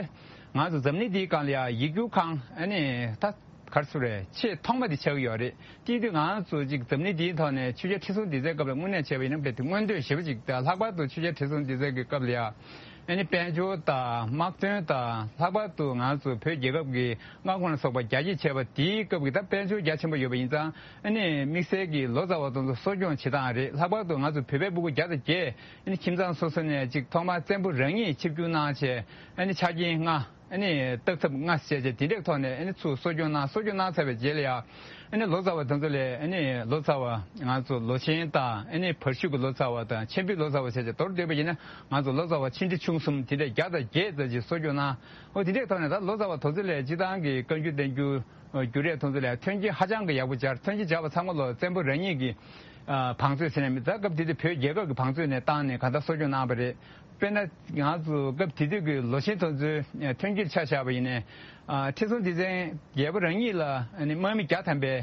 ང་ཚོ་འཛམ་གླིང་འདིའི་སྒང་ལ་ཡང་ཡིག་སྒྱུར་ཁང་ཨ་ནི་ད་ག་རེ་ཟེར་རེད། ཆེས་ཐོག་མ་དེ་ཆགས་ཀྱི་ཡོད་རེད། དེ་དུས་ང་ཚོ་ཅིག་འཛམ་གླིང་འདིའི་ཐོག་ནས་ཆོས་རྒྱལ་ཁྲི་སྲོང་ལྡེ་བཙན་སྐབས་ལ་དངོས་གནས་བྱས་པ་ཡིན་ན་དཔེ་དེ་མངོན་འདོད་ཞེ་པོ་ཅིག་དང་། ལྷག་པར་དུ་ཆོས་རྒྱལ་ཁྲི་སྲོང་ལྡེ་བཙན་གྱི་སྐབས་ལ་ཡང་ཨ་ནི་དཔལ་འབྱོར་དང་དམག་དོན་དང་། ལྷག་པར་དུ་ང་ཚོ་བོད་རྒྱལ་ཁབ་ཀྱི་མངའ་ཁོངས་ལ་སོགས་པ་རྒྱ་སྐྱེད་བྱས་པ་དེའི་སྐབས་ཀྱི་ད་དཔལ་འབྱོར་རྒྱ་ཆེན་པོ་ཡོད་པ་ཡིན་ཙང་། ཨ་ནི་དམིགས་བསལ་གྱི་ལོ་ཙཱ་བ་དེ་ཚོ་གསོ་སྐྱོང་བྱེད་སྟངས་རེད། ལྷག་པར་དུ་ང་ཚོ་བོད་པའི་སྤུ་གུ་བརྒྱ་དང་བརྒྱད་ཨ་ནི་ཁྱིམ་ཚང་སོ་སོ་ནས་ཅིག་ཐོག་མར་བཙན་པོ་རང་ཉིད་ཆིབས་བསྒྱུར་གནང་བྱས། ཨ་ནི་ཆ་རྐྱེན་ལྔ། ཨ་ནི་བརྟག་ཐབས་ལྔ་བྱས་བྱས་དེ་འདྲའི་ཐོག་ནས་ཨ་ནི་ཚུར་གསོ་སྐྱོང་གནང་། གསོ་སྐྱོང་གནང་ཚར་བའི་རྗེས་ལ་ཡང་ཨ་ནི་ལོ་ཙཱ་བ་དེ་ཚོ་ལ་ཨ་ནི་ལོ་ཙཱ་བ་ང་ཚོ་ལོ་ཆེན་དང་། ཨ་ནི་བར་ཤུག་གི་ལོ་ཙཱ་བ་དང་། ཆེན་པོའི་ལོ་ཙཱ་བ་བྱས་བྱས་མདོར་བསྡུས་པ་ཡིན་ན་ང་ཚོ་ལོ་ཙཱ་བ་ཆེ་འབྲིང་ཆུང་གསུམ་དེ་འདྲ་བརྒྱ་དང་བརྒྱད་ཙམ་ཅིག་གསོ་སྐྱོང་གནང་། འོ་དེ་འདྲའི་ཐོག་ནས་ད་ལོ་ཙཱ་བ་དེ་ཚོ་ལ་སྤྱིར་བཏང་གི་བཀའ་འགྱུར་བསྟན་འགྱུར་བསྒྱུར་ཡས་དེ་ཚོ་ལ་མཐུན་རྐྱེན་ཧ་ཅང་གི་ཡག་པོ་སྦྱར། མཐུན་རྐྱེན་སྦྱར་བ་ཚང་མ་ལོ་བཙན་པོ་རང་ཉིད་ཀྱི་བང་མཛོད་ཟེར་ནས་མི་ད་སྐབས་དེ་དུས་བོད་རྒྱལ་ཁབ་ཀྱི་བང་མཛོད་ནས་བཏང་ནས་གང་ལྟར་གསོ་སྐྱོང་གནང་བ་རེད། དཔེར་ན་ང་ཚོ་སྐབས་དེ་དུས་ཀྱི་ལོ་ཆེན་དེ་ཚོའི་མཐུན་རྐྱེན་ཆ་བཞག་པ་ཡིན་ནའི། ཁྲི་སྲོང་ལྡེ་བཙན་རྒྱལ་པོ་རང་ཉིད་ལ་ཨ་ནི་དམག་མི་བརྒྱ་ཐམ་པའི་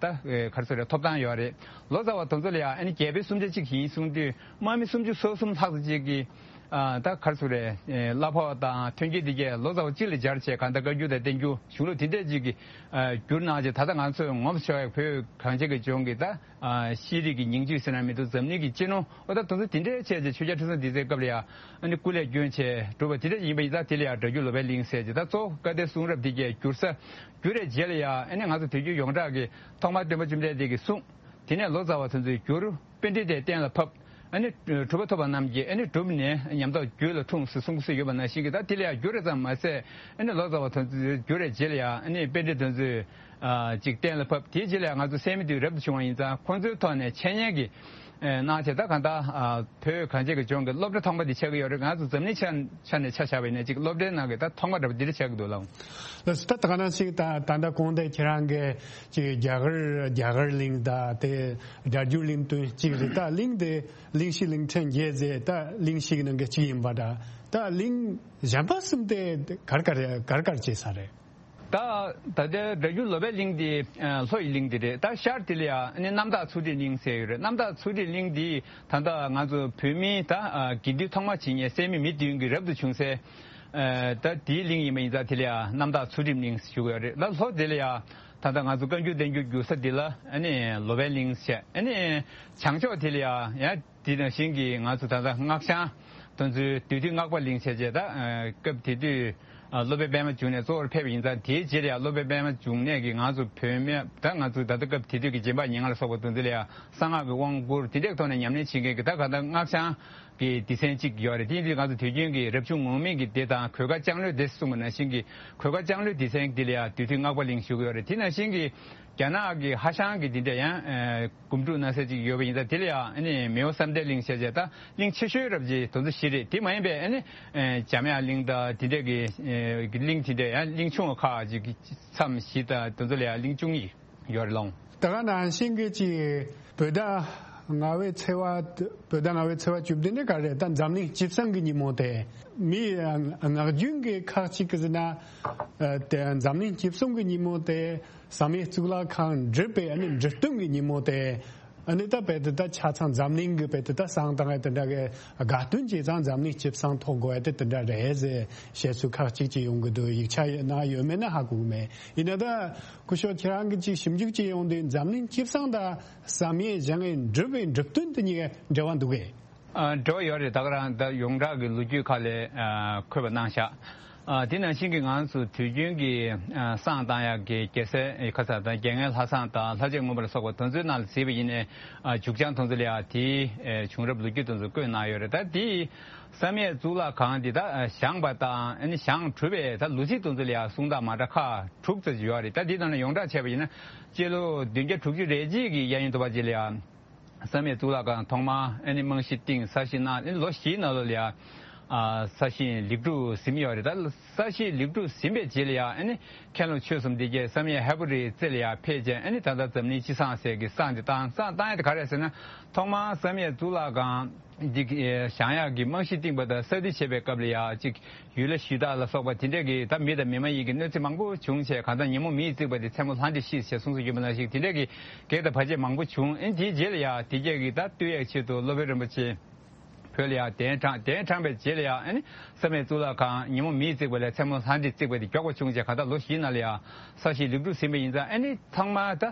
ད་ག་རེ་ཟེར་རེད། ཐོབ་ཐང་ཡོད་རེད། ལོ་ཙཱ་བ་དེ་ཚོ་ལ་ཡང་ཨ་ནི་རྒྱལ་པོའི་སུམ་ཆ་གཅིག་ཡིན་གསུངས་དུས་དམག་མི་སུམ་ཅུ་སོ་གསུམ་ལྷག་ཙམ་ཅིག་གིས་ ཨ་ད་ག་རེ་ཟེར་རེད། ཨེ་གླ་ཕོགས་དང་ཐོན་སྐྱེད་དེ་གས་ལོ་ཙཱ་བ་གཅིག་ལ་སྦྱར་བྱས་གང་ལྟར་བཀའ་འགྱུར་དང་བསྟན་འགྱུར་གཞུང་ལུགས་དེ་འདྲས་ཅིག་གི་ཨ་བསྒྱུར་གནང་བྱས། ད་ལྟ་ང་ཚོས་ངོམ་ཤོར་ཡག་བོད་གངས་ཅན་གྱི་ལྗོངས་ཀྱི་ད་ཨ་ཤེས་རིག་གི་ཉིང་བཅུད་ཟེར་ན་མི་འདུག་འཛམ་གླིང་གི་གཅེས་ནོར། འོ་ད་དེ་ཚོ་དེ་འདྲས་བྱས་བྱས་ཆོས་རྒྱལ་ཁྲི་སྲོང་ལྡེ་བཙན་སྐབས་ལ་ཡང་ཨ་ནི་སྐུ་ལས་བསྐྱོན་བྱས་གྲུབ་པ་དེ་འདྲས་ཡིན་པ་ཡིན་ཙང་། དེ་ལ་ཡང་སྒྲ་བསྒྱུར་ལོ་པཎ་གླིང་ཟེར་བྱས། ད་གཙོ་བོ་བཀའ་གདམས་གསུང་རབ་དེ་གས་བསྒྱུར་ས་བསྒྱུར་བའི་རྗེས་ལ་ཡང་ཨ་ནི་ང་ཚོ་དུས་རྒྱུན་ཡོངས་གྲགས་ཀྱི་ཐོག་མར་སྟོན་པ་བཅོམ་ལྡན་འདས་ཀྱིས་གསུངས། དེ་ནས་ལོ་ཙཱ་བ་དེ་ཚོས་བསྒྱུར། པཎྜི་ཏས་གཏན་ལ་ཕབ། ཨ་ནི་གྲུབ་པ་ཐོབ་པ་རྣམས་ཀྱིས་ཨ་ནི་བསྒྲུབས་ནས་ཉམས་རྟོགས་རྒྱུད་ལ་འཁྲུངས་ཟེར་གསུང་གི་སྲོལ་ཡོད་པ་ནང་བཞིན་གྱི། ད་དེ་ལ་ཡང་བསྒྱུར་རེ་ཙམ་མ་ཟད། ཨ་ནི་ལོ་ཙཱ་བ་དེ་ཚོས་བསྒྱུར་བའི་རྗེས་ལ་ཡང་ཨ་ནི་པཎྜི་ཏ་དེ་ཚོས་ཨ་ཅིག་གཏན་ལ་ཕབ། དེའི་རྗེས་ལ་ཡང་ང་ཚོ་གསན་མི་དེ་རབ་ཏུ་བྱུང་བ་ཡིན་ཙང་། ཁོང་ཚོའི་ཐོག་ནས་འཆད་ཉན་གྱི་ཨ་གནང་བྱས། ད་གང་ལྟར་ཨ་བོད་གངས་ཅན་གྱི་ལྗོངས་ཀྱི་སློབ་གྲྭ་ཐོག་མ་དེ་ཆགས་ཀྱི་ཡོད་རེད། ང་ཚོ་འཛམ་གླིང་ཆ་ཆ་ནས་ཆ་བཞག་པ་ཡིན་ན་ཅིག་སློབ་གྲྭའི་ནང་གི་ད་ཐོག་མ་འདྲ་པོ་འདི་འདྲ་ཆགས་ཀྱི་འདུག་ལགས། ལགས་སོ། ད་ད་ག་ནང་བཞིན་ད་ད་ལྟ་གོང་དེ་ཁྱེད་རང་གིས་ཅིག་རྒྱ་གར་རྒྱ་གར་གླིང་དང་དེ་སྒྲ་བསྒྱུར་གླིང་དོན་གཅིག་རེད། ད་གླིང་དེ་གླིང་བཞི་གླིང་ཕྲན་བརྒྱད་ཟེར། ད་གླིང་བཞི་གི་ནང་གི་གཅིག་ཡིན་པ་འདྲ། ད་གླིང་གཞན་པ་གསུམ་དེ་གར་གར་གར་གར་བྱེད་ས་རེད། ད་ད་ལྟའི་སྒྲ་བསྒྱུར་ལོ་པཎ་གླིང་དེ་ཨ་ལྷོ་ཡི་གླིང་དེ་རེད། ད་ཤར་དེ་ལ་ཡང་ཨ་ནི་གནམ་བདག་ཚུལ་ཁྲིམས་གླིང་ཟེར་ཡོད་རེད། གནམ་བདག་ཚུལ་ཁྲིམས་གླིང་དེ་ད་ལྟ་ང་ཚོ་བོད་མིའི་ད་ཨ་དགེ་འདུན་ཐོག་མ་བྱེད་མཁན་སད་མི་མི་བདུན་གྱི་རབ་ཏུ་བྱུང་སའི་ཨ་ད་དེའི་གླིང་ཡིན་པ་ཡིན་ཙང་། དེ་ལ་ཡང་གནམ་བདག་ཚུལ་ཁྲིམས་གླིང་ཞུ་གི་ཡོད་རེད། ད་ལྷོ་དེ་ལ་ཡང་ད་ལྟ་ང་ཚོ་བཀའ་འགྱུར་བསྟན་འགྱུར་བསྒྱུར་ས་དེ་ལ་ཨ་ནི་ལོ་པཎ་གླིང་བྱས། ཨ་ནི་བྱང་ཕྱོགས་དེ་ལ་ཡང་ཡང་དེ་ནང་བཞིན་གྱི་ང་ཚོ་ད་ལྟ་སྔགས་འཆང་དེ་ཚོའི་དེ་དུས་སྔགས་པ་གླིང་བྱས་བྱས། ད་ཨ་སྐབས་དེ་དུས་ཨ་སློབ་དཔོན་པདྨ་འབྱུང་གནས་གཙོ་བོར་ཕེབས་པ་ཡིན་ཙང་། དེའི་རྗེས་ལ་ཡང་སློབ་དཔོན་པདྨ་འབྱུང་གནས་ཀྱིས་ང་ཚོ་བོད་སྨད་ད་ང་ཚོ་ད་ལྟ་སྐབས་དེ་དུས་ཀྱི་རྗེ་འབངས་ཉེར་ལྔ་ལ་སོགས་པ་དེ་ཚོ་ལ་ཡང་གསང་སྔགས་ཀྱི་དབང་བསྐུར། དེ་འདྲའི་ཐོག་ནས་ཉམས་ལེན་བྱེད་མཁན་གྱི་ད་ག་ད་སྔགས་འཆང་གི་སྡེ་ཚན་གཅིག་ཡོད་རེད། དེ་ཡིན་དུས་ང་ཚོ་དུས་རྒྱུན་གྱི་རབ་བྱུང་ངུར་སྨྲིག་གི་སྡེ་དང་གོས་དཀར་ལྕང་ལོའི་སྡེ་གསུངས་པ་ནང་བཞིན་གྱི་གོས་དཀར་ལྕང་ལོའི་སྡེ་ཚན་དེ་ལ་ཡང་དེ་དུས་སྔགས་པ་གླིང་ཞུ་གི་ཡོད་རེད། དེ་ནང་བཞིན་གྱི་རྒྱ་ནག་གི་ཧྭ་ཤང་གི་དེ་འདྲ་ཡང་ཨ་སྒོམ་སྒྲུབ་གནང་ས་ཅིག་ཡོད་པ་ཡིན་ཙང་། དེ་ལ་ཡང་ཨ་ནི་མེའོ་བསམ་གཏན་གླིང་བྱས་བྱས། ད་གླིང་ཆེ་ཤོས་རབ་ཅིག་དེ་ཚོ་བཞི་རེད། དེ་མ་ཡིན་པའི་ཨ་ནི་ཨ་འཇམ་དབྱངས་གླིང་དང་དེ་འདྲ་གི་ཨ་གླིང་དེ་འདྲ་ཡང་གླིང་ཆུང་བ་ཁག་ཅིག་མཚམས་བཞི་དང་དེ་ཚོ་ལ་ཡང་གླིང་བཅུ་གཉིས་ཡོད་རེད་ལགས། ད་ག་ནང་བཞིན་གྱི་ཅིག་བོད་ཟླ་ལྔ་པའི་ཚེས་པ། བོད་ཟླ་ལྔ་པའི་ཚེས་པ་བཅུ་བདུན་ནི་ག་རེ་རེད། ད་འཛམ་གླིང་སྤྱི་བསང་གི་ཉིན་མོ་དེ། མི་ངག་རྒྱུན་གྱི་ཁག་ཅིག་གིས་ཟེར་ན་ཨ་དེ་འཛམ་གླིང་སྤྱི་བསང་གི་ཉིན་མོ་དེ། བསམ་ཡས་གཙུག་ལག་ཁང་འགྲུབ་པའི་ཨ་ནི་འགྲུབ་སྟོན་གྱི་ཉིན་མོ་དེ། ཨ་ནི་ད་དཔེ་དེ་ད་ཆ་ཚང་འཛམ་གླིང་གི་དཔེ་དེ་ད་བསང་བཏང་ཡ་དེ་འདྲ་གི་དགའ་སྟོན་བྱས་ཙང་འཛམ་གླིང་སྤྱི་བསང་ཐོག་དགོས་ཡ་དེ་དེ་འདྲ་རེད་ཟེར་བཤད་ཚུལ་ཁག་ཅིག་ཅིག་ཡོང་གི་འདུག། ཡིག་ཆ་ནང་ཡོད་མེད་ན་ཧ་གོ་གི་མེད། ཡིན་ན་ད་སྐུ་ཞབས་ཁྱེད་རང་གིས་ཅིག་ཞིབ་འཇུག་ཅིག་ཡོང་དུས་འཛམ་གླིང་སྤྱི་བསང་དང་བསམ་ཡས་བཞེངས་ཡས་འགྲུབ་པའི་འགྲུབ་སྟོན་དེ་གཉིས་ཀ་འབྲེལ་བ་འདུག་གས། ཨ་འབྲེལ་བ་ཡོད་རེད། ད་ག་རང་ད་ཡོངས་གྲགས་ཀྱི་ལོ་རྒྱུས་ཁག་ལ་ཨ་འཁོད་པ་གནང་བཞག། ཨ་དེ་ནང་བཞིན་གྱི་ང་ཚོ་དུས་རྒྱུན་གྱི་ཨ་བསང་བཏང་ཡག་གི་རྒྱལ་སྲས་ཁ་ས་དང་རྒྱལ་ངན་ལྷ་བསང་དང་ལྷ་རྗེ་མངོན་པར་སོགས་པ་དེ་ཚོའི་ནང་ལ་གཟིགས་པ་ཡིན་ནའི། ཨ་མཇུག་བྱང་དེ་ཚོ་ལ་ཡང་དེའི་ཨ་བྱུང་རབས་ལོ་རྒྱུས་དེ་ཚོ་བཀོད་གནང་ཡོད་རེད། ད་དེའི་བསམ་ཡས་གཙུག་ལག་ཁང་འདི་ད་ཨ་བཞེངས་པ་དང་ཨ་ནི་བཞེངས་གྲུབ་པའི་ད་ལོ་ཚིགས་དེ་ཚོ་ལ་ཡང་གསུང་སྟངས་མ་འདྲ་ཁག་དྲུག་ཙམ་ཡོད་རེད། ད་དེའི་ནང་ནས་ཡོངས་གྲགས་བྱས་པ་ཡིན་ན། སྤྱི་ལོ་བདུན་བརྒྱ་དྲུག་ཅུ་རེ་གཅིག་གི་གཡས་གཡོན་དུ་བ་ཅིག་ལ་ཡང་། བསམ་ཡས་གཙུག་ལག་ཁང་ཐོག་མར་ཨ་ནི་རྨང་གཞི་བཏིང་། གསར་བཞེངས་གནང་། ཨ་ནི་ལོ་བཞིའི་ནང་ལོགས་ལ་ཡང་ཨ་གསར་བཞེངས་ལེགས་གྲུབ་ཟིན་ཡོད་རེད། ད་གསར་བཞེངས་ལེགས་གྲུབ་ཟིན་པའི་རྗེས་ལ་ཡང་ཨ་ནི་མཁན་སློབ་ཆོས་གསུམ་འདི་གས་བསམ་ཡས་ཧས་པོ་རིའི་རྩེ་ལ་ཡང་ཕེབས་བྱས། ཨ་ནི་ད་ལྟ་འཛམ་གླིང་སྤྱི་བསང་ཟེར་གྱི་བསང་འདི་བཏང་། བསང་བཏང་ཡ་དེ་ག་རེ་རེད་ཟེར་ན། ཐོག་མར་བསམ་ཡས་གཙུག་ལག་ཁང་འདི་གི་བཞེངས་ཡག་གི་རྨང་གཞི་བཏིང་པ་དང་གསར་དུ་བྱེད་པའི་སྐབས་ལ་ཡང་ཅིག་ཡུལ་ལྷ་གཞི་བདག་ལ་སོགས་པ་དེ་འདྲས་ཀྱི་ད་མི་དང་མི་མ་ཡིན་གྱི་གནོད་འཚེ་མང་པོ་བྱུང་བྱས། གང་ལྟར་ཉིན་མོ་མེས་བརྩིགས་པ་དེ་མཚན་མོ་ལྷ་འདྲེས་ཤི་ཟེར་གསུངས་སྲོལ་ཡོད་པ་ནང་བཞིན། དེ་འདྲས་ཀྱི་གེགས་དང་བར་ཆད་མང་པོ་བྱུང་། ཨེ་དེའི་རྗེས་ལ་ཡང་དེ་རྗེས་ཀྱི་ད་བཏུལ་ཡག་ཆེད་དུ་སློབ་དཔོན་རིན་པོ་ཆེ་བོད་ལ་ཡང་གདན་དྲངས། གདན་དྲངས་པའི་རྗེས་ལ་ཡང་ཨ་ནི་བསམ་ཡས་གཙུག་ལག་ཁང་ཉིན་མོ་མེས་བརྩིགས་པ་ལས་མཚན་མོ་ལྷ་འདྲེས་བརྩིགས་པ་དེ་མགྱོགས་པ་བྱུང་བྱས། གང་ལྟར་ལོ་བཞིའི་ནང་ལ་ཡང་གསར་བཞེངས་ལེགས་གྲུབ་ཟིན་པ་ཡིན་ཙང་། ཨ་ནི་ཚང་མ་ད་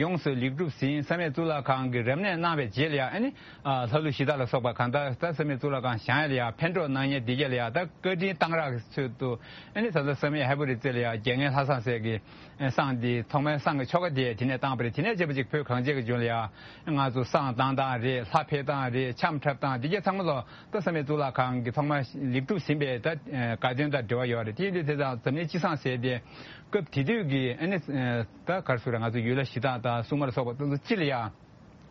ཡོངས་སུ་ལེགས་གྲུབ་ཟིན། བསམ་ཡས་གཙུག་ལག་ཁང་གི་རབ་གནས་གནང་བའི་རྗེས་ལ་ཡང་ཨ་ནི་ཨ་ལྷ་ཀླུ་གཞི་བདག་ལ་སོགས་པ་གང་ལྟར་ད་བསམ་ཡས་གཙུག་ལག་ཁང་བཞེངས་ཡ་ལ་ཡ་ཕན་གྲོགས་གནང་མཁན་འདི་གས་ལ་ཡ་ད་བཀའ་དྲིན་གཏང་རག་གི་ཚུལ་དུ། ཨ་ནི་ད་ལྟ་བསམ་ཡས་ཧས་པོ་རིའི་རྩེ་ལ་ཡ་རྒྱལ་ངན་ལྷ་བསང་ཟེར་གི་བསང་འདི་ཐོག་མའི་བསང་གི་ཆོ་ག་དེ་དེ་ནས་བཏང་པ་རེད། དེ་ནས་བྱས་པ་ཅིག་བོད་གངས་ཅན་གྱི་ལྗོངས་ལ་ཡ་ང་ཚོ་བསང་བཏང་སྟངས་རེད། ལྷ་ཕེབས་སྟངས་རེད། འཆམ་འཁྲབ་སྟངས་འདི་གས་ཚང་མ་ལོ་ད་བསམ་ཡས་གཙུག་ལག་ཁང་གི་ཐོག་མ་ལེགས་གྲུབ་ཟིན་པའི་ད་དགའ་སྟོན་དང་འབྲེལ་བ་ཡོད་རེད། དེ་ཡིན་དུས་དེ་དང་འཛམ་གླིང་སྤྱི་བསང་ཟེར་དེ་སྐབས་དེ་དུས་ཀྱི་ཨ་ནི་ད་ག་རེ་ཟེར་རེད། ང་ཚོ་ཡུལ་ལྷ་གཞི་བདག་དང་སྲུང་མ་ལ་སོགས་པ་དེ་ཚོ་སྤྱི་ལ་ཡ།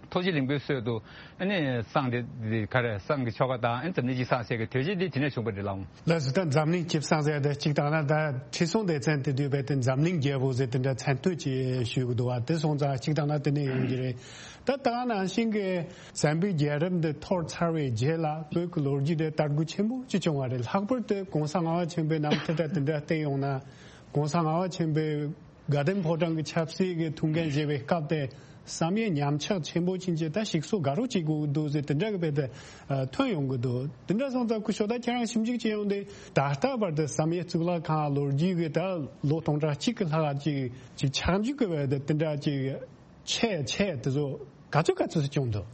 ཐུགས་རྗེ་ལེགས་འབུལ་སྲོལ་དུ་ཨ་ནི་བསང་དེ་དེ་ག་རེ་བསང་གི་ཆོ་ག་དང་ཨ་ནི་འཛམ་གླིང་སྤྱི་བསང་ཟེར་གི་དུས་ཆེན་དེ་དེ་ནས་བྱུང་བ་རེད་ལགས། ལགས་སོ། ད་འཛམ་གླིང་སྤྱི་བསང་ཟེར་དེ་གཅིག་བཏང་ན་ད་ཁྲི་སྲོང་ལྡེ་བཙན་དེ་དུས་བས་དེ་འཛམ་གླིང་རྒྱལ་པོ་ཟེར་དེ་འདྲ་མཚན་བསྟོད་ཅིག་ཞུ་གི་འདུག་བ། དེ་སོང་ཙང་གཅིག་བཏང་ན་དེ་ནས་ཡོང་གི་རེད། ད་ད་ག་ནང་བཞིན་གྱི་བཙན་པོའི་རྒྱལ་རབས་འདི་འཐོར་ཚར་བའི་རྗེས་ལ་བོད་ཀྱི་ལོ་རྒྱུས་དེ་དར་རྒུད་ཆེན་པོ་ཅིག་བྱུང་བ་རེད། ལྷག་པར་དུ་གོང་ས་ལྔ་པ་ཆེན་པོའི་རྣམ་ཐར་དང་དེ་འདྲ་བལྟས་ཡོང་ན། གོང་ས་ལྔ་པ་ཆེན་པོས་དགའ་ལྡན་ཕོ་བྲང་གི་ཆབ་སྲིད་ཀྱི་ཐུགས་འགན་བཞེས་པའི་སྐབས་དེ་ བསམ་ཡས་ཉམས་ཆག་ཆེན་པོ་ཕྱིན་ཆད་ད་ཞིག་གསོ་དགའ་རོགས་བྱེད་དགོས་ཀྱི་འདུག་ཟེར་དེ་འདྲ་གི་དཔེ་དེ་ཐོན་ཡོང་གི་འདུག་དེ་འདྲ་སོང་ཙང་སྐུ་ཞབས་ད་ཁྱེད་རང་ཞིབ་འཇུག་བྱེད་ཡོང་དུས་ད་ལྟ་བར་དུ་བསམ་ཡས་གཙུག་ལག་ཁང་ལོ་རྒྱུས་ཀྱི་ད་ལོ་སྟོང་ཕྲག་གཅིག་གི་ལྷག་ཅིག་ཅིག་ཆག་འཇིག་གི་དཔེ་དེ་དེ་འདྲ་ཅིག་ཆད་ཆད་དེ་ཚོ་ག་ཚོད་ག་ཚོད་སུ་བྱུང་འདུག་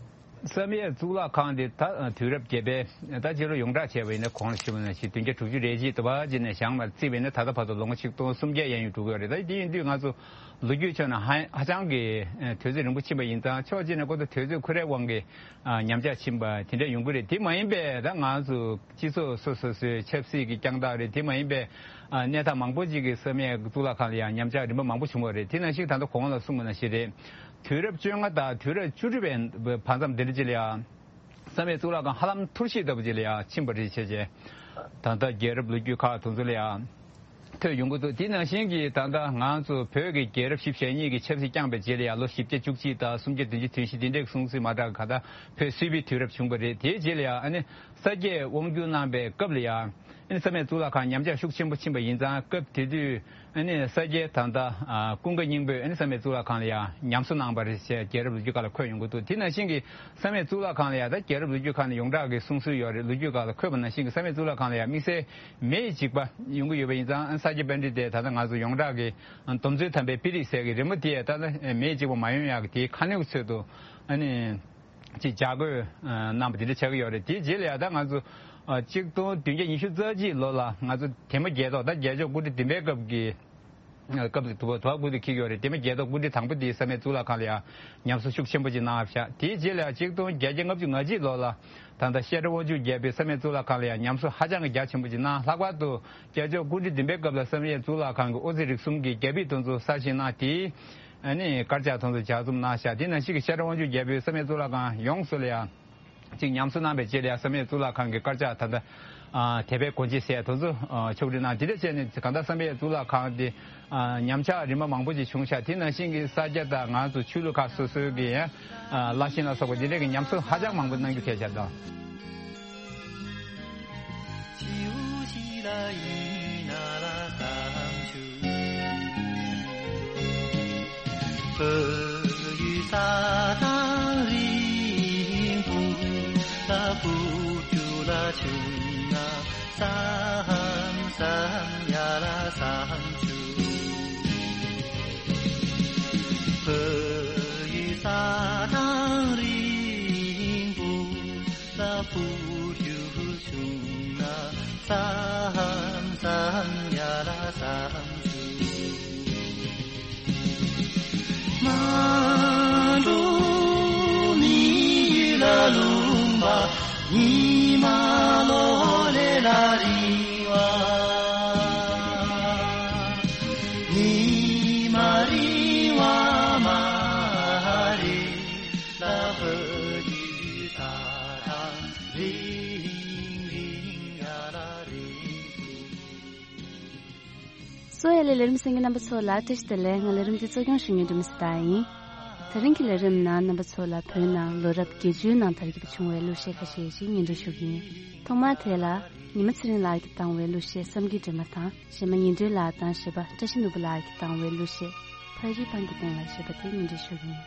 བསམ་ཡས་གཙུག་ལག་ཁང་དེ་ད་དུས་རབས་བརྒྱད་པའི་ད་རྗེས་ལོ་ཡོངས་གྲགས་བྱས་པ་ཡིན་ན་གོང་ལ་ཞུས་པ་ནང་བཞིན་བདུན་བརྒྱ་དྲུག་ཅུ་རེ་གཅིག་དུ་བ་ཅི་ནས་བཞེངས་མ་བརྩིས་པ་ཡིན་ན་ད་ལྟ་བར་དུ་ལོ་ངོ་ཆིག་སྟོང་སུམ་བརྒྱ་ཡན་ཡོད་འགྲོ་གི་ཡོད་རེད། ད་དེ་ཡིན་དུས་ང་ཚོ་ལོ་རྒྱུས་ཕྱོགས་ནས་ཧ་ཧ་ཅང་གི་དུས་ཚོད་རིང་པོ་ཕྱིན་པ་ཡིན་ཙང་ཕྱོགས་གཅིག་ནས་ཁོ་ཚོ་དུས་ཚོད་ཁོ་རའི་དབང་གིས་ཉམས་ཆག་ཕྱིན་པ་དེ་འདྲ་ཡོང་གི་རེད། དེ་མ་ཡིན་པའི་ད་ང་ཚོ་སྤྱི་ཚོགས་སོ་སོ་སོའི་ཆབ་སྲིད་ཀྱི་རྐྱང་རྟགས་རེད། དེ་མ་ཡིན་པའི་ཨ་གནས་སྟངས་མང་པོ་ཅིག་གི་བསམ་ཡས་གཙུག་ལག་ཁང་ལ་ཡང་ཉམས་ཆག་རིམ་པ་མང་པོ་བྱུང་བ་རེད། དེ་ནང་བཞིན་ད་ལྟ་གོང་ལ་གསུངས་པ་ནང་བཞིན་རེད། དུས་རབས་བཅོ་ལྔ་དང་དུས་རབས་བཅུ་དྲུག་པའི་བར་མཚམས་འདི་འདྲ་ཅིག་ལ་ཡང་བསམ་ཡས་གཙུག་ལག་ཁང་ཧ་ལམ་འཐོར་ཞིག་ལྟ་བུ་ཅིག་ལ་ཡང་ཕྱིན་པ་རེད་བྱས་བྱས། ད་ལྟ་རྒྱལ་རབས་ལོ་རྒྱུས་ཁག་དེ་ཚོ་ལ་ཡང་ཐོན་ཡོང་གི་འདུག་དེ་ནང་བཞིན་གྱི་ད་ལྟ་ང་ཚོ་བོད་ཀྱི་རྒྱལ་རབས་བཞི་བཅུ་ཞེ་གཉིས་ཀྱི་ཆབ་སྲིད་བསྐྱངས་པའི་རྗེས་ལ་ཡང་ལོ་བཞི་བརྒྱ་བཅུ་གཅིག་དང་སུམ་བརྒྱ་བདུན་ཅུ་དོན་བཞི་དེ་འདྲའི་སོང་ཚུལ་མ་འདྲ་ག་ད་བོད་སིལ་བུའི་དུས་རབས་བྱུང་བ་རེད། དེའི་རྗེས་ལ་ཡང་ཨ་ནི་ས་སྐྱས་དབང་བསྒྱུར་གནང་པའི་སྐབས་ལ་ཡང་། ཨ་ནི་བསམ་ཡས་གཙུག་ལག་ཁང་ཉམས་ཆག་ཤུགས་ཆེན་པོ་ཕྱིན་པ་ཡིན་ཙང་སྐབས་དེ་དུས་ཨ་ནི་ས་སྐྱའི་ད་ལྟ་ཀུན་དགའ་སྙིང་པོས་ཨ་ནི་བསམ་ཡས་གཙུག་ལག་ཁང་ལ་ཡང་ཉམས་གསོ་གནང་བ་རེད་ཅེས་རྒྱལ་རབས་ལོ་རྒྱུས་ཁག་ལ་འཁོད་ཡོང་གི་འདུག་དེ་ནང་བཞིན་གྱི་བསམ་ཡས་གཙུག་ལག་ཁང་ལ་ཡང་ད་རྒྱལ་རབས་ལོ་རྒྱུས་ཁག་ནས་ཡོངས་གྲགས་ཀྱི་གསུང་སྲོལ་ཡོད་རེད། ལོ་རྒྱུས་ཁག་ལ་འཁོད་པ་ནང་བཞིན་གྱི་བསམ་ཡས་གཙུག་ལག་ཁང་ལ་ཡང་དམིགས་བསལ་མེ་ཡི་འཇིགས་པ་ཡོང་གི་ཡོད་པ་ཡིན་ཙང་ཨ་ནི་ས་སྐྱ་པཎྜི་ཏས་ད་ལྟ་ང་ཚོ་ཡོངས་གྲགས་ཀྱི་སྡོམ་བརྩོན་དམ་པའི་པི་རིགས་ཟེར་གྱི་རི་མོ་དེ་ད་ལྟ་མེ་ཡི་འཇིགས་པ་མ་ཡོང་ཡག་གི་དེའི་ཁ་སྣོན་གྱི་ཚུལ་དུ་ཨ་ནི། ཅིག་ལྗགས་བཀོད་གནང་བ་དེ་འདྲ་ཆགས་ཀྱི་ཡོད་རེད། དེའི་རྗེས་ལ་ཡང་ད་ང་ཚོ་གཅིག་སྟོང་བདུན་བརྒྱ་ཉི་ཤུ་རྩ་གཅིག་ལོ་ལ་ང་ཚོ་དེ་མ་རྒྱལ་ཐོག་ད་རྒྱལ་མཆོག་སྐུ་ཕྲེང་བདུན་པའི་སྐབས་ཀྱི་སྐབས་ཀྱི་དུ་བ་དུ་བ་སྐུ་དུ་འཁྱེར་གྱི་ཡོད་རེད། དེ་མ་རྒྱལ་ཐོག་སྐུ་ཕྲེང་དང་པོ་དེའི་བསམ་ཡས་གཙུག་ལག་ཁང་ལ་ཡང་ཉམས་གསོ་ཤུགས་ཆེན་པོ་ཅིག་གནང་བཞག་དེའི་རྗེས་ལ་ཡང་གཅིག་སྟོང་བརྒྱད་བརྒྱ་ལྔ་བཅུ་ང་གཅིག་ལོ་ལ་ད་ལྟ་བཤད་སྒྲ་དབང་ཕྱུག་རྒྱལ་པོའི་བསམ་ཡས་གཙུག་ལག་ཁང་ལ་ཡང་ཉམས་གསོ་ཧ་ཅང་གི་རྒྱ་ཆེན་པོ་ཅིག་གནང་། ལྷག་པར་དུ་རྒྱལ་མཆོག་སྐུ་ཕྲེང་བདུན་པའི་སྐབས་ལ་བསམ་ཡས་གཙུག་ལག་ཁང་གི་ཨོ་རྩལ་རིག་གསུམ་གྱི་རྒྱ་ཕིབས་དེ་ཚོ་གསར་བཞེངས་གནང་དེའི། ཨ་ནི་དཀར་ཆག་དེ་ཚོ་ལྗགས་རྩོམ་གནང་ཤག་དེ་ནང་བཞིན་གྱི་ཤར་དབང་ཕྱུག་རྒྱལ་པོའི་བསམ་ཡས་གཙུག་ལག་ཁང་ཡོངས་སུ་ལ་ཡང་ཅིག་ཉམས་གསོ་གནང་བའི་རྗེས་ལ་ཡང་བསམ་ཡས་གཙུག་ལག་ཁང་གི་དཀར་ཆག་ད་ལྟ་ཨ་དད་པའི་སྒོ་འབྱེད་ཟེར་དེ་ཚོ་ཨ་ཕྱོགས་སྒྲིག་གནང་། དེ་འདྲ་བྱས་ནས་གང་ལྟར་བསམ་ཡས་གཙུག་ལག་ཁང་དེ་ཨ་ཉམས་ཆག་རིམ་པ་མང་པོ་ཅིག་བྱུང་ཤག་དེ་ནང་བཞིན་གྱི་ས་སྐྱ་དང་ང་ཚོ་ཆོས་ལུགས་ཁག་སོ་སོའི་གི་ཡང་ཨ་བླ་ཆེན་ལ་སོགས་པ་དེ་འདྲས་ཀྱི་ཉམས་གསོ་ཧ་ཅང་མང་པོ་གནང་རྒྱུ་གལ་ཆེ་དང་། བོད་ཡུལ་ས་དང་རིན་སྤུངས་ལ་བུ་རྒྱུད་ལ་བྱུང་ན་བསམ་བསམ་ཡ་ལ་བསམ་བྱུང་། བོད་ཡུལ་ས་དང་རིན་སྤུངས་ལ་བུ་རྒྱུད་བྱུང་ན་བསམ་བསམ་ཡ་ལ་བསམ་བྱུང་། མ་འགྲོ་མི་ཡུལ་ལ་ལུང་པ་ཉི་མ་ལོ་ལས་ལ་རིང་བ། ཉི་མ་རིང་བ་མ་རེད་ལ་བོད་ཀྱི་ས་དང་རིང་རིང་ཡ་ལ་རིང་། གསོ་ཡ་ལས་ལས་རིམ་གསན་མཁན་རྣམ་པ་ཚོ་ལ་བཀྲ་ཤིས་བདེ་ལེགས། ང་ལས་རིམ་འདི་གཙོ་སྐྱོང་ཞུ་མཁན་སྒྲོལ་མ་སྲི་ཐར་ཡིན། དེ་རིང་གི་ལས་རིམ་ནང་རྣམ་པ་ཚོ་ལ་བོད་ནང་ལོ་རབས་བརྒྱད་ཅུའི་ནང་དར་རྒྱས་པ་བྱུང་བའི་གླུ་གཞས་ཁ་ཤས་ཤིག་སྙན་སྒྲོན་ཞུ་གི་ཡིན། ཐོག་མར་དེ་ལ་ཉི་མ་ཚེ་རིང་ལགས་ཀྱིས་བཏང་བའི་གླུ་གཞས་བསམ་གྱིས་འདྲེས་མ་དང་། གཞས་མ་ཉི་སྒྲོན་ལགས་དང་གཞས་པ་བཀྲ་ཤིས་ནོར་བུ་ལགས་ཀྱིས་བཏང་བའི་གླུ་གཞས་ཕ་རི་པང་གི་སྟེང་ལ་ཞེས་པ་དེ་སྙན་སྒྲོན་ཞུ་གི་ཡིན།